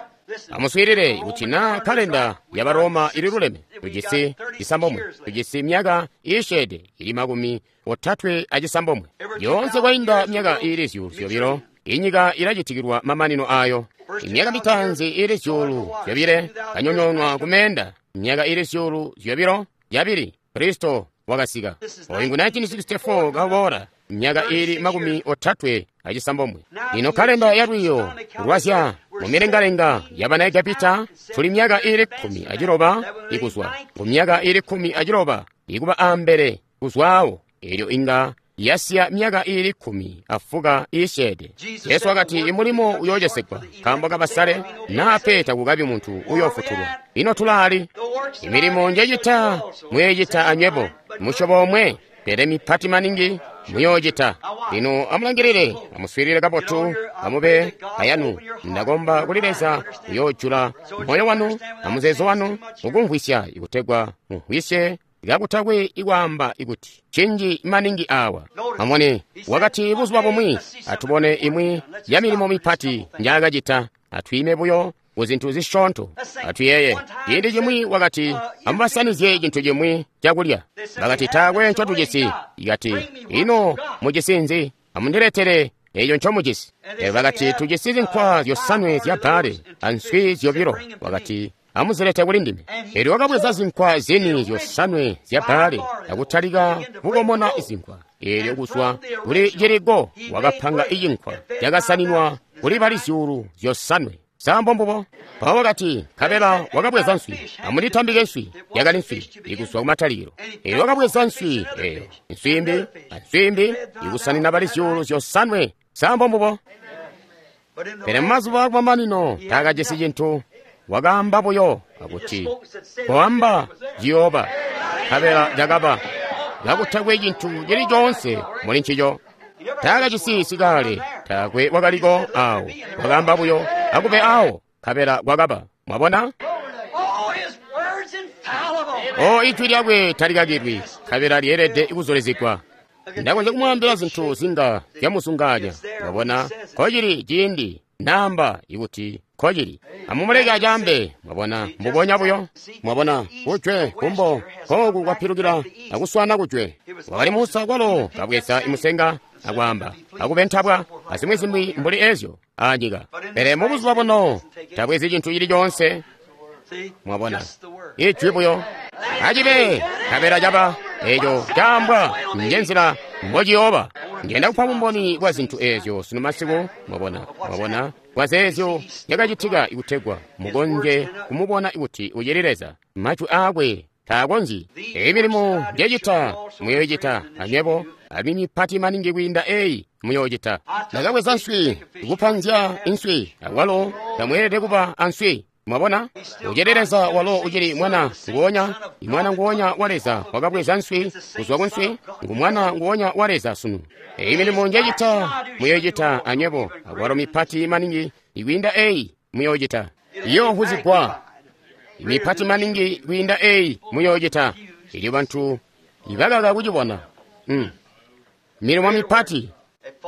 Amuswiilile, kuti naa kalenda ya Baroma ililuleme, tujisi cisambomwe, tujisi myaka iisyeede ili 39. Yoonse kwainda myaka iili 2,000, inyika ilacitikilwa mamanino ayo. Imyaka mitaanzi ili 2,000 kanyonyonwa kumeenda, myaka ili 2,002 Kristo wakasika. Oyu ngu 1964 kaboola, myaka ili 36. Lino kalenda ya lwiiyo lwazya mumilengalenga ya bana Egepita tuli myaka ili 16 ikuzwa ku myaka ili 16 ikuba ambele kuzwawo, elyo inga yasiya myaka ili 14 iisyeede. Yesu wakati imulimo uyoocesegwa nkaambo kabasale, naa pe takukabi muntu uyoofutulwa. Ino tulaali? Imilimo njecita muyoicita anywebo, musyobo omwe, pele mipati maningi muyoocita. Lino amulangilile, amuswiilile kabotu, amube ayanu. Ndakomba kuli Leza uyoojula moyo wanu amuzeezo wanu mukumvwisya, ikutegwa mumvwisye kakutakwe ikwaamba ikuti cinji maningi awa. Amone, wakati buzuba bumwi atubone imwi ya milimo mipati njaakacita, atwiime buyo ku zintu zisyoonto. Atuyeye, ciindi cimwi wakati amubasanizye cintu cimwi cakulya. Bakati taakwe ncotujisi. Ikati, ino mujisi nzi? Amundiletere eyo ncomujisi. Bakati tujisi zinkwa 5 zya bbaale answi 2. Wakati amuzilete kuli ndime. Elyo wakabweza zinkwa zini 5 zya bbaale akutalika kukomona zinkwa. Elyo kuzwa kuli ciliko wakapanga icinkwa cakasaninwa kuli bali 5,000. Sambo mbubo. Mpawo wakati, nkabela wakabweza nswi, amunditambike nswi. Yakali nswi ikuzwa kumatalikilo. Elyo wakabweza nswi eyo, nswi imbi answi imbi, ikusanina bali 5,000. Sambo mbubo. Pele mumazuba akumamanino taakajisi cintu. Wakaamba buyo akuti, koamba ciyooba, nkabela cakaba, kakutakwe cintu cili coonse muli ncico. Taakajisi sikale, taakwe wakaliko awo. Wakaamba buyo akube awo, nkabela kwakaba. Mwabona? O, ijwi lyakwe talikakilwi, nkabela lyeelede kuzulizigwa. Ndakonzya kumwaambila zintu zinga zyamuzunganya. Mwabona? Kocili ciindi namba ikuti kocili. Amumuleke acaambe. Mwabona? Mbubonya buyo. Mwabona? Kujwe, kumbo, kooku kwapilukila akuswana kujwe. Wakali Musa kwalo kabweza imusenga akwaamba akubentabwa azimwi mbuli ezyo anyika. Pele mubuzuba buno tabwezi cintu cili coonse. Mwabona? Ijwi buyo. Acibe, nkabela caba, eco caambwa njenzila mbociyooba. Ndiyanda kupa bumboni bwa zintu ezyo sunu masiku. Mwabona? Mwabona? Bwa zeezyo zyakacitika ikutegwa mukonzye kumubona kuti ucili Leza. Majwi aakwe taakonzyi. Eyi milimo njecita muyoicita anywebo, alimwi mipati maningi kwiinda eyi muyoocita. Ndakabweza nswi, kupanzya inswi, awalo tamweelede kuba answi. Mwabona? Ucili Leza walo ucili mwana nguonya, imwana nguonya wa Leza wakabweza nswi kuzwa ku nswi, ngu mwana nguonya wa Leza sunu. Eyi milimo njecita muyoicita anywebo, awalo mipati maningi ikwiinda eyi muyoocita. Iyoohuzigwa. Mipati maningi kwiinda eyi muyoocita. Elyo bantu ibakaka kucibona. Milimo mipati.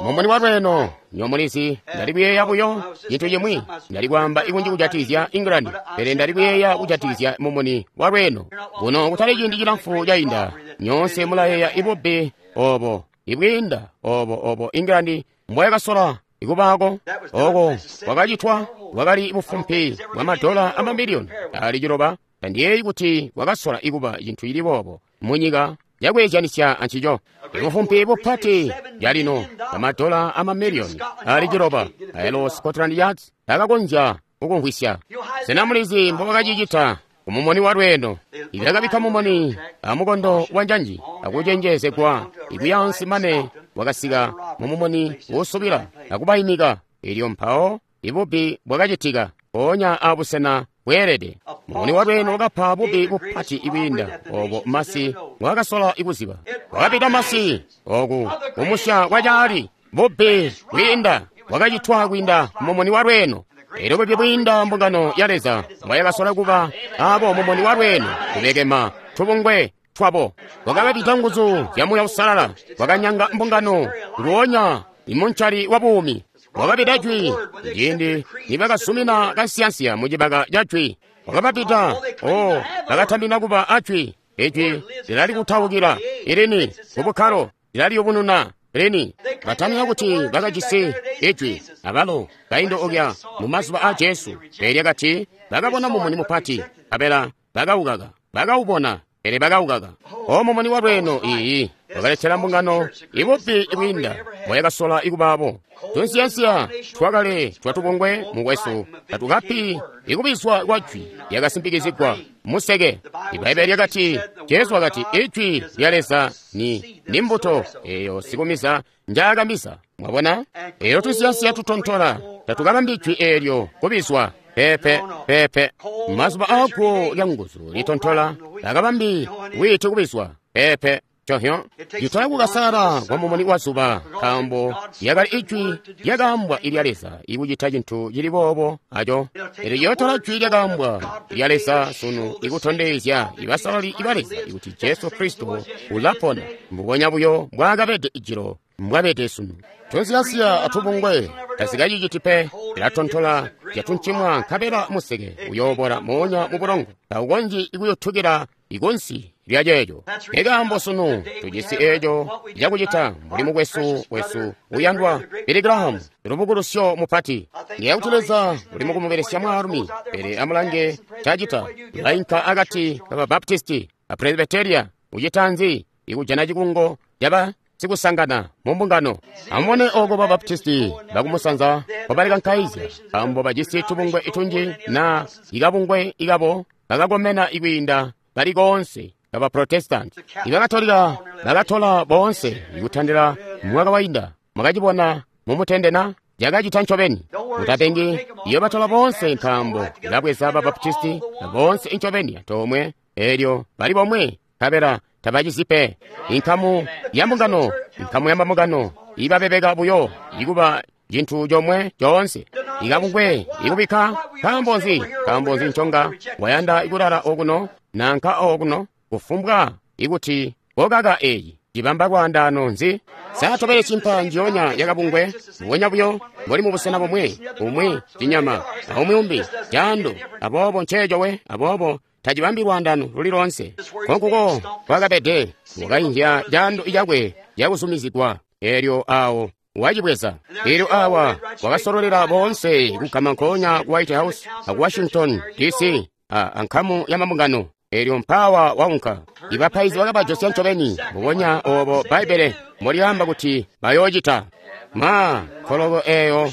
Mumuni wa lweeno, nyomulizi, ndali kuyeeya buyo cintu cimwi. Ndali kwaamba ikunji kujatikizya England, pele ndali kuyeeya kujatikizya mumuni wa lweeno. Kuno kutali ciindi cilamfu cainda, nyoonse mulayeeya ibubbi obo, ibwiinda obo England mbwayakasola ikubaako. Oko kwakacitwa bwakali bufumpi bwa madola amamiliyoni ali 9. Tandiyeeyi kuti kwakasola ikuba cintu cili boobo munyika. cakweezyanisya ancico. Ibufumpi bupati calino bamadola amamiliyoni ali ciloba aelo Scotland Yard takakonzya kukumvwisya. Sena mulizi mbobakacicita kumumoni wa lweeno? Ibakabikka mumoni amukondo wa njanji akucenjezegwa ikuyaansi mane wakasika mumumoni wosubila akubayimika. Elyo mpawo ibubbi bwakacitika mpoonya abusena bweelede. Mumuni wa lweeno wakapa bubbi bupati ibwiinda obo masi bwakasola ikuziba. Wakapita masi oku kumusya kwacaali bubbi bwiinda bwakacitwa kwiinda mumuni wa lweeno. Elyo bubbi bwiinda mbungano ya Leza mbwayakasola kuba abo mumuni wa lweeno kubekema tubungwe twabo. Wakabapita nguzu zya Muuya Uusalala, wakanyanga mbungano nguonya imuncali wa buumi. Wakapita jwi ciindi nibakasumina kansiyansiya mucibaka ca jwi. Wakabapita o bakatambina kuba a jwi. Ijwi lilalikutaukila ilini kubukkalo lilaliyubununa lini. Batamina kuti bakajisi ijwi abalo kaindo okya mu mazuba a Jesu. Pele kati bakabona mumuni mupati, abela bakaukaka, bakaubona, pele bakaukaka. O mumuni wa lweeno iyi wakaletela mbungano ibubbi ibwiinda bwayakasola ikubaabo. Tunsiyansiya twakale twatubungwe mukwesu tatukapi ikubizwa kwa jwi lyakasimpikizigwa museke. Ibaibbele lyakati, Jesu wakati ijwi lya Leza ni mbuto eyo sikumiza njaakamiza. Mwabona? Eyo tunsiyansiya tutontola tatukabambi jwi eelyo kubizwa. Pepe pepe. Mazuba aako lya nguzu litontola takabambi wiiti kubizwa. Pepe. Cohyo litola kukasala kwa mumuni wa zuba, nkaambo lyakali ijwi lyakaambwa ilya Leza ikucita cintu cili boobo aco. Elyo lyotola jwi lyakaambwa ilya Leza sunu ikutondezya ibasalali iba Leza ikuti Jesu Kristo ulapona mbubonya buyo mbwaakabede ijilo mbwabede sunu. Tunsiyansiya atubungwe tazikaciciti pe, lilatontola lyatuncimwa nkabela museke uyoobora moonya mu bulongo, taukonzyi ikuyotukila ikunsi lya ceeco. Ikaambo sunu tujisi eeco cakucita mbuli mukwesu wesu uyandwa Billy Graham, lubukulusyo mupati. Ndiyeeya kuti Leza uli mukumubelesya mwaalumi, pele amulange cacita. Ulainka akati ka Baptisti a Presbyteria, ucita nzi ikujana cikungo caba sikusangana mu mbungano. Amubone oko ba Baptisti bakumusanza mbobalikankayizya, nkaambo bajisi tubungwe itunji na ikabungwe ikabo bakakomena ikwiinda bali koonse kaba Protestant. Ibakatolika bakatola boonse ikutandila mwaka wainda. Mwakacibona mumutende na cakacita ncobeni. Mutapengi iyo batola boonse nkaambo ilabweza ba Baptisti boonse incobeni antoomwe, elyo bali bomwe nkabela tabacizi pe. Inkamu ya mbungano, inkamu ya mbungano ibabebeka buyo ikuba cintu comwe coonse. Ikabungwe ikubikka nkaambo nzi? Nkaambo nzi nconga wayanda ikulala okuno nanka okuno? Kufumbwa ikuti kokaka eyi cibamba lwaandaano nzi? Satobele cimpa njionya yakabungwe mbubonya buyo mbuli mubusena bomwe, umwi cinyama aumwi umbi caando. Aboobo nceeco we, aboobo tacibambi lwaandaano luli loonse. Nkonkuko kwakabede wakainzya caando cakwe cakuzumizigwa, eelyo awo wacibweza. Eelyo awa wakasololela boonse kugama nkoonya ku White House aku Washington DC ankamu ya mabungano. Eelyo mpawa waunka. Ibapaizi bakabajosya ncobeni mbubonya obo Bbaibbele mbolyaamba kuti bayoocita. Ma nkoloko eeyo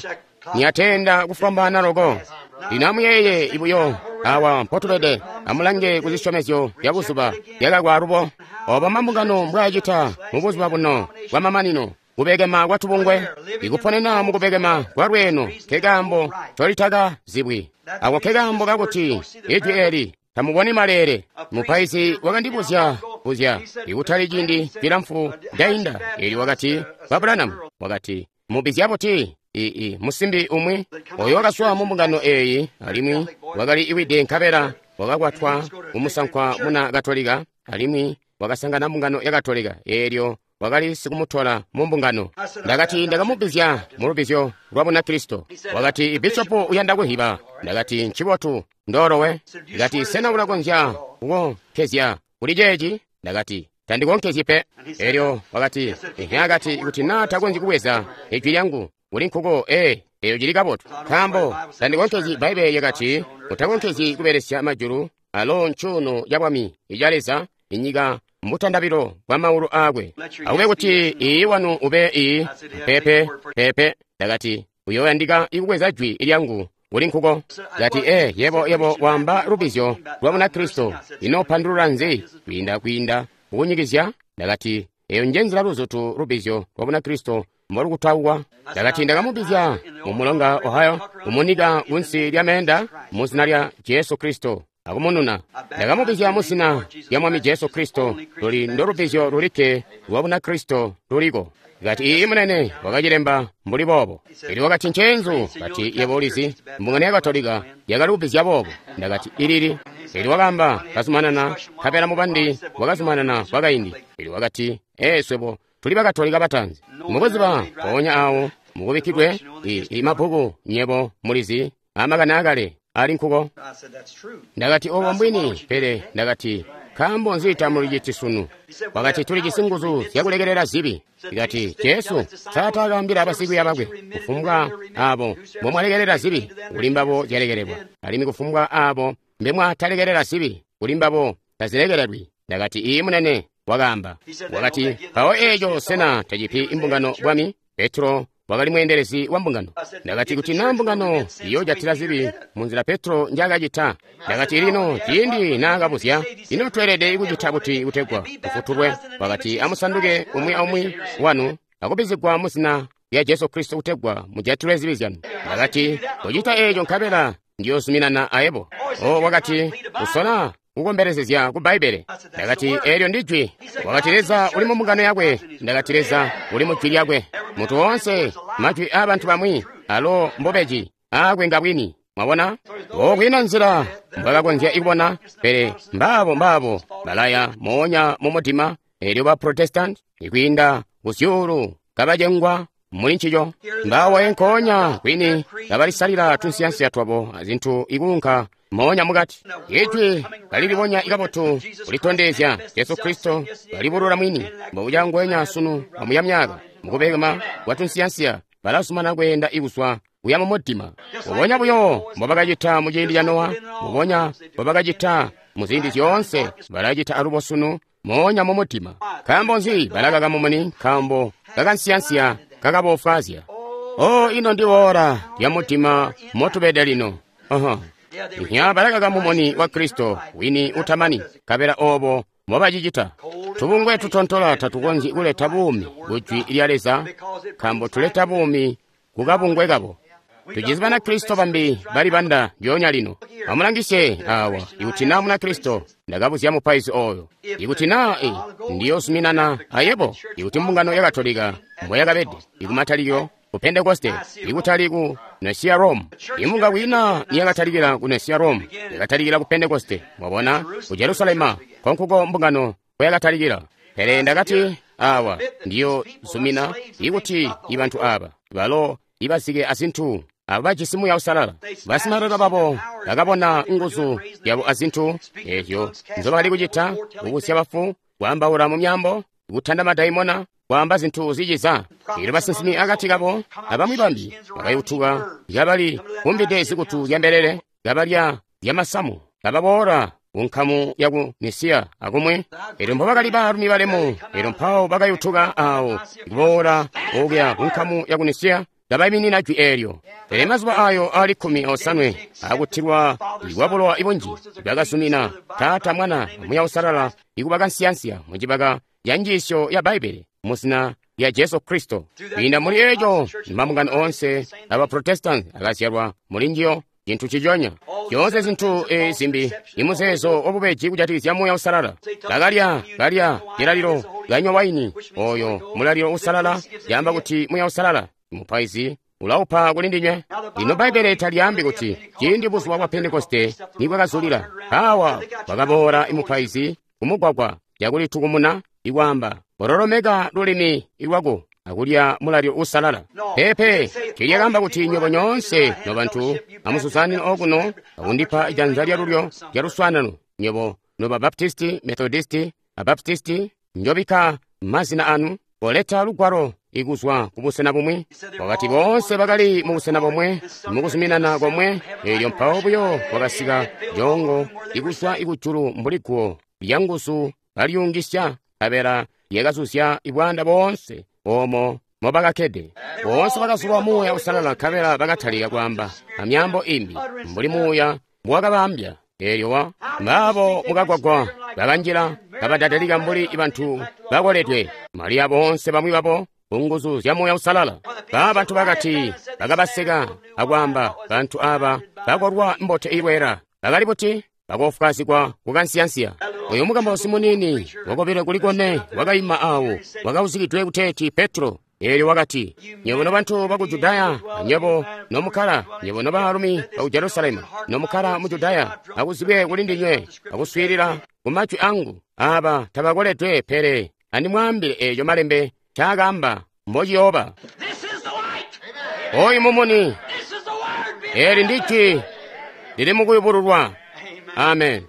niyatenda kufwambaana loko. Lino amuyeeye ibuyo awa mpotubede, amulange ku zisyomezyo zya buzuba zyakakwa alubo. Obo mambungano mbwaacita mubuzuba buno bwamamanino, kubekema kwa tubungwe, ikuponena mukubekema kwa lweeno, nkekaambo ncolitaka zibwi. Ako nkekaambo kakuti ijwi eli tamuboni maleele. Mupaizi wakandibuzya buzya ikutali ciindi cilamfu ndainda, eelyo wakati, Ba Branham, wakati, mubizya buti musimbi umwi oyo wakaswa mu mbungano eeyi, alimwi wakali iwide nkabela wakakwatwa kumusankwa muna Katolika, alimwi wakasangana mbungano ya Katolika, eelyo wakali sikumutola mu mbungano. Ndakati ndakamubizya mu lubizyo lwa Bunakristo. Wakati ibishopu uyanda kuhiba. Ndakati ncibotu ndolowe. Ndakati sena ulakonzya kukonkezya kuli ceeci? Ndakati tandikonkezyi pe. Eelyo wakati akati kuti naa takonzyi kubweza ijwi lyangu kuli nkuko, eyo cili kabotu, nkaambo tandikonkezyi. Bbaibbele lyakati utakonkezyi kubelesya majulu alo ncuuno ca bwami ica Leza, inyika mbutandabilo bwa maulu aakwe. Akube kuti ii wanu ube ii, peepe, peepe. Ndakati, uyooyandika ikubweza jwi lyangu kuli nkuko. Kati, e, yebo waamba lubizyo lwa Bunakristo. Ino pandulula nzi kwiinda kukunyikizya? Ndakati, eyo nje nzila luzutu lubizyo lwa Bunakristo mbolukutaukwa. Ndakati, ndakamubizya mu mulonga Ohio, kumunika kunsi lya meenda mu zina lya Jesu Kristo, akumununa. Ndakamubizya mu zina lya Mwami Jesu Kristo, luli ndo lubizyo lulikke lwa Bunakristo luliko. Kati, ii munene, wakacilemba mbuli boobo. Elyo wakati, nceenzu. Kati, yebo ulizi, mbungano ya Katolika yakali kubizya boobo. Ndakati, ilili. Elyo wakaamba, kazumanana, nkabela mubandi wakazumanana kwakaindi. Elyo wakati, ee, swebo tuli Bakatolika bataanzi. Mubuziba mpoonya awo mukubikkidwe i mabbuku, nyebo mulizi, amakani akale ali nkuko. Ndakati, obo mbwini, pele ndakati, nkaambo nzi tamuliciti sunu? Wakati, tulijisi nguzu zyakulekelela zibi. Ikati, Jesu taakaambila basikwiiya bakwe, kufumbwa abo mbomwalekelela zibi, kuli mbabo zyalekelelwa, alimwi kufumbwa abo mbemwatalekelela zibi, kuli mbabo tazilekelelwi. Ndakati, ii munene, wakaamba. Wakati, mpawo eeco sena tacipi imbungano bwami? Petro wakali mweendelezi wa mbungano. Ndakati, kuti naa mbungano iyoojatila zibi munzila Petro njaakacita. Ndakati, lino ciindi naakabuzya, ino tweelede kucita buti kutegwa tufutulwe? Wakati, amusanduke umwi aumwi wanu akubizigwa mu zina lya Jesu Kristo kutegwa mujatilwe zibi zyanu. Ndakati, kocita eeco nkabela ndiyoozuminana ayebo. O, wakati, usola kukombelezezya ku Bbaibbele. Ndakati, eelyo ndi jwi. Wakati, Leza uli mu mbungano yakwe. Ndakati, Leza uli mu jwi lyakwe. Muntu woonse, majwi aabantu bamwi, alo mbobeji, aakwe ngabwini. Mwabona? O, kwiina nzila mbwakakonzya kubona, pele mbaabo balaya moonya mu mudima, eelyo ba Protestant ikwiinda kuzyuulu kabacengwa muli ncico. Mbaabo nkoonya kwini kabalisalila tunsiyansiya twabo azintu ikuunka moonya mukati. Ijwi kalilibonya kabotu kulitondezya Jesu Kristo kalibulula mwini mbobuca ngwenya sunu amuya myaka mukubekema kwa tunsiyansiya balazumana kweenda ikuzwa kuya mu mudima. Mbubonya buyo mbobakacita mu ciindi ca Nowa, mbubonya mbobakacita mu ziindi zyoonse, balacita alubo sunu moonya mu mudima. Nkaambo nzi balakaka mumuni? Nkaambo kakansiyansiya kakabofwaazya. O, ino ndi ora lya mudima motubede lino. Nya balakaka mumuni wa Kristo wini utamani, nkabela obo mbobacicita. Tubungwe tutontola tatukonzyi kuleta buumi ku jwi lya Leza, nkaambo tuleta buumi ku kabungwe kabo. Tujisi Banakristo bambi balibanda ndyoonya lino. Amulangisye awa, ikuti naa Munakristo, ndakabuzya mupaizi oyo. Ikuti naa ndiyoozuminana ayebo, ikuti mbungano ya Katolika mboyakabede ikumatalikilo ku Pentekoste, ikutali ku Nasiya Rome. Imbunga kwiina niyakatalikila ku Nasiya Rome, yakatalikila ku Pentekoste. Mwabona, ku Jerusalema konkuko mbungano koyakatalikila. Pele ndakati, awa ndiyozumina ikuti ibantu aba balo ibazike azintu abo bajisi Muuya Uusalala. Basimalelo babo bakabona nguzu yabo azintu ezyo nzobakali kucita, kubusya bafu, kwaambaula mu myaambo, kutanda madaimona, kwaamba zintu ziciza. Elyo basinsimi akati kabo abamwi bambi bakayutuka kabali kumbide zikutu zya mbelele, kabalya zyamasamu, kababoola kunkamu yaku Mesiya akumwi. Elyo mbobakali baalumi balemu, elyo mpawo bakayutuka awo kuboola okuya kunkamu yaku Mesiya, kabaiminina jwi eelyo. Pele mazuba ayo ali 18 akutilwa kwa bulowa ibunji, bakazumina Taata, Mwana, Muuya Uusalala ikuba kansiyansiya mucibaka ya njiisyo ya Bbaibbele mu zina lya Jesu Kristo. Kwiinda muli eeco, mabungano oonse aba Protestant akazyalwa muli njiyo, cintu ciconya. Zyoonse zintu zimbi, imuzeezo wabubeji kujatikizya Muuya Uusalala. Bakalya, kalya cilalilo, kanywa waini, oyo mulalilo uusalala, yaamba kuti Muuya Uusalala. Mupaizi ulaupa kuli ndinywe. Lino Bbaibbele talyaambi kuti ciindi buzuba bwa Pentekoste nibwakazulila, awa wakaboola imupaizi kumugwagwa yakulitukumuna ikwaamba, bololomeka lulimi lwako akulya mulalilo uusalala. Peepe, tiilyakaamba kuti nywebo nyoonse nobantu amuzuzanine okuno akundipa janza lyalulyo lya luswaanano, nywebo noba Baptisti, Methodisti, Abaptisti, njobikka mazina anu, koleta lugwalo ikuzwa kubusena bumwi. Wakati boonse bakali mubusena bomwe, mukuzuminana komwe, elyo mpawo buyo kwakasika jongo ikuzwa ikujulu mbuli guwo lyanguzu Balyungisya, nkabela lyakazuzya ibwaanda boonse oomo mobakakkede. Boonse bakazulwa Muuya Uusalala, nkabela bakatalika kwaamba amyaambo imbi mbuli Muuya mbuwakabaambya. Eelyo mbaabo mukagwagwa bakanjila kabadadalika mbuli bantu bakoledwe. Mariya boonse bamwi babo kunguzu zya Muuya Uusalala. Ba bantu bakati bakabaseka akwaamba, bantu aba bakolwa mbote ilweela. Bakali buti? Bakofwazigwa kukansiyansiya. Oyo mukambausi muniini wakobile kuli kone wakaima awo wakauzikidwe kuteeti Petro. Eelyo wakati, nywebo nobantu baku Judaya, nywebo nomukkala, nywebo nobaalumi baku Jerusalemu, nomukkala mu Judaya, akuzibwe kuli ndinywe, akuswiilila ku majwi angu. Aba tabakoledwe, pele andimwaambile eeco malembe ncaakaamba mbociyooba. Oyu mumuni, eeli ndi jwi lili mukuyubululwa. Amen.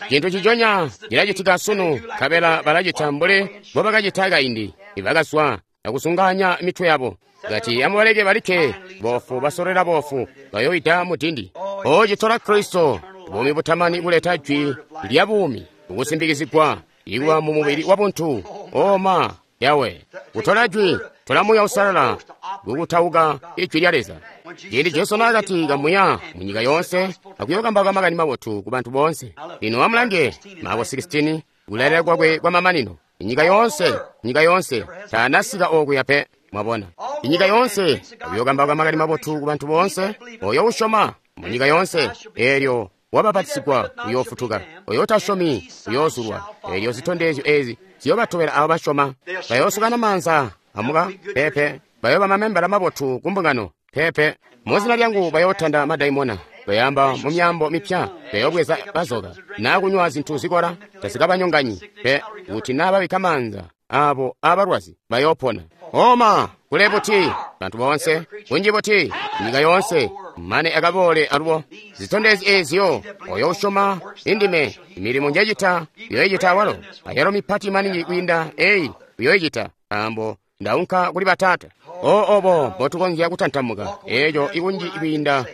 Cintu ciconya cilacitika sunu, nkabela balacita mbuli mbobakacita kaindi. Ibakazwa akusunganya mitwe yabo. Kati amubaleke balikke, boofu basolera boofu bayoyida mudindi. Ocitola Kristo, buumi butamani kuleta jwi lya buumi, kusimbikizigwa ikuba mu mubili wabuntu. Oma Yawe, kutola jwi, tola Muuya Uusalala kukutauka ijwi lya Leza. Ciindi Jesu naakati kamuya munyika yoonse akuyokambauka makani mabotu ku bantu boonse. Lino amulange Marko 16, kulailila kwakwe kwa mamanino. Inyika yoonse, nyika yoonse, taanasika okuya pe, mwabona. Inyika yoonse, akuyokambauka makani mabotu ku bantu boonse, oyo usyoma munyika yoonse, eelyo wabapatisigwa uyoofutuka, oyo utasyomi uyoozulwa. Eelyo zitondezyo ezi ziyobatobela abo basyoma. Bayoosukana maanza amuka pepe, bayooba mamembala mabotu ku mbungano pepe. Muzina lyangu bayootanda madaimona, bayaamba mu myaambo mipya, bayoobweza bazoka, naa kunywa zintu zikola tazikabanyonganyi pe, kuti naa babikka maanza abo abalwazi bayoopona. Oma kule buti bantu boonse, kunji buti nyika yoonse, mane akaboole alubo. Zitondezyo eezyo, oyo usyoma indime, milimo njecita uyoyicita awalo, ayalo mipati maningi kwiinda eyi uyoyicita, nkaambo ndaunka kuli Bataata. O obo mbotukonzya kutantamuka eeco ikunji kwiinda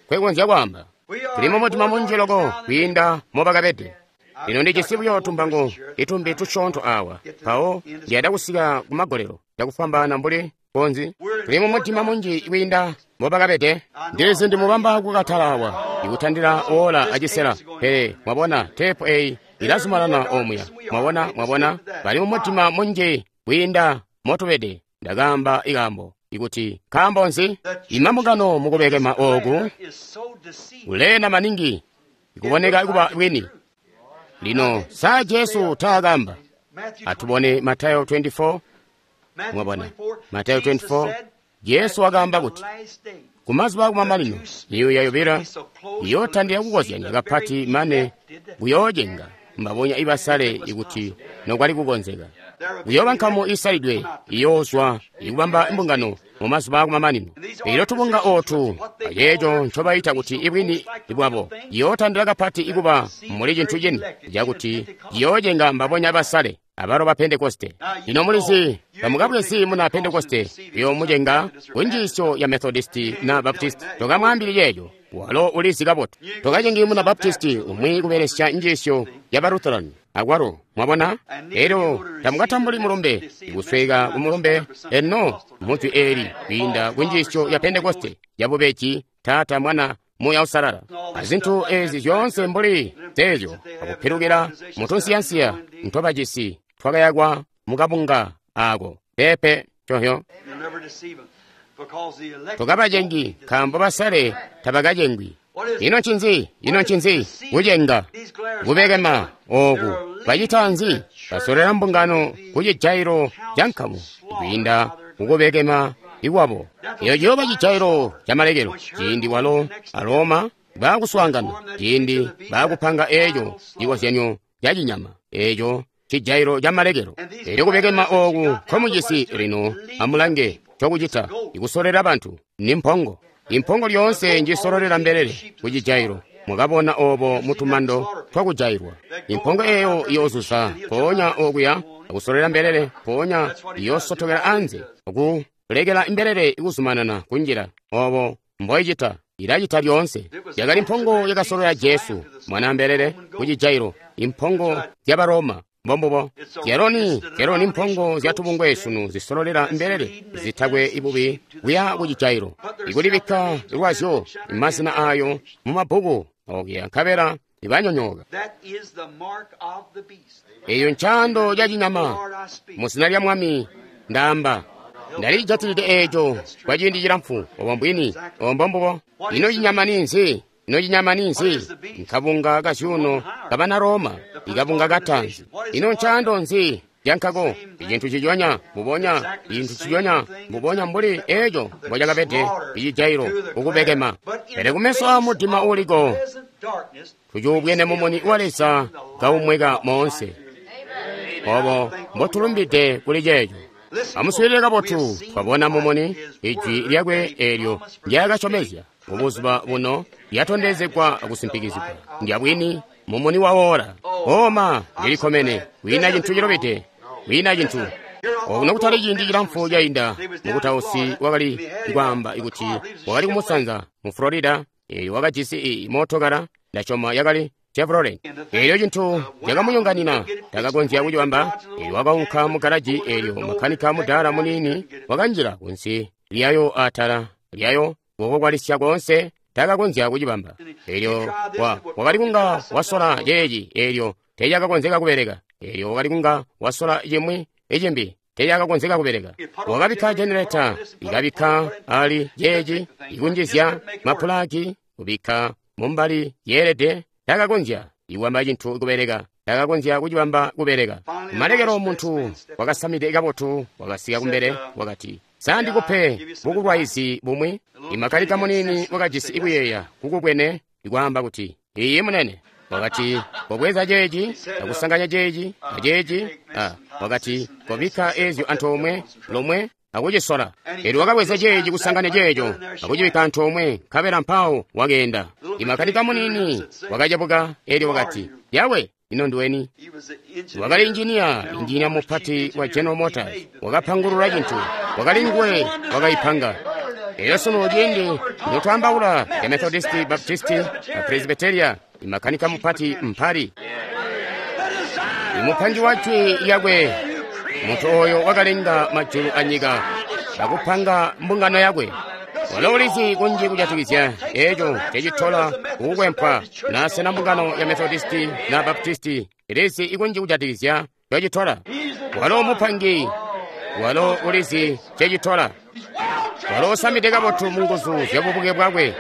kwekonzya kwaamba. Tuli mumutima munji loko kwiinda mobakabede. Lino ndijisi buyo tumpango itumbi tusyoonto awa, mpawo ndiyanda kusika kumagolelo cakufwambaana mbuli konzi. Tuli mumutima munji kwiinda mbobakabede. Ndilizi ndimubamba kukatala awa, ikutandila ola acisela, pele mwabona teepu eyi ilazumanana omuya. Mwabona, mwabona, bali mumutima munji kwiinda motubede. Ndakaamba ikaambo ikuti nkaambo nzi imambungano mukubekema ooku kuleena maningi ikuboneka kuba bwini. Lino sa Jesu taakamba? Atubone Matayo 24. Mwabona Matayo 24, Jesu wakaamba kuti kumazuba akumamanino miyuya yobilo iyootandila kukozyanya kapati mane kuyoocenga mbabonya ibasale ikuti nokwali kukonzeka. Kuyooba nkamu isalidwe iyoozwa ikubamba mbungano mumazuba akumamanino. Eelyo tubunga ootu aceeco ncobayita kuti ibwini bwabo iyootandila kapati ikuba muli cintu cini cakuti ciyoocenga mbabonya basale abalo ba Pentekoste. Lino mulizi tamukabwezi muna Pentekoste uyoomucenga kunjiisyo ya Methodisti na Baptisti. Tokamwaambili ceeco, walo ulizi kabotu. Tokacengi muna Baptisti umwi kubelesya njiisyo ya ba Lutheran akwalo, mwabona. Eelyo tamukatambuli mulumbe ikusweka ku mulumbe eno mujwi eeli kwiinda kunjiisyo ya Pentekoste yabubeji, Taata, Mwana, Muuya Uusalala. Azintu ezi zyoonse mbuli zeezyo akupilukila mutunsiyansiya ntobajisi twakayakwa mukabunga ako pepe cohyo. Tokabacengi nkaambo basale tabakacengwi. Ino ncinzi? Ino ncinzi? Kucenga, kubekema ooku bacita nzi? Basolera mbungano kucijailo ca nkamu kwiinda mukubekema ikwabo. Eyo ciyooba cijailo camalekelo ciindi walo a Roma baakuswaangana, ciindi baakupanga eeco cikozyanyo ca cinyama, eeco cijailo camalekelo. Eelyo kubekema ooku nkomujisi lino, amulange cokucita ikusolera bantu ni mpongo. Impongo lyoonse njisololera mbelele kucijailo. Mwakabona obo mutumando twakujailwa. Impongo eyo iyoozuza mpoonya okuya akusolera mbelele, mpoonya iyoosotokela anze akulekela mbelele ikuzumanana kunjila. Obo mboicita, ilacita lyoonse. Yakali mpongo yakasolola Jesu mwana mbelele kucijailo, impongo zya Baroma Mbombubo. Zyaloni mpongo zya tubungwe sunu zisololela mbelele zitakwe ibubi kuya ku cijailo. Ikulibikka lwazyo mazina ayo mu mabbuku okuya nkabela ibanyonyooka. Eyo ncaando ca cinyama. Mu zina lya Mwami ndaamba. Ndalijatilide eeco kwa ciindi cilamfu. Obo mbwini. Obo mbombubo. Ino cinyama ninzi? Ino cinyama ninzi? Nkabunga kazyuuno kabana Roma, ikabunga kataanzi. Ino ncaando nzi cankako? Icintu ciconya mbubonya, icintu ciconya mbubonya mbuli eeco mbocakabede icijailo ukubekema. Pele kumeso a mudima uuliko, tucuubwene mumuni wa Leza kaumweka moonse. Obo mbotulumbide kuli ceeco. Amuswiilile kabotu, twabona mumuni, ijwi lyakwe eelyo ndyakasyomezya mubuzuba buno lyatondezegwa akusimpikizigwa. Ndyabwini, mumuni wawola. Oma, ndilikomene, kwiina cintu cilobede, kwiina cintu. Okuno kutali ciindi cilamfu cainda, mukutausi wakali kwaamba kuti wakali kumusanza mu Florida, eelyo wakajisi mootokala, ndasyoma yakali Chevrolet. Eelyo cintu cakamunyonganina, takakonzya kucibamba. Eelyo wakaunka mu garaji, eelyo makanika mudaala muniini wakanjila kunsi lyayo atala lyayo kukokwalisya koonse, takakonzya kucibamba. Eelyo wakali kunga wasola ceeci, eelyo teecakakonzeka kubeleka. Eelyo wakali kunga wasola cimwi icimbi, teecakakonzeka kubeleka. Wakabikka generator, ikabikka ali ceeci, ikunjizya mapulaki, kubikka mumbali yeelede. Takakonzya ikubamba cintu kubeleka, takakonzya kucibamba kubeleka. Malekelo muntu wakasamide kabotu wakasika kumbele wakati, "Sa ndikupe bukulwaizi bumwi?" Imakanika muniini wakajisi ikuyeeya kukubwene ikwaamba kuti, "Iiyi munene." Wakati, "Kobweza ceeci, akusanganya ceeci, aceeci." Wakati, "Kobikka eezyo antoomwe lomwe akucisola." Eelyo wakabweza ceeci kusanganya ceeco akucibikka antoomwe, nkabela mpawo wakeenda. Imakanika muniini wakacebuka, eelyo wakati, "Yawe, ino nduweni?" Wakali injiniya mupati wa General Motors. Wakapangulula cintu, wakali nguwe wakaipanga. Eelyo sunu ciindi notwaambaula ya Methodisti, Baptisti, na Presbyteria, imakanika mupati mpali. Imupangi wa jwi lyakwe, muntu oyo wakalenga majulu anyika akupanga mbungano yakwe. Walo ulizi kunji kujatikizya eco cecitola kukukwempwa nasena mbungano ya Methodisti na Baptisti ilizi ikunji kujatikizya cecitola. Walo mupangi, walo ulizi cecitola. Walo usamide kabotu mu nguzu zya bubuke bwakwe.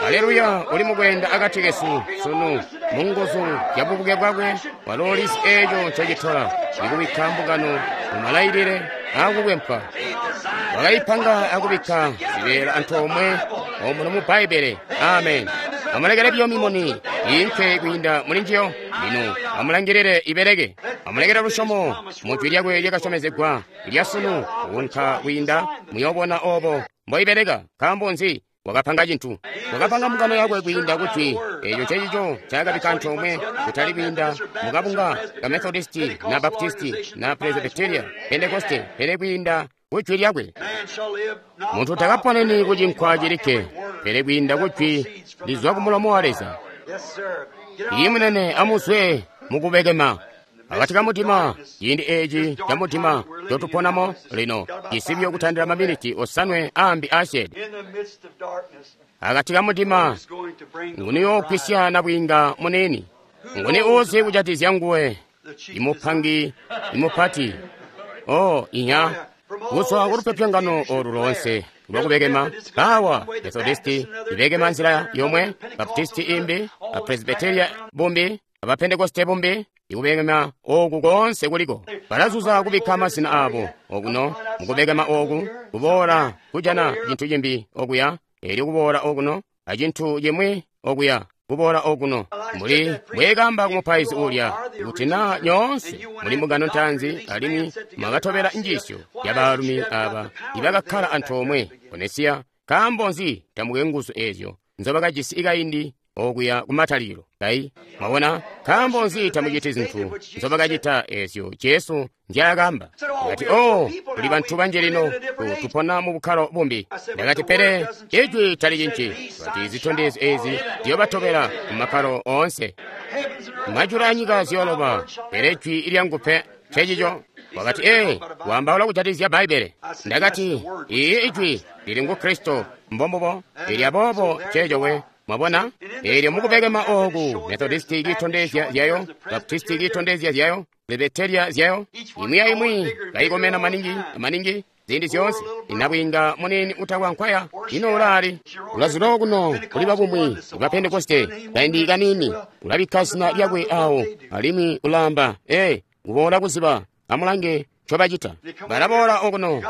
Aleluya, uli mukwenda akati kesu sunu mu nguzu zya bubuke bwakwe. Walo ulizi eco cecitola ikubikka mbungano mu malailile akukwempwa. Wakaipanga akubikka zibeela antoomwe omuno mu Bbaibbele. Amen. Amulekele biyo mimuni iinke kwiinda muli njiyo. Lino amulangilile ibeleke. Amulekele lusyomo mu jwi lyakwe lyakasyomezegwa lya sunu kuunka kwiinda, muyoobona obo mboibeleka. Nkaambo nzi? Wakapanga cintu. Wakapanga mbungano yakwe kwiinda kujwi. Eeco ncecico ncaakabikka antoomwe, kutali kwiinda mukabunga ka Methodisti na Baptisti na Presbyteria, Pentekoste, pele kwiinda kujwi lyakwe. Muntu takaponeni ku cinkwa cilikke, pele kwiinda kujwi lizwa ku mulomo wa Leza. Iiyi munene, amuzwe mukubekema. Akati ka mudima, ciindi eeci ca mudima ncotuponamo lino, cisibyo kutandila maminiti osanwe aambi aasyeede. Akati ka mudima, nguni yookwisya nabwiinga muniini? Nguni uuzi kujatizya nguwe? Imupangi, imupati. Oh, inya. Kuzwa kulupyopyongano olu loonse lwakubekema, bawa Methodisti ibekema nzila yomwe, Baptisti imbi, Presbyteria bumbi, Abapentekoste bumbi, ikubekema oku koonse kuliko. Balazuza kubikka mazina abo okuno mukubekema oku, kuboola kujana cintu cimbi okuya, eelyo kuboola okuno acintu cimwi okuya, kuboola okuno. Mbuli bwekamba kumupaizi ulya, kuti naa nyoonse muli mbungano ntaanzi alimwi mwakatobela njiisyo ya baalumi aba ibakakkala antoomwe ku Nesiya, nkaambo nzi tamukwe nguzu eezyo nzobakajisi kaindi okuya kumatalikilo. Kayi, mwabona, nkaambo nzi tamuciti zintu nzobakacita ezyo Jesu nzyaakamba? Ndakati, oh, tuli bantu banji lino, tupona mu bukkalo bumbi. Ndakati, pele Ijwi talicinci. Kati zitondezyo ezi ziyobatobela mu makkalo oonse. Majulu anyika ziyooloba, pele Jwi lyangu pe. Ncecico. Wakati, ee, waambaula kujatikizya Bbaibbele. Ndakati, ii Ijwi lili ngu Kristo, mbombubo. Elyo aboobo nceeco we. Mwabona? Elyo mukubekema ooku, Methodisti kiitondezya zyayo, Baptisti kiitondezya zyayo, Presbyteria zyayo, imwi aimwi kaikomena maningi, maningi, ziindi zyoonse. Inabwiinga muniini utakwa nkwaya, ino ulaali? Ulazula okuno kuli babumwi ba Pentekoste, kaindi kaniini, ulabikka zina lyakwe awo, alimwi ulaamba, ee, kuboola kuziba, amulange ncobacita. Balaboola okuno,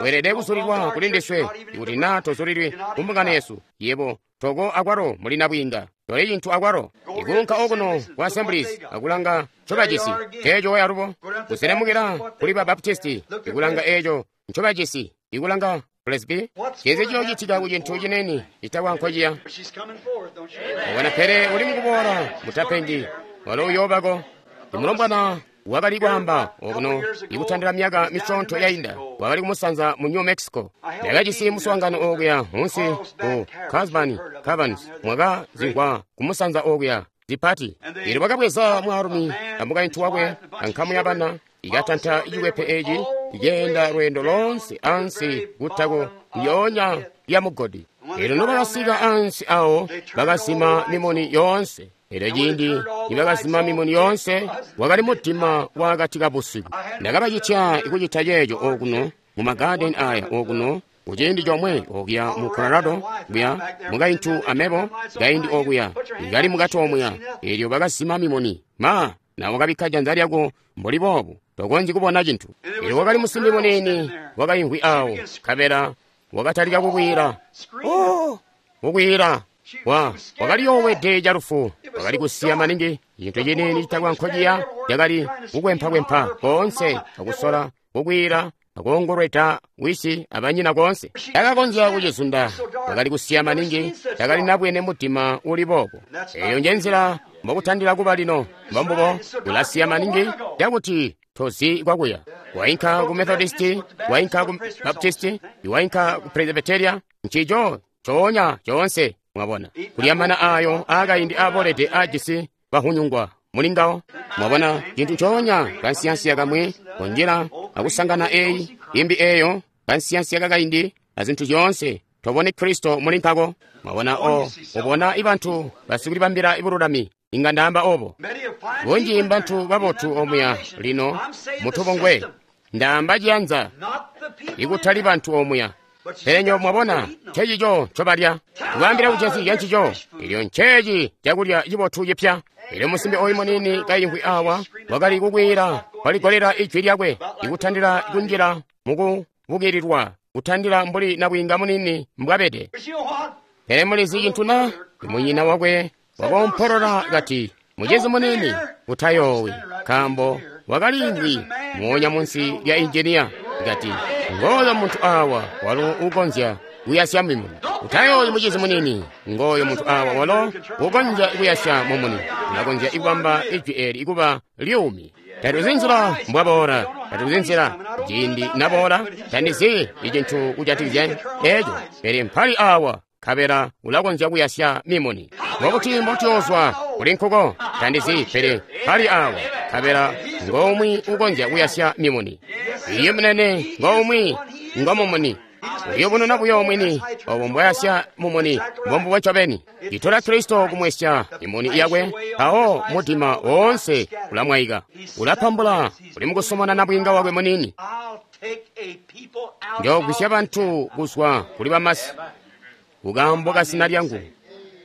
weelede kuzulilwa kuli ndiswe, ikuti naa tozulilwi ku mbungano yesu, yebo toko akwalo muli nabwiinga. Toli cintu akwalo. Ikuunka okuno ku Assemblies akulanga ncobajisi, nceeco we alubo. Kuselemukila kuli ba Baptisti, ikulanga eeco ncobajisi, ikulanga Presby. Ncinzi ciyoocitika ku cintu ciniini citakwa nkociya? Wabona, pele uli mukuboola, mutapengi, walo uyoobako. Imulombwana wakali kwaamba okuno ikutandila myaka misyoonto yainda, wakali kumusanza mu New Mexico. Ndakajisi muswaangano okuya munsi ku Carlsbad Caverns, mwaka zingwa kumusanza okuya zipati. Elyo bakabweza mwaalumi amukaintu wakwe ankamu yabana, ikatanta cikwepe eci ikeenda lweendo loonse ansi kutako lyoonya lya mugodi. Elyo nobakasika ansi awo, bakazima mimuni yoonse. Elyo ciindi nibakazima mimuni yoonse, wakali mudima waakati kabusiku. Ndakabacitya kucita ceeco okuno mu magadeni aya okuno kuciindi comwe okuya mu Colorado, kuya mukaintu amebo kaindi okuya kali mukati omuya. Elyo bakazima mimuni. Ma, na wakabikka janza lyako mbuli boobu, tokonzyi kubona cintu. Elyo wakali musimbi muniini wakaimvwi awo, nkabela wakatalika kukwiila. Oh, kukwiila. Wakali yoowede calufu, wakali kusiya maningi, cintu ciniini citakwa nkociya cakali kukwempaakwempa koonse akusola kukwiila akoongolweda wisi abanyina koonse. Takakonzya kucizunda, wakali kusiya maningi, takali nabwene mudima uli boobo. Eyo nje nzila mbokutandila kuba lino, mbombubo, ulasiya maningi cakuti tozi kwakuya. Wainka ku Methodisti, wainka ku Baptisti, wainka ku Presbyteria, ncico coonya coonse. Mwabona, kulya mana ayo aakaindi aabolede aajisi bahunyungwa mulingawo. Mwabona, cintu ncoonya kansiyansiya kamwi konjila akusangana eyi imbi eyo kansiyansiya kakaindi azintu zyoonse, tobone Kristo muli nkako. Mwabona, o ubona ibantu basikulibambila bululami, inga ndaamba obo. Bunji mbantu babotu omuya lino mutubongwe, ndaamba ciyanza, ikutali bantu omuya. Pele nywebo mwabona, ncecico ncobalya. Kubaambila kujatikizya ncico, elyo nceeci cakulya cibotu cipya. Elyo musimbi oyu muniini kaimvwi awa, wakali kukwiila, waligolela ijwi lyakwe, ikutandila kunjila mukubukililwa, kutandila mbuli nabwiinga muniini mbwabede. Pele mulizi cintu na? Munyina wakwe wakoompolola kati, mucizi muniini, utayoowi, nkaambo wakaliimvwi moonya munsi lya injiniya. Kati, ngooyo muntu awa walo ukonzya kuyasya mimuni. Utayoowi mucizi muniini, ngooyo muntu awa walo ukonzya kuyasya mumuni. Ulakonzya kubamba ijwi eli kuba lyuumi. Tatuzi nzila mbwaboola, tatuzi nzila ciindi naboola, tandizi icintu kujatikizya eco, pele mpali awa, nkabela ulakonzya kuyasya mimuni. Mbobuti mbotuyoozwa kuli nkuko? Tandizi, pele mpali awa, nkabela ngomwi ukonzya kuyasya mimuni. Iye munene, ngomwi ngomumuni. Uyubununa buyo mwini obo mbwayasya mumuni, mbombubo ncobeni. Itola Kristo kumwesya imuni yakwe, mpawo mudima woonse ulamwaika. Ulapambula, uli mukusomona nabwiinga wakwe muniini. Njoogwisya bantu kuzwa kuli bamasi kukaambo ka zina lyangu,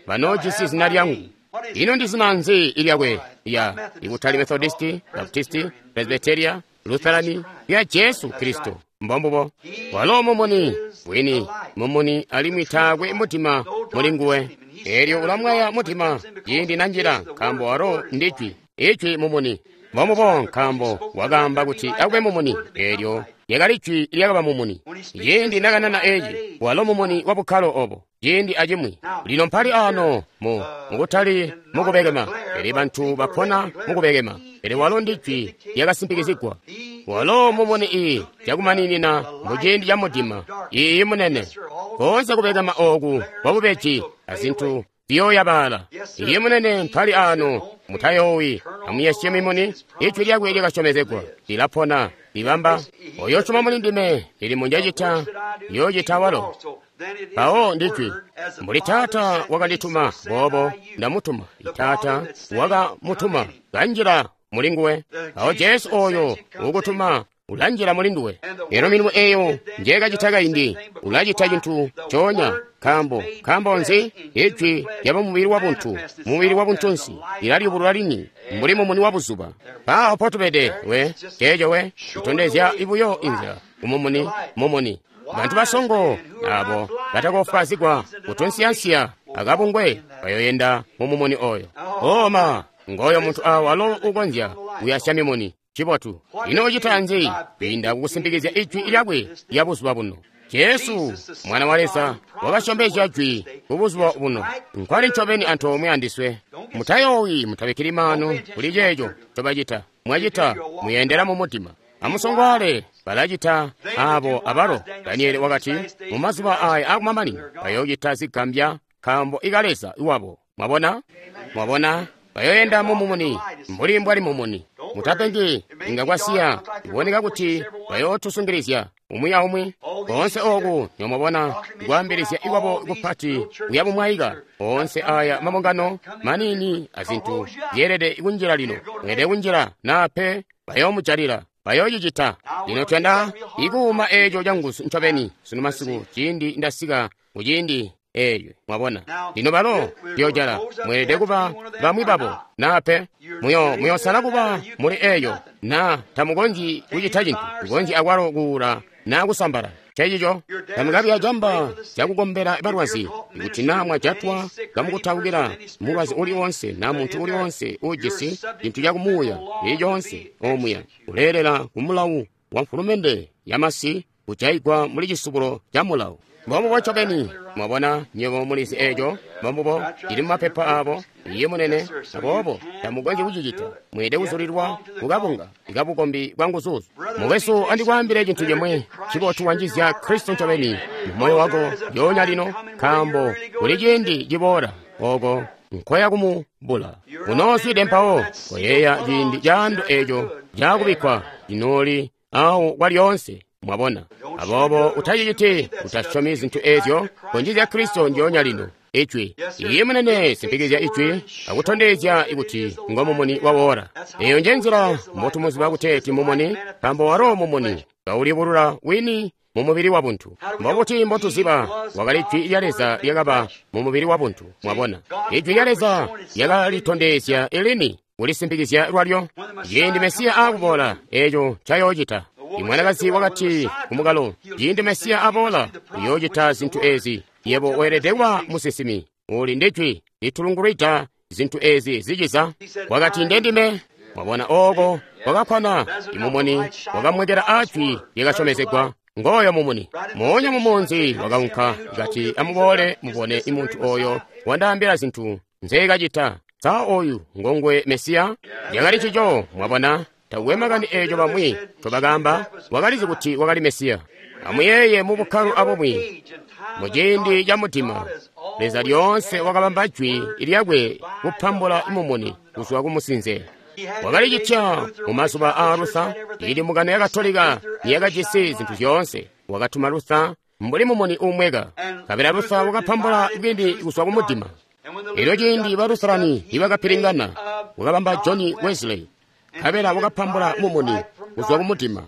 banoojisi zina lyangu. Ino ndi zina nzi ilyakwe? Ya ikutali Methodisti, Baptisti, Presbyteria, Lutherani, ya Jesu Kristo. Mbombubo. Walo mumuni wini, mumuni alimwi taakwe mudima muli nguwe. Elyo ulamwaya mudima ciindi nanjila, nkaambo walo ndi Jwi. Ijwi mumuni. Mbombubo, nkaambo wakaamba kuti akube mumuni, elyo lyakali Jwi lyakaba mumuni. Ciindi nakanana eci, walo mumuni wa bukkalo obo. ciindi acimwi. Lino mpali ano mu mukutali mukubekema, pele bantu bapona mukubekema. Pele walo ndi Jwi lyakasimpikizigwa. Walo mumuni ii cakumaninina mu ciindi ca mudima. Iiyi munene. Koonse kubekema ooku kwa bubeji azintu ziyooyabaala. Iiyi munene mpali ano, mutayoowi, amuyesye mimuni, Ijwi lyakwe lyakasyomezegwa, lilapona, libamba. Oyo usyoma muli ndime, milimo njacita, yoocita walo. Mpawo ndi Jwi. Mbuli Taata wakandituma, boobo ndamutuma. Taata wakamutuma, kanjila muli nguwe. Mpawo Jesu oyo ukutuma ulanjila muli nduwe. Eno milimo eyo njekacita kaindi, ulacita cintu coonya. Nkaambo, nkaambo nzi? Ijwi lyaba mubili wa buntu, mubili wa buntunsi, lilaliyubulula lini, mbuli mumuni wa buzuba. Mpaawo potubede we, ceeco we, kutondezya buyo inzila, umumuni, mumuni. Bantu basongo abo batakofwaazigwa kutunsiyansiya akabungwe bayoyenda mu mumuni oyo. Oma, ngoyo muntu awo alo ukonzya kuyasya mimuni. Cibotu. Ino ucita nzi? Kwiinda kukusimpikizya Ijwi lyakwe lya buzuba buno. Jesu, Mwana wa Leza, wakasyomezya Jwi ku buzuba buno. Nkwali ncobeni antoomwe andiswe. Mutayoowi, mutabikkili maanu kuli ceeco ncobacita. Mwacita, muyendela mu mudima. Amusongwaale, balacita abo abalo. Daniele wakati, mu mazuba aya akumamanino, bayoocita zigambya nkaambo ika Leza wabo. Mwabona? Mwabona? Bayoyenda mu mumuni, mbuli mbwali mumuni. Mutapengi, inga kwasiya, iboneka kuti bayootusungilizya umwi aumwi. Koonse ooku nyomwabona kwaambilizya ikwabo kupati kuya bumwaika. Oonse aya mabungano maniini azintu zyeelede kunjila lino. Mweelede kunjila naa pe bayoomujalila. Bayoocicita. Lino tuyanda ikuuma eeco canguzu ncobeni sunu masiku ciindi ndasika kuciindi eeco. Mwabona? Lino balo tuyoojala. Mweelede kuba bamwi babo naa pe. Muyoosala kuba muli eeyo naa tamukonzyi kucita cintu. Mukonzyi akwalo kuula naa kusambala. Cecico tamukabi acamba cakukombela balwazi. Ikuti naa mwajatwa kamukutaukila mulwazi uli wonse naa muntu uli wonse uujisi cintu cakumuuya cili coonse omuya, uleelela kumulawu wa mfulumende yamasi kujaigwa muli cisubulo ca mulawu. Mbombubo ncobeni. Mwabona, nywebo mulizi eeco. Mbombubo, cili mumapepa abo. Iye munene, aboobo tamukonzyi kucicita. Mweelede kuzulilwa kukabunga ikabukombi bwa nguzuzu. Mukwesu, andikwaambile cintu cimwe cibotu wanjizya Kristo ncobeni mu moyo wako lyoonya lino, nkaambo kuli ciindi ciboola oko nkoya kumubula. Unoozwide mpawo koyeeya ciindi caando eeco cakubikkwa cinooli awo kwalyoonse. Mwabona? Aboobo utaciciti, utasyomi zintu eezyo, konjizya Kristo ndyoonya lino. Ijwi. Iye munene, simpikizya Ijwi, akutondezya kuti ngo mumuni wa wora. Eyo nje nzila mbotumuziba kuteeti mumuni, nkaambo walo mumuni kaulibulula wini mu mubili wa buntu. Mbobuti mbotuziba wakali Jwi lya Leza lyakaba mu mubili wa buntu? Mwabona? Ijwi lya Leza lyakalitondezya elini kulisimpikizya lwalyo. Ciindi Mesiya akuboola, eeco ncayoocita. Imwanakazi wakati kumukalo, ciindi Mesiya aboola, uyoocita zintu ezi. Yebo weelede kuba musinsimi. Uli ndi Jwi litulungulwida zintu ezi ziciza. Wakati ndendime. Mwabona ooko kwakakkwana. Imumuni wakamwekela a Jwi lyakasyomezegwa. Ngooyo mumuni. Moonya mumunzi wakaunka kati amuboole mubone imuntu oyo wandaambila zintu nzeekacita. Sa oyu ngongwe Mesiya? Lyakali cico, mwabona. Takwe makani eeco bamwi ncobakaamba, wakalizi kuti wakali Mesiya. Amuyeeye mu bukkalo abumwi, mu ciindi ca mudima, Leza lyoonse wakabamba Jwi lyakwe kupambula mumuni kuzwa ku musinze. Wakalicitya mu mazuba aa Luther, ili mbungano ya Katolika niyakajisi zintu zyoonse. Wakatuma Luther mbuli mumuni uumweka, nkabela Luther wakapambula bwini kuzwa ku mudima. Elyo ciindi ba Lutherani nibakapilingana, wakabamba John Wesley, nkabela wakapambula mumuni kuzwa ku mudima.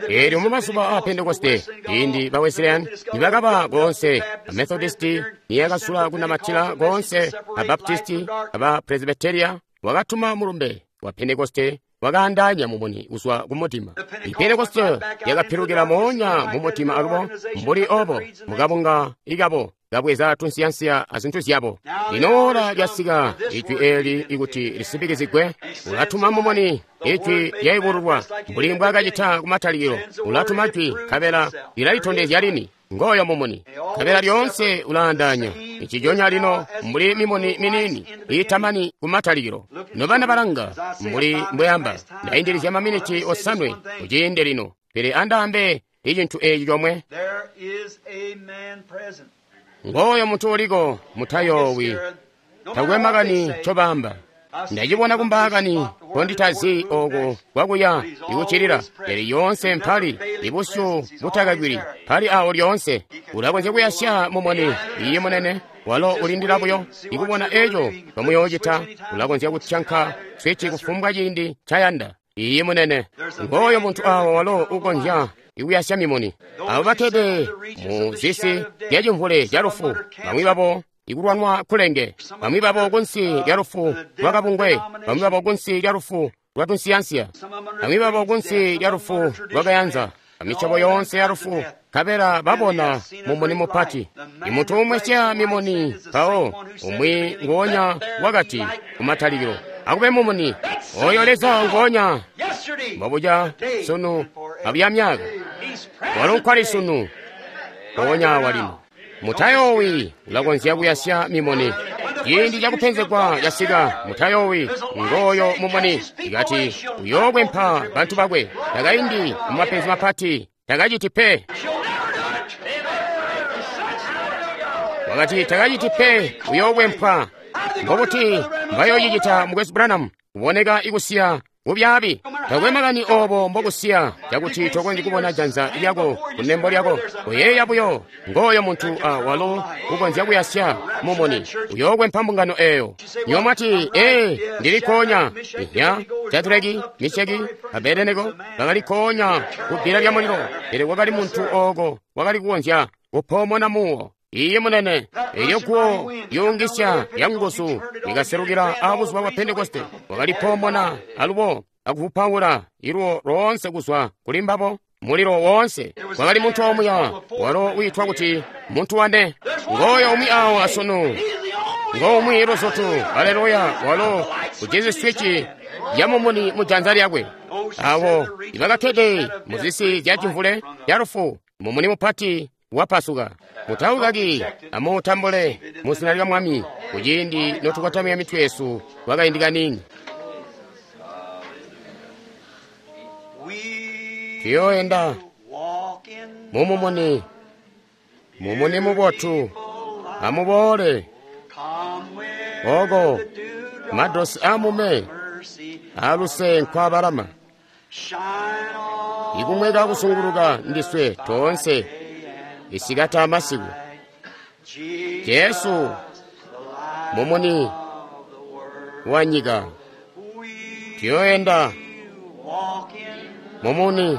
Elyo mu mazuba aa Pentekoste, ciindi ba Wesleyan nibakaba koonse, a Methodisti niyakasula kunamatila koonse, a Baptisti, aba Presbyteria, wakatuma mulumbe wa Pentekoste wakaandaanya mumuni kuzwa ku mudima. I Pentekoste yakapilukila moonya mu mudima alubo, mbuli obo mukabunga ikabo kabweza tunsiyansiya azintu zyabo. Lino oora lyasika ijwi eeli ikuti lisimpikizigwe. Ulatuma mumuni, ijwi lyaibululwa mbuli mbwaakacita kumatalikilo. Ulatuma jwi, nkabela lilalitondezya lini. Ngooyo mumuni, nkabela lyoonse ulaandaanya nciconya lino mbuli mimuni miniini iitamani kumatalikilo. Nobana balanga, mbuli mbweamba, ndaindilizya maminiti 5 kuciindi lino, pele andaambe icintu eeci comwe. Ngooyo muntu uliko, mutayoowi, takwe makani ncobaamba. Ndacibona kumbaakani konditazi ooko kwakuya ikuccilila, pele yoonse mpali ibusyu butakagwili pali awo lyoonse. Ulakonzya kuyasya mumuni, iye munene, walo ulindila buyo ikubona eco bamuyoocita. Ulakonzya kutyanka switi kufumbwa ciindi ncayanda. Iye munene, ngooyo muntu awo walo ukonzya ikuyasya mimuni. Abo bakkede mu zisi zyacimvule ca lufu, bamwi babo ikulwanwa kulenge, bamwi babo kunsi lya lufu lwa kabungwe, bamwi babo kunsi lya lufu lwa tunsiyansiya, bamwi babo kunsi lya lufu lwa kayanza, amisyobo yoonse ya lufu, nkabela babona mumuni mupati. Imuntu umwesya mimuni, mpawo umwi nguonya wakati kumatalikilo, akube mumuni. Oyo Leza nguonya mbobuca sunu abuya myaka, walo nkwali sunu mpoonya awa lino. Mutayoowi, ulakonzya kuyasya mimuni. Ciindi cakupenzegwa casika, mutayoowi, ngooyo mumuni. Ikati uyookwempa bantu bakwe, takaindi mumapenzi mapati, takaciti pe. Wakati takaciti pe, uyookwempwa. Mbobuti mbayoocicita mukwesu Branham? Kuboneka ikusiya bubyaabi. Takwe makani oobo mbokusiya cakuti tokonzyi kubona janza lyako kunembo lyako. Koyeeya buyo, ngooyo muntu walo ukonzya kuyasya mumuni, uyookwempa mbungano eeyo. Nywebo mwati, ee, ndili koonya. Ihya, Shadraki, Misheki, Abednego bakali koonya kubbila lya mulilo, pele kwakali muntu ooko wakali kukonzya kupoomona muwo. Iye munene, elyo guwo lyuungisya lyanguzu likaselukila abuzuba bwa Pentekoste, wakalipoomona alubo akuvupaula iluwo loonse kuzwa kuli mbabo, mulilo woonse. Kwakali muntu omuya walo wiitwa kuti muntu wane. Ngooyo umwi awo asunu, ngoumwi luzutu. Aleluya! Walo ujisi swici ya mumuni mu janza lyakwe. Abo ibakakkede muzisi zya cimvule ya lufu, mumuni mupati wapasuka. Mutaukaki, amuutambule mu zina lya Mwami kuciindi notukotamya mitwe yesu kwakaindi kaniini. Tuyooenda mumumuni, mumuni mubotu. Amuboole oko madosi amume aluse nkwabalama, ikumweka kusunguluka ndiswe toonse isikati amasiku. Jesu mumuni wa nyika. Tuyooenda mumuni,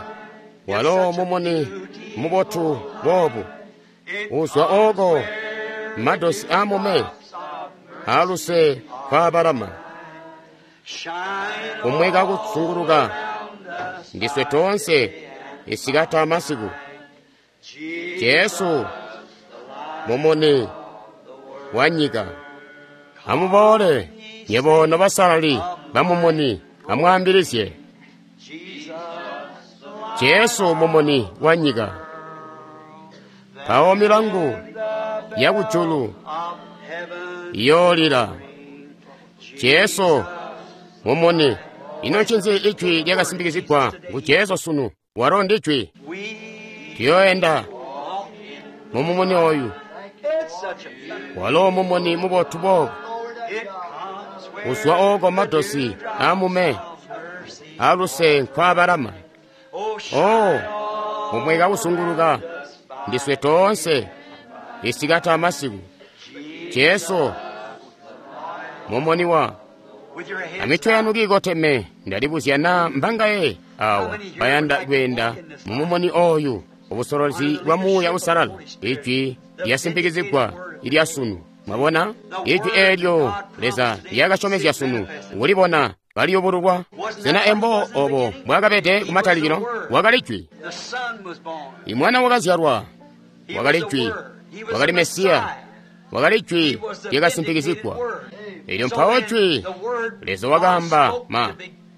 walo mumuni mubotu boobu uzwa oko madosi amume aluse kwabalama, kumweka kusunguluka ndiswe toonse isikati amasiku. Jesu mumuni wa nyika. Amuboole nyebo nobasalali bamumuni, amwaambilizye Jesu mumuni wa nyika. Mpawo milangu yakujulu iyoolila. Jesu mumuni. Ino ncinzi ijwi lyakasimpikizigwa ngu Jesu sunu? Walo ndi jwi. Tuyooenda mumumuni oyu, walo mumuni mubotu boobu uzwa oko madosi amume aluse nkwabalama. Oh, mumweka kusunguluka ndiswe toonse isikati amasiku. Jesu mumuni wa amitwe yanu kiikoteme. Ndalibuzya naa mbangaye awa bayanda kweenda mumumuni oyu, ubusolozi bwa Muuya Uusalala, ijwi lyasimpikizigwa ilya sunu. Mwabona ijwi eelyo Leza lyakasyomezya sunu, kulibona kaliyubululwa. Sena embo obo mbwakabede kumatalikilo? Wakali jwi. Imwana wakazyalwa wakali jwi. Wakali Mesiya. Wakali Jwi lyakasimpikizigwa. Elyo mpawo Jwi, Leza wakaamba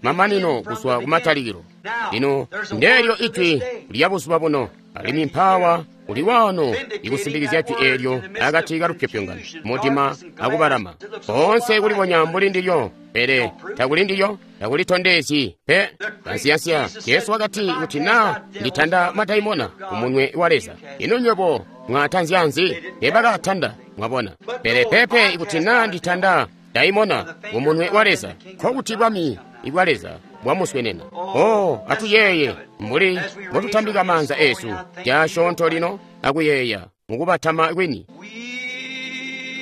mamanino kuzwa kumatalikilo. Lino ndeelyo Ijwi lya buzuba buno, alimwi mpaawa uli waano ikusimpikizya Jwi eelyo akati ka lupyopyongano, mudima akubalama. Koonse kulibonya mbuli ndilyo, pele takuli ndilyo, takulitondezyi pe. Kansiyansiya, Jesu wakati kuti naa nditanda madaimona kumunwe wa Leza. Ino nywebo mwatanzya nzi? Teebakaatanda, mwabona. Pele pepe ikuti naa nditanda daimona kumunwe wa Leza, nkokuti bwami bwa Leza bwamuswenena. Oh, atuyeeye mbuli mbotutambika maanza eesu casyoonto lino akuyeeya mukubatama kwini.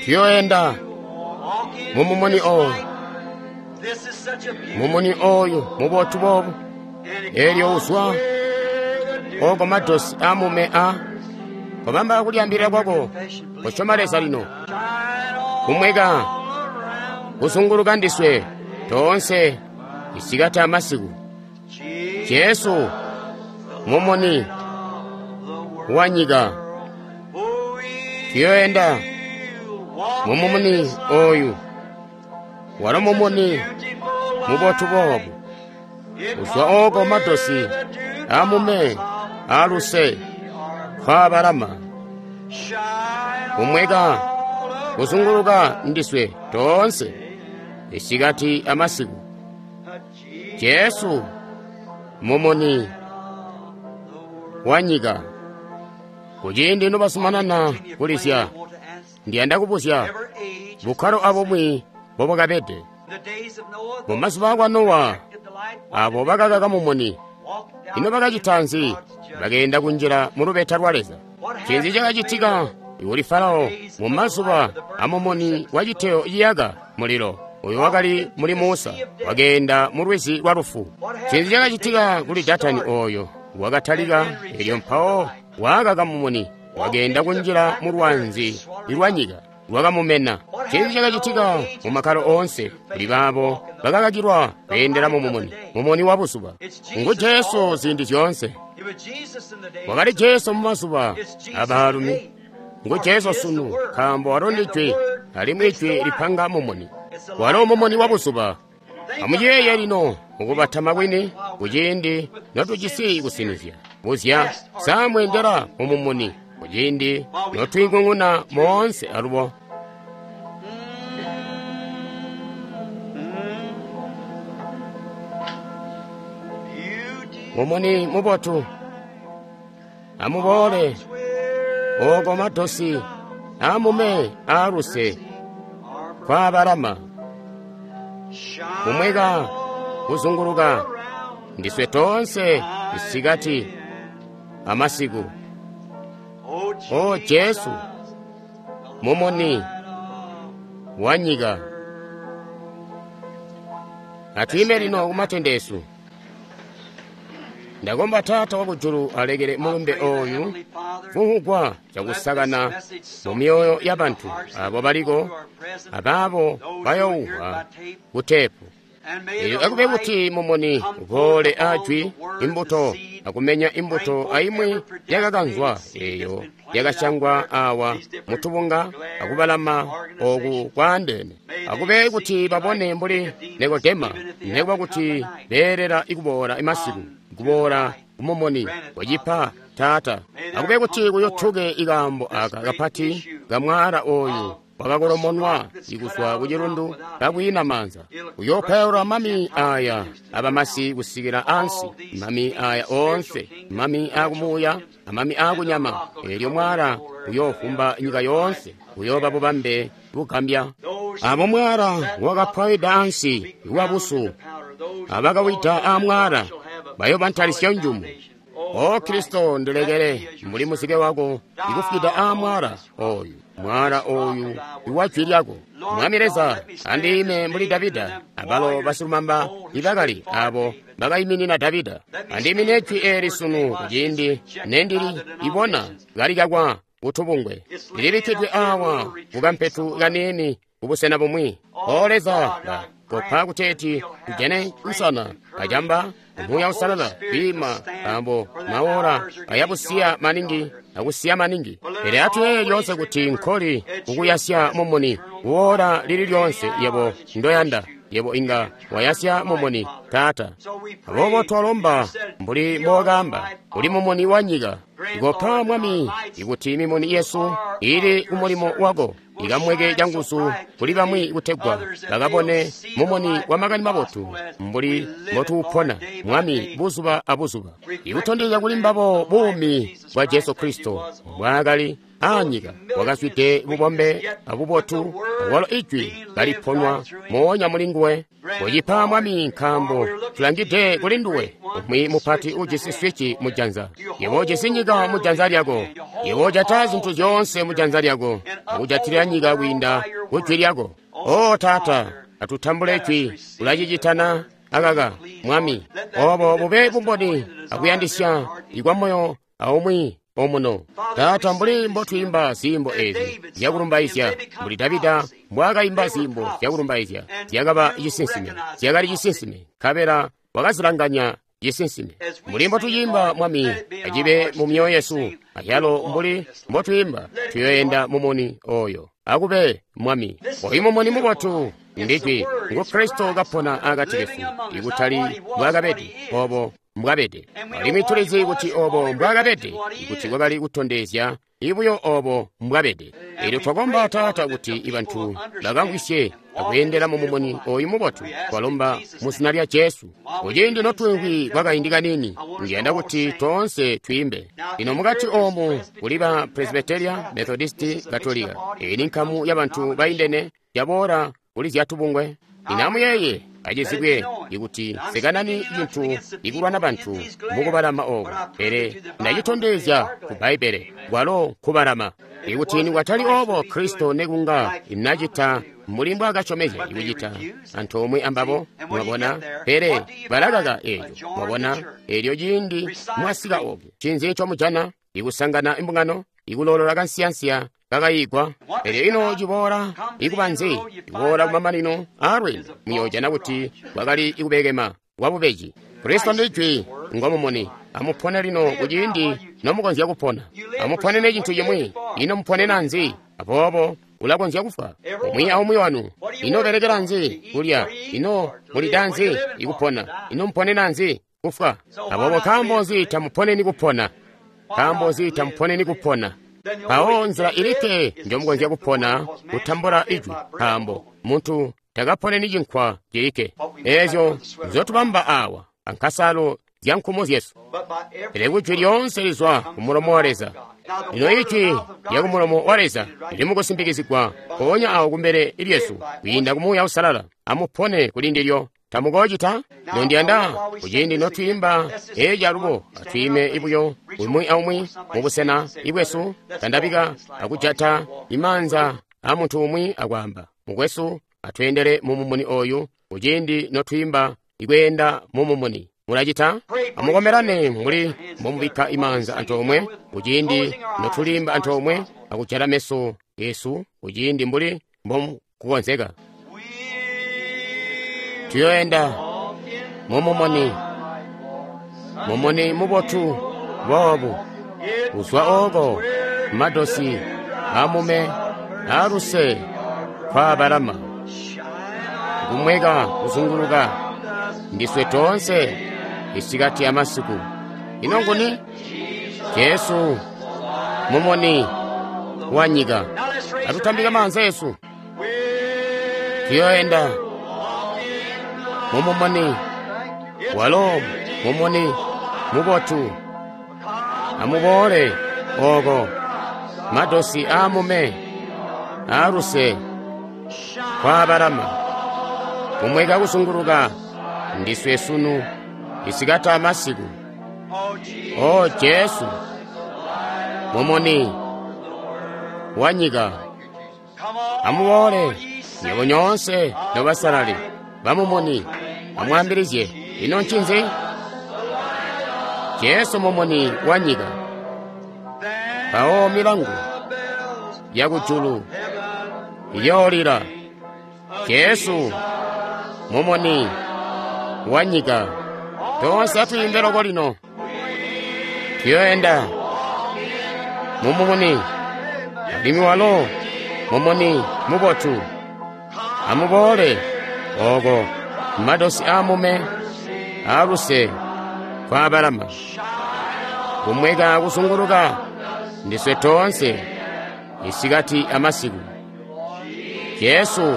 Tuyoenda mumumuni oyu, mumuni oyu mubotu boobu, eelyo uzwa oko madosi amume a kobamba kulyaambilila kwako kosyoma Leza lino kumweka kuzunguluka ndiswe toonse isikati amasiku. Jesu mumuni wa nyika. Tuyoenda mumumuni oyu, walo mumuni mubotu boobu, uzwa oko madosi amume aluse kwabalama kumweka kuzunguluka ndiswe toonse isikati amasiku. Jesu mumuni wa nyika. Kuciindi nobazumanana kulizya, ndiyanda kubuzya bukkalo abumwi mbobwakabede mumazuba akwa Nowa. Abo bakakaka mumuni, ino bakacita nzi? Bakeenda kunjila mu lubeta lwa Leza. Ncinzi cakacitika kuli Farao mu mazuba amumuni wa citeyo ciyaka mulilo uyo wakali muli Musa? Wakeenda mu lwizi lwa lufu. Ncinzi cakacitika kuli Datani oyo wakatalika, elyo mpawo waakaka mumuni, wakeenda kunjila mu lwanzi lwa nyika lwakamumena? Ncinzi cakacitika mu makkalo oonse kuli baabo bakakakilwa kweendela mu mumuni, mumuni wa buzuba? Ngu Jesu ziindi zyoonse. Wakali Jesu mu mazuba abaalumi. Ngu Jesu sunu, nkaambo walo ndi Jwi, alimwi Ijwi lipanga mumuni. Walo mumuni wa buzuba. Amuyeeye lino mukubatama kwini kuciindi notujisi kusinizya. Buzya, sa mweendela mu mumuni kuciindi notwiing'ung'una moonse alubo? Mumuni mubotu, amuboole oko madosi amume aaluse kwabalama kumweka kuzunguluka ndiswe toonse isikati amasiku. O Jesu mumuni wa nyika. Atwiime lino kumatende esu. Ndakomba Taata wakujulu alekele mulumbe oyu kuhugwa cakusakana mu myoyo ya bantu abo baliko abaabo bayouhwa kutepu. Elyo akube kuti mumuni uboole ajwi imbuto akumenya imbuto aimwi yakakanzwa eyo yakasyangwa awa mutubunga akubalama oku kwaandeene. Akube kuti babone mbuli Nikodema, nekuba kuti beelela ikuboola imasiku, kuboola kumumuni wacipa Taata. Akube kuti kuyothuke ikaambo aka kapati kamwala oyu wakakolomonwa ikuzwa ku cilundu kakwiina maanza, uyoopwayaula mami aya abamasi kusikila ansi, mami aya oonse, mami akumuuya amami akunyama. Elyo mwala uyoofumba nyika yoonse, uyooba bubambe bugambya. Abo mwala wakapwayida ansi iwabusu, abakawida amwala bayoba ntalisyo njumu. O Kristo, ndilekele mbuli muzike wako ikufwida amwala oyu, mwala oyu iwa jwi lyako. Mwami Leza, andiime mbuli Davida abalo basilumamba ibakali abo bakayiminina Davida. Andiimine jwi eli sunu kuciindi nendili ibona kalikakwa kutubungwe, lilibikkidwe awa kukampetu kaniini kubusena bumwi. O Leza, kopa kuteeti tujane nsana kacamba Muuya Uusalala kwiima nkaambo maora ayabusiya maningi akusiya maningi. Pele atuyeeye lyoonse kuti nkoli kukuyasya mumuni kuora lili lyonse yebo ndoyanda. Yebo inga wayasya mumuni, Taata. Aboobo twalomba mbuli mbokamba uli mumuni wa nyika. Ikopa Mwami ikuti mimuni yesu ili kumulimo wako ikamweke canguzu kuli bamwi kutegwa bakabone mumuni wa makani mabotu mbuli mbotuupona Mwami buzuba abuzuba, ikutondezya kuli mbabo buumi bwa Jesu Kristo mbwaakali aanyika wakazwide bubombe abubotu, awalo ijwi kaliponwa moonya muli nguwe. Kucipa Mwami, nkaambo tulangide kuli nduwe, umwi mupati ujisi swici mu janza. Yebo ujisi nyika mu janza lyako. Yebo ujata zintu zyoonse mu janza lyako, akujatilila nyika kwiinda ku jwi lyako. O Taata, atutambule jwi, ulacicitana akaka Mwami. Obo bube bumboni akuyandisya ikwa moyo aumwi omuno. Taata, mbuli mbotwiimba ziimbo ezi zyakulumbaizya, mbuli Davida mbwaakaimba ziimbo zyakulumbaizya, zyakaba cisinsime, zyakali cisinsime, nkabela wakazilanganya cisinsime. Mbuli mbotuyimba Mwami, acibe mu myoyo yesu, ayalo mbuli mbotwiimba, tuyoyenda mumuni oyo. Akube Mwami, oyu mumuni mubotu ndijwi ngu Kristo kapona akati kesu, ikutali mbwaakabede, obo mbwabede. Alimwi tulizi kuti obo mbwaakabede, kuti kwakali kutondezya ibuyo obo mbwabede. Elyo twakomba Taata kuti ibantu bakamvwisye akweendela mu mumuni oyu mubotu. Twalomba mu zina lya Jesu. Kuciindi notwimvwi kwakaindi kanini, ndiyanda kuti toonse twiimbe. Lino mukati oomu kuli ba Presbyteria, Methodisti, Katolika. Eyi ni nkamu ya bantu baindene yaboola kuli zyatubungwe. Lino amuyeeye, acizibwe ikuti sekanani cintu ikulwana bantu mukubalama oku, pele ndacitondezya ku Bbaibbele kwalo nkubalama. Ikuti nikwatali obo, Kristo nekunga inacita mbuli mbwaakasyomezya ikucita antoomwe ambabo, mwabona, pele balakaka eeco, mwabona. Elyo ciindi mwasika oku, ncinzi ncomujana? Ikusangana imbungano, ikulolola kansiyansiya kakayigwa. Elyo ino ciboola ikuba nzi? Iboola kumamanino aalweendo, muyoojana kuti kwakali ikubekema kwabubeji. Kristo ndi Jwi, ngomumuni. Amupone lino kuciindi nomukonzya kupona. Amuponene cintu cimwi. Ino muponena nzi? Aboobo ulakonzya kufwa umwi aumwi wanu. Ino belekela nzi kulya? Ino mulida nzi ikupona? Ino muponena nzi kufwa? Aboobo nkaambo nzi tamuponeni kupona? Nkaambo nzi tamuponeni kupona? Mpawo nzila ilikke njomukonzya kupona kutambula ijwi, nkaambo muntu takaponeni cinkwa cilikke. Eezyo nzyotubamba awa ankasalo zya nkumo zyesu, pele kujwi lyoonse lizwa kumulomo wa Leza. Lino ijwi lya kumulomo wa Leza lili mukusimpikizigwa mpoonya awo kumbele lyesu kwiinda ku Muuya Uusalala. Amupone kuli ndilyo. Tamukoocita? Lino ndiyanda kuciindi notwiimba eeci alubo, atwiime ibuyo umwi aumwi mubusena ibwesu, tandabika akujata imaanza a muntu umwi akwaamba, mukwesu, atweendele mu mumuni oyu kuciindi notwiimba ikweenda mu mumuni. Mulacita? Amukomelane mbuli mbomubikka imaanza antoomwe kuciindi notulimba antoomwe akujala meso esu kuciindi mbuli mbomukukonzeka. Tuyoenda mumumuni, mumuni mubotu boobu, kuzwa ooko madosi amume aluse kwabalama, kumweka kuzunguluka ndiswe toonse isikati amasiku. Ino nguni? Jesu mumuni wa nyika. Atutambike maanza esu. Tuyoenda mumumuni, walo mumuni mubotu. Amuboole ooko madosi aamume aaluse kwabalama, kumweka kuzunguluka ndiswe sunu isikati amasiku. O Jesu mumuni wa nyika, amuboole nywebo nyoonse nobasalali bamumuni, amwaambilizye. Ino ncinzi? Jesu mumuni wa nyika. Mpawo milangu yakujulu iyoolila. Jesu mumuni wa nyika. Toonse atwiimbe loko lino. Tuyoenda Mumuni, alimwi walo mumuni mubotu. Amuboole oko madosi aamume aaluse kwabalama kumweka kuzunguluka ndiswe toonse isikati amasiku. Jesu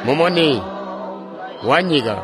mumuni wa nyika.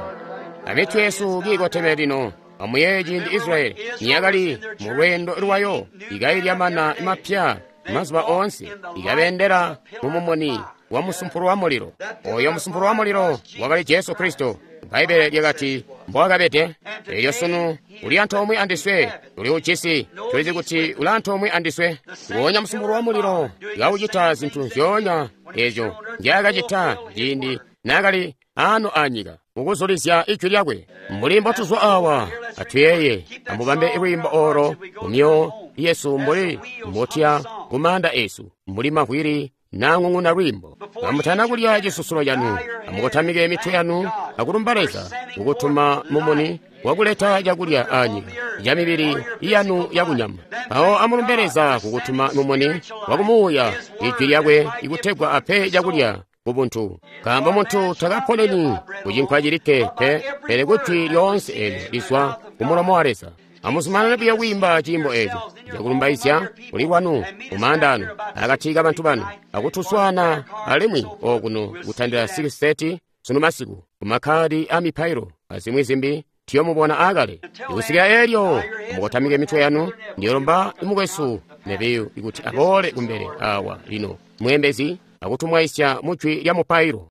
Amitwe yesu kiikoteme lino. Amuyeeye ciindi Israyeli niyakali mu lweendo lwayo, ikailya mana mapya mazuba oonse, ikabendela mu mumuni wa musumpulu wa mulilo. Oyo musumpulu wa mulilo wakali Jesu Kristo. Bbaibbele lyakati mbowakabede. Elyo sunu uli antoomwe andiswe, tuli ujisi, tulizi kuti uli antoomwe andiswe. Nguonya musumpulu wa mulilo kaucita zintu nzyoonya ezyo nzyaakacita ciindi naakali ano anyika, kukuzulizya ijwi lyakwe. Mbuli mbotuzwa awa, atuyeeye, amubambe lwiimbo olo mu myoyo yesu mbuli mbotuya ku maanda esu, mbuli mavwili nang'ung'una lwiimbo. Kamutana kulya cisusulo canu, amukotamike mitwe yanu akulumba Leza kukutuma mumuni wakuleta cakulya anyika ca mibili yanu yakunyama. Mpawo amulumbe Leza kukutuma mumuni wakumuuya ijwi lyakwe ikutegwa ape cakulya kubuntu. Nkaambo muntu takaponeni kucinkwa cilikke pe, pele kujwi lyoonse eelyo lizwa kumulomo wa Leza. Amuzumanane buyo kwiimba ciimbo eeco cakulumbaizya kuli kwanu mumaanda anu akati kabantu banu, akutuswaana alimwi okuno kutandila 6:30 sunu masiku kumakkadi a mipailo azimwi zimbi tuyomubona aakale. Ikusikila eelyo, amukotamike mitwe yanu. Ndiyolomba mukwesu Nebiyu kuti aboole kumbele awa lino, mweembezi, akutumwaisya mujwi lya mupailo.